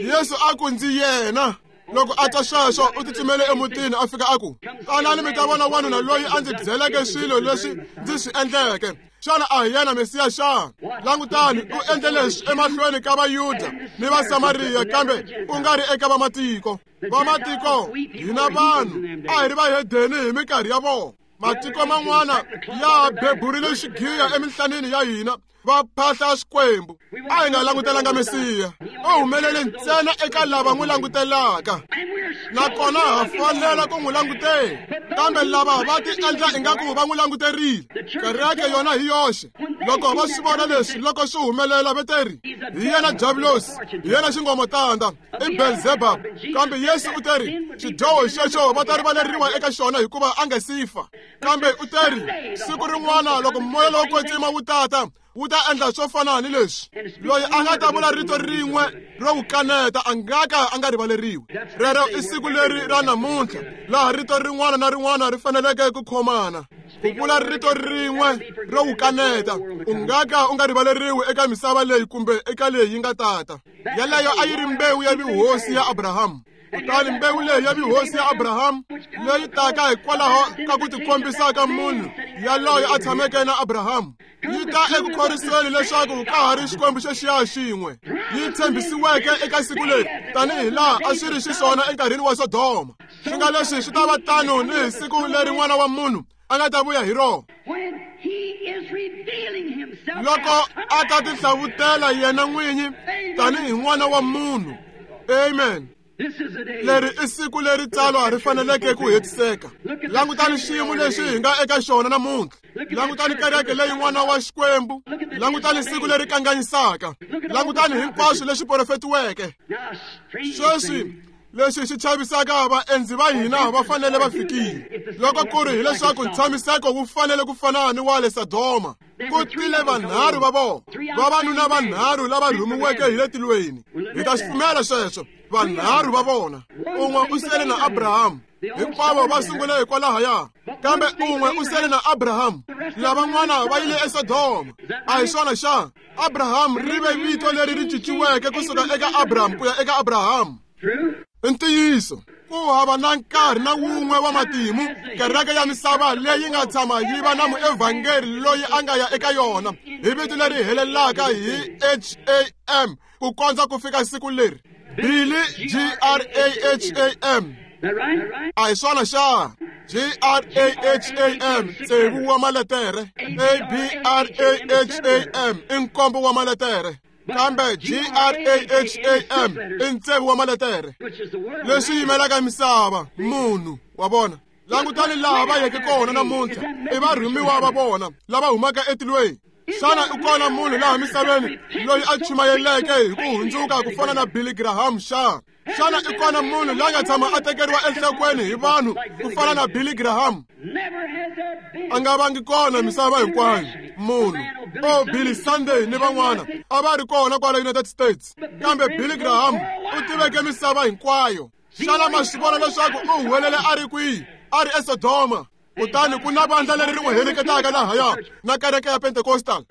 Yesu a ku, ndzi yena. Loko a twa sweswo, u tsutsumele emutini a fika a ku, tanani mi ta vona wanuna loyi a ndzi byeleke swilo leswi ndzi swi endleke. Xana a hi yena Mesiya xana? Langutani, u endle leswi emahlweni ka Vayuda ni Vasamariya, kambe u nga ri eka vamatiko. Vamatiko, hina vanhu, a hi ri vahedeni hi minkarhi ya vona. Matiko man'wana ya beburile xigiya eminhlanini ya hina, va phahla Xikwembu. A hi nga langutelanga Mesiya. U humelele ntsena eka lava n'wi langutelaka, nakona ha fanela ku n'wi langutela. Kambe lava va ti endla ingaku va n'wi languterile. Kereke yona hi yoxe, loko va swi vona leswi loko swi humelela, va teri, hi yena Diabulosi, hi yena xingomotanda, i Beelzebub. Kambe Yesu u teri, xidyoho xexo va ta rivaleriwa eka xona hikuva a nga si fa. Kambe u teri, siku rin'wana loko moya lowo kwetsima wu tata, wu ta endla swo fana ni leswi. Loyi a nga ta vula rito rin'we ro wu kaneta a nga ka a nga rivaleriwi. Rero i siku leri ra namuntlha laha rito rin'wana na rin'wana ri faneleke ku khomana. Ku vula rito rin'we ro wu kaneta, u nga ka u nga rivaleriwi eka misava leyi kumbe eka leyi yi nga tata. Yeleyo a yi ri mbewu ya vuhosi ya Abrahamu. Kutani mbewu leyi ya vuhosi ya Abrahamu leyi taka hikwalaho ka ku tikombisa ka munhu yaloye a tshameke na Abrahamu, yi ta eku khorisweni leswaku ka ha ri Xikwembu xexiya xin'we yi tshembisiweke eka siku leri, tanihi laha a swi ri xiswona enkarhini wa Sodoma. Swi nga leswi swi ta va tano ni hi siku leri N'wana wa Munhu a nga ta vuya hi rona. Loko a ta tihlavutela yena n'winyi tanihi N'wana wa Munhu. Amen. Leri i siku leri tsalwa ri faneleke ku hetiseka. Langutani xiyimo lexi hi nga eka xona namuntlha. Langutani kereke leyi N'wana wa Xikwembu. Langutani siku leri kanganyisaka. Langutani hinkwaswo leswi profetiweke. Sweswi leswi swi chavisaka vaendzi va hina va fanele va fikile. Loko ku ri hileswaku ntshamiseko wu fanele ku fana ni wa le Sodoma, ku tile vanharhu va vona, vavanuna vanharhu lava rhumiweke hi le tilweni. Hi ta swi pfumela sweswo. Vanharhu va vona, un'we u sele na Abrahamu. Hinkwavo va sungule hikwalahaya, kambe un'we u sele na Abrahamu, lavan'wana va yile eSodoma. A hi swona xana? Abrahamu ri ve vito leri ri cinciweke kusuka eka Abraham ku ya eka Abrahamu. I ntiyiso, ku hava na nkarhi na wun'we wa matimu kereke ya misava leyi nga tshama yi va na muevhangeli loyi a nga ya eka yona hi vito leri helelaka hi H A M ku kondza ku fika siku leri. Billy G R A H A M A hi swona xa? G R A H A M tsevu wa maletere, A B R A H A M i nkombo wa maletere, kambe G R A H A M i ntsevu wa maletere, leswi yimelaka misava, munhu wa vona. Langutani laha va yeke kona namuntlha, i varhumiwa va vona lava humaka etilweni. Xana u kona munhu laha misaveni loyi a chumayeleke hi ku hundzuka ku fana na Billy Graham xa? Xana i kona munhu la nga tshama a tekeriwa enhlokweni hi vanhu ku fana na Billy Graham? A nga vangi kona misava hinkwayo munhu. O Billy Sunday ni van'wana a va ri kona kwala United States, kambe Billy Graham u tiveke misava hinkwayo. Xana ma swi vona leswaku u huwelele a ri kwihi? A ri eSodoma. Kutani ku na vandla leri ri n'wi heleketaka lahaya na kereke ya Pentecostal,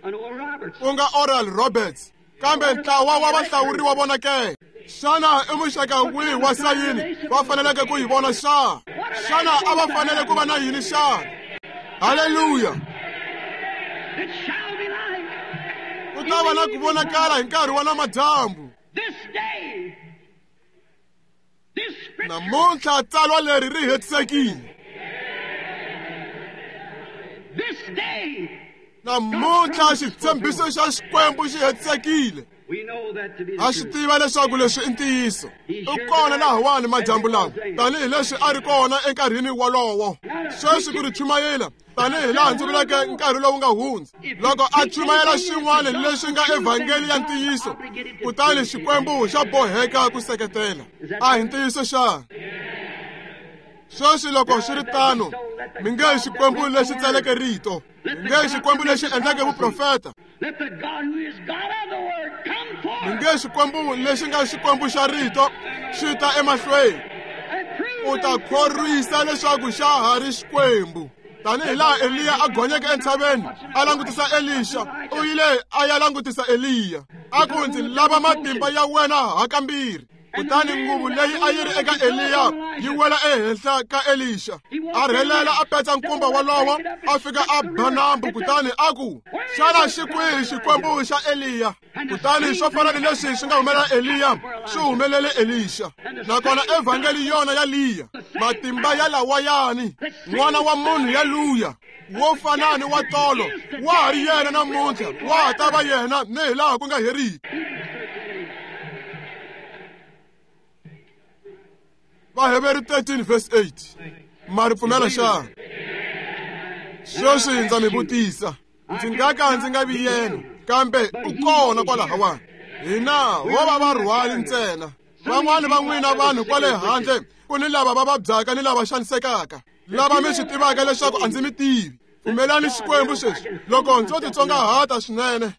ku nga Oral Roberts, kambe ntlawa wa vahlawuriwa vona ke? Xana i muxaka wihi wa sayini va faneleke ku yi vona xa? Xana a va fanele ku va na yini xa? Haleluya! Ku ta va na ku vonakala hi nkarhi wa namadyambu. Namuntlha tsalwa leri ri hetisekile. Namuntlha xitshembiso xa Xikwembu xi hetisekile. Ha swi tiva leswaku leswi i ntiyiso. U kona lahawani madyambu lawa, tanihileswi a ri kona enkarhini wolowo. Sweswi ku ri chumayela tanihi laha ndzi vuleke nkarhi lowu nga hundza, loko a chumayela xin'wana leswi nga evhangeli ya ntiyiso, kutani Xikwembu xa boheka ku seketela. A hi ntiyiso xa? Sweswi loko swi ri tano, mi nge Xikwembu lexi tsaleke rito, mi nge Xikwembu lexi endleke vuprofeta, mi nge Xikwembu lexi nga Xikwembu xa rito xi ta emahlweni u ta khorwisa leswaku xa ha ri Xikwembu. Tanihi laha Eliya a gonyeke entshaveni a langutisa Elisha, u yile a ya langutisa Eliya, a ku ndzi lava matimba ya wena hakambirhi. Kutani nguvu leyi a yi ri eka Eliya yi wela ehenhla ka Elisha. A rhelela a petsa nkumba wolowo, a fika a ba nambu, kutani a ku, xana xi kwihi Xikwembu xa Eliya? Kutani swo fana ni leswi swi nga humelela Eliya swi humelele Elisha. Nakona evhangeli yona ya Liya, matimba ya lawayani, n'wana wa munhu ya luya, wo fana ni wa tolo, wa ha ri yena namuntlha, wa ha ta va yena ni hi laha ku nga heriki. Vaheberi thirteen verse eight. Ma ri pfumela xa? Sweswi ndza mi vutisa, ndzi nga ka ndzi nga vi yena, kambe u kona kwalahawani. Hina ho va varhwali ntsena. Van'wani va n'wina vanhu kwale handle ku ni lava va vabyaka ni lava xanisekaka, lava mi swi tivaka leswaku a ndzi mi tivi. Pfumelani Xikwembu sweswi, loko ndzo titsongahata swinene,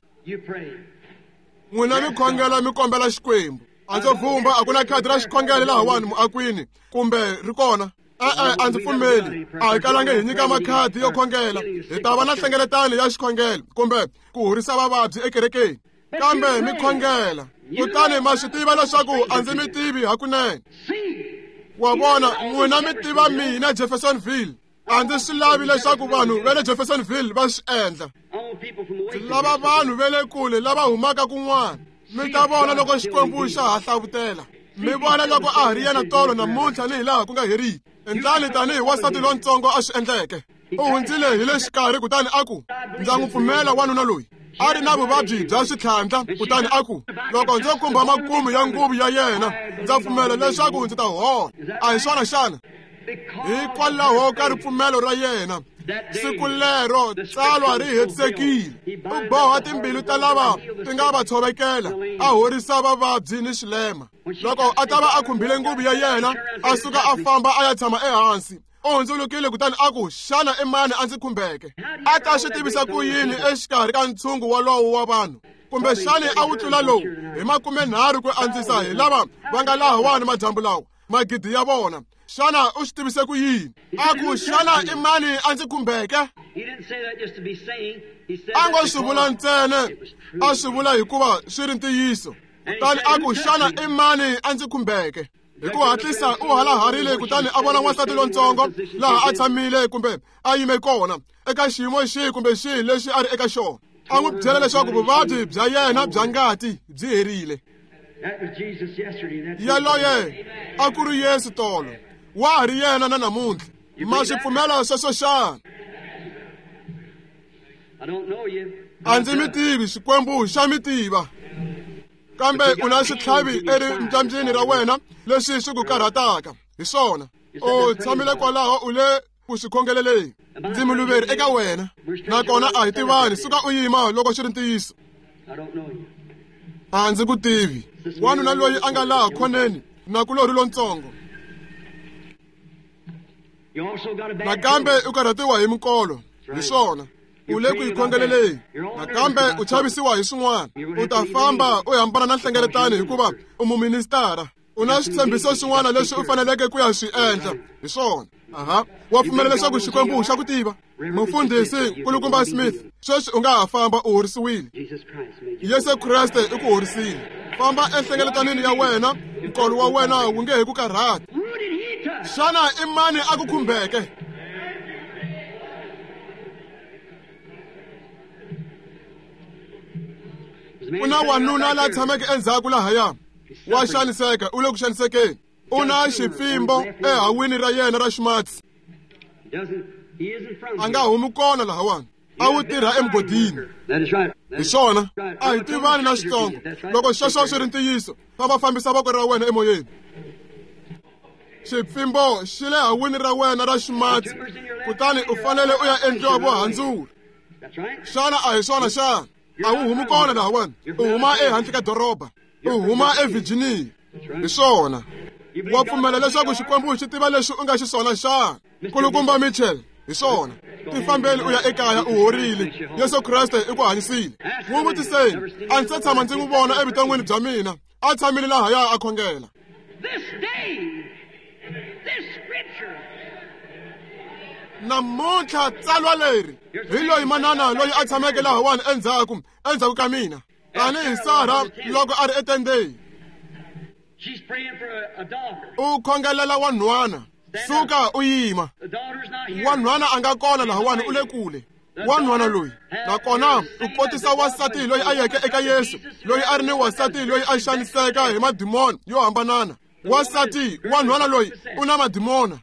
n'wina mi khongela mi kombela Xikwembu. A ndzo vumba a ku na khadi ra xikhongelo lahawani muakwini, kumbe ri kona? E-e, a ndzi pfumeli. A hi kalangi hi nyika makhadi yo khongela. Hi ta va na nhlengeletano ya xikhongelo kumbe ku horisa vavabyi ekerekeni, kambe mi khongela. Kutani ma swi tiva leswaku a ndzi mi tivi hakunene. Wa vona, n'wina mi tiva mina Jeffersonville. A ndzi swi lavi leswaku vanhu va le Jeffersonville va swi endla. Ndzi lava vanhu va le kule lava humaka kun'wana. Mi ta vona loko Xikwembu xa ha hlavutela. Mi vona loko a ha ri yena tolo namuntlha ni hi laha ku nga heriki. Endlani tanihi wansati lontsongo a swi endleke. U hundzile hi le xikarhi kutani a ku, ndza n'wi pfumela wanuna loyi. A ri na vuvabyi bya switlhandla, kutani a ku, loko ndzo khumba makumu ya nguvu ya yena, ndza pfumela leswaku ndzi ta hola. A hi swona xana? Hikwalaho ka ripfumelo ra yena, siku lero tsalwa ri hetisekile. U boha timbilu ta lava ti nga va tshovekela, a horisa vavabyi ni swilema. Loko a ta va a khumbile nguvu ya yena, a suka a famba a ya tshama ehansi. U hundzulukile kutani a ku, xana i mani a ndzi khumbeke? A ta swi tivisa ku yini exikarhi ka ntshungu wolowo wa vanhu? Kumbe xana a wu tlula lowu hi makumenharhu ku andzisa hi lava va nga lahawani madyambu lawa, magidi ya vona? Xana u swi tivise ku yini? A ku, xana i mani a ndzi khumbeke? A ngo swi vula ntsena, a swi vula hikuva swi ri ntiyiso. Kutani a ku, xana i mani a ndzi khumbeke? Hi ku hatlisa u halaharile kutani a vona wansati lontsongo laha a tshamile kumbe a yime kona eka xiyimo xihi kumbe xihi lexi a ri eka xona. A n'wi byela leswaku vuvabyi bya yena bya ngati byi herile. Yaloye a ku ri Yesu tolo, Wa ha ri yena na namuntlha. Ma swi pfumela sweswo xana? A ndzi mi tivi, Xikwembu xa mi tiva. Kambe u na xitlhavi erimbyambyini ra wena leswi swi ku karhataka. Hi swona. U tshamile kwalaho u le ku swi khongeleleni. Ndzi muluveri eka wena. Nakona a hi tivani, suka u yima loko xi ri ntiyiso. A ndzi ku tivi. Wanuna loyi a nga laha khoneni nakulorhi lontsongo. Nakambe u karhatiwa hi minkolo. Hi swona. U le ku yi khongeleleni. Nakambe u chavisiwa hi swin'wana. U ta famba u hambana na nhlengeletano hikuva u muministara. U na switshembiso swin'wana leswi u faneleke ku ya swi endla. Hi swona. Aha. Wa pfumela leswaku Xikwembu xa ku tiva? Mufundhisi Nkulukumba Smith, sweswi u nga ha famba u horisiwile. Yesu Kreste i ku horisile. Famba enhlengeletanini ya wena, nkolo wa wena wu nge he ku karhati. Xana i mani a ku khumbeke? Ku na wanuna la tshameke endzhaku lahaya. Wa xaniseka, u le ku xanisekeni. U na xipfimbo ehawini ra yena ra ximatsi. A nga humi kona lahawani. A wu tirha emugodini. Hi swona. A hi tivani na xitsongo. Loko sweswo swi ri ntiyiso, famba fambisa voko ra wena emoyeni. Xipfimbo xi le hawini ra wena ra ximatsi, kutani u fanele u ya endliwa vuhandzuri. Xana a hi swona xana? A wu humi kona lahawani. U huma ehandle ka doroba. U huma eVirginia. Hi swona. Wa pfumela leswaku Xikwembu xi tiva leswi u nga xiswona xana? Nkulukumba Mitchell, hi swona. Tifambeli u ya ekaya u horile. Yesu Kreste i ku hanyisile. N'wi vutiseni, a ndzi se tshama ndzi n'wi vona evuton'wini bya mina. A tshamile lahaya a khongela. Namuntlha tsalwa leri hi loyi manana loyi a tshameke lahawani endzhaku endzhaku ka mina. Tanihi Sara loko a ri etendeni. U khongelela wanhwana. Suka u yima. Wanhwana a nga kona lahawani, u le kule. Wanhwana loyi nakona u kotisa wasati loyi a yeke eka Yesu, loyi a ri ni wasati loyi a xaniseka hi madimoni yo hambanana. Wasati wanhwana loyi u na madimona.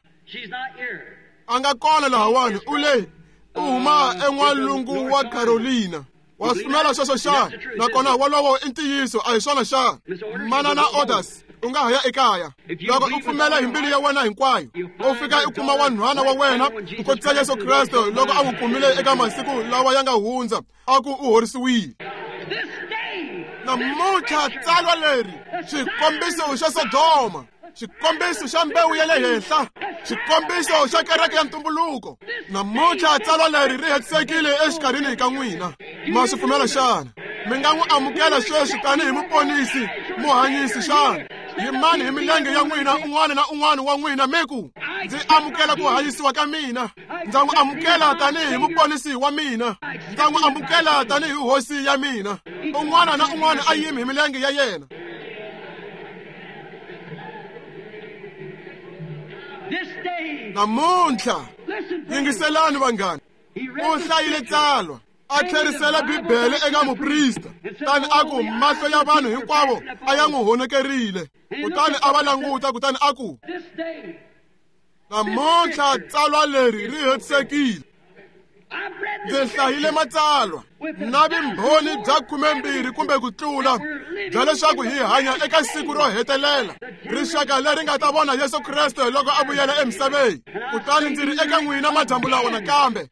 A nga kona lahawani, u le u huma en'walungu wa Carolina. Wa pfumela sweswo xana? Nakona wolowo i ntiyiso, a hi swona xana? Manana Orders, u nga ha ya ekaya. Loko u pfumela hi mbilu ya wena hinkwayo, u fika u kuma wanhwana wa wena ku kotisa Yesu Kreste loko a n'wi kumile eka masiku lawa ya nga hundza, a ku u horisiwile. Namuntlha tsalwa leri, xikombiso xa Sodoma, xikombiso xa mbewu ya le henhla, xikombiso xa kereke ya ntumbuluko. Namuntlha tsalwa leri ri hetisekile exikarhini ka n'wina. Ma swi pfumela xana? Mi nga n'wi amukela sweswi tanihi muponisi, muhanyisi xana? Yimani hi milenge ya n'wina, un'wana na un'wana wa n'wina, mi ku, ndzi amukela ku hanyisiwa ka mina. Ndza n'wi amukela tanihi muponisi wa mina. Ndza n'wi amukela tanihi hosi ya mina. Un'wana na un'wana a yimi hi milenge ya yena. Namuntlha, yingiselani vanghana. U hlayile tsalwa, a tlherisela Bibele eka muprista, tani a ku mahlo ya vanhu hinkwavo a ya n'wi honekerile. Kutani a va languta, kutani a ku, namuntlha tsalwa leri ri hetisekile. Ndzi hlayile matsalwa na vumbhoni bya khumembirhi kumbe ku tlula bya leswaku hi hanya eka siku ro hetelela, rixaka leri nga ta vona Yesu Kreste loko a vuyela emisaveni. Kutani ndzi ri eka n'wina madyambu lawa nakambe,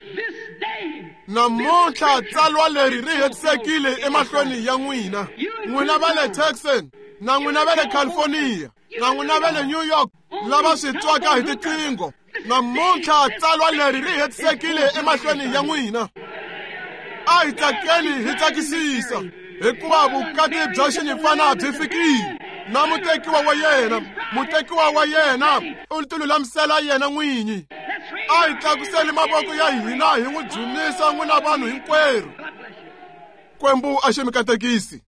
namuntlha tsalwa leri ri hetisekile emahlweni ya n'wina. N'wina va le Texas, na n'wina va le California, na n'wina va le New York, lava swi twaka hi tiqingho, namuntlha tsalwa leri ri hetisekile emahlweni ya n'wina. A hi tsakeni hi tsakisisa, hikuva vukati bya xinyimpfana byi fikile. Na mutekiwa wa yena, mutekiwa wa yena u tilulamisela yena n'winyi. A hi tlakuseli mavoko ya hina hi n'wi dzunisa n'wina vanhu hinkwerhu. Xikwembu a xi mi katekisi.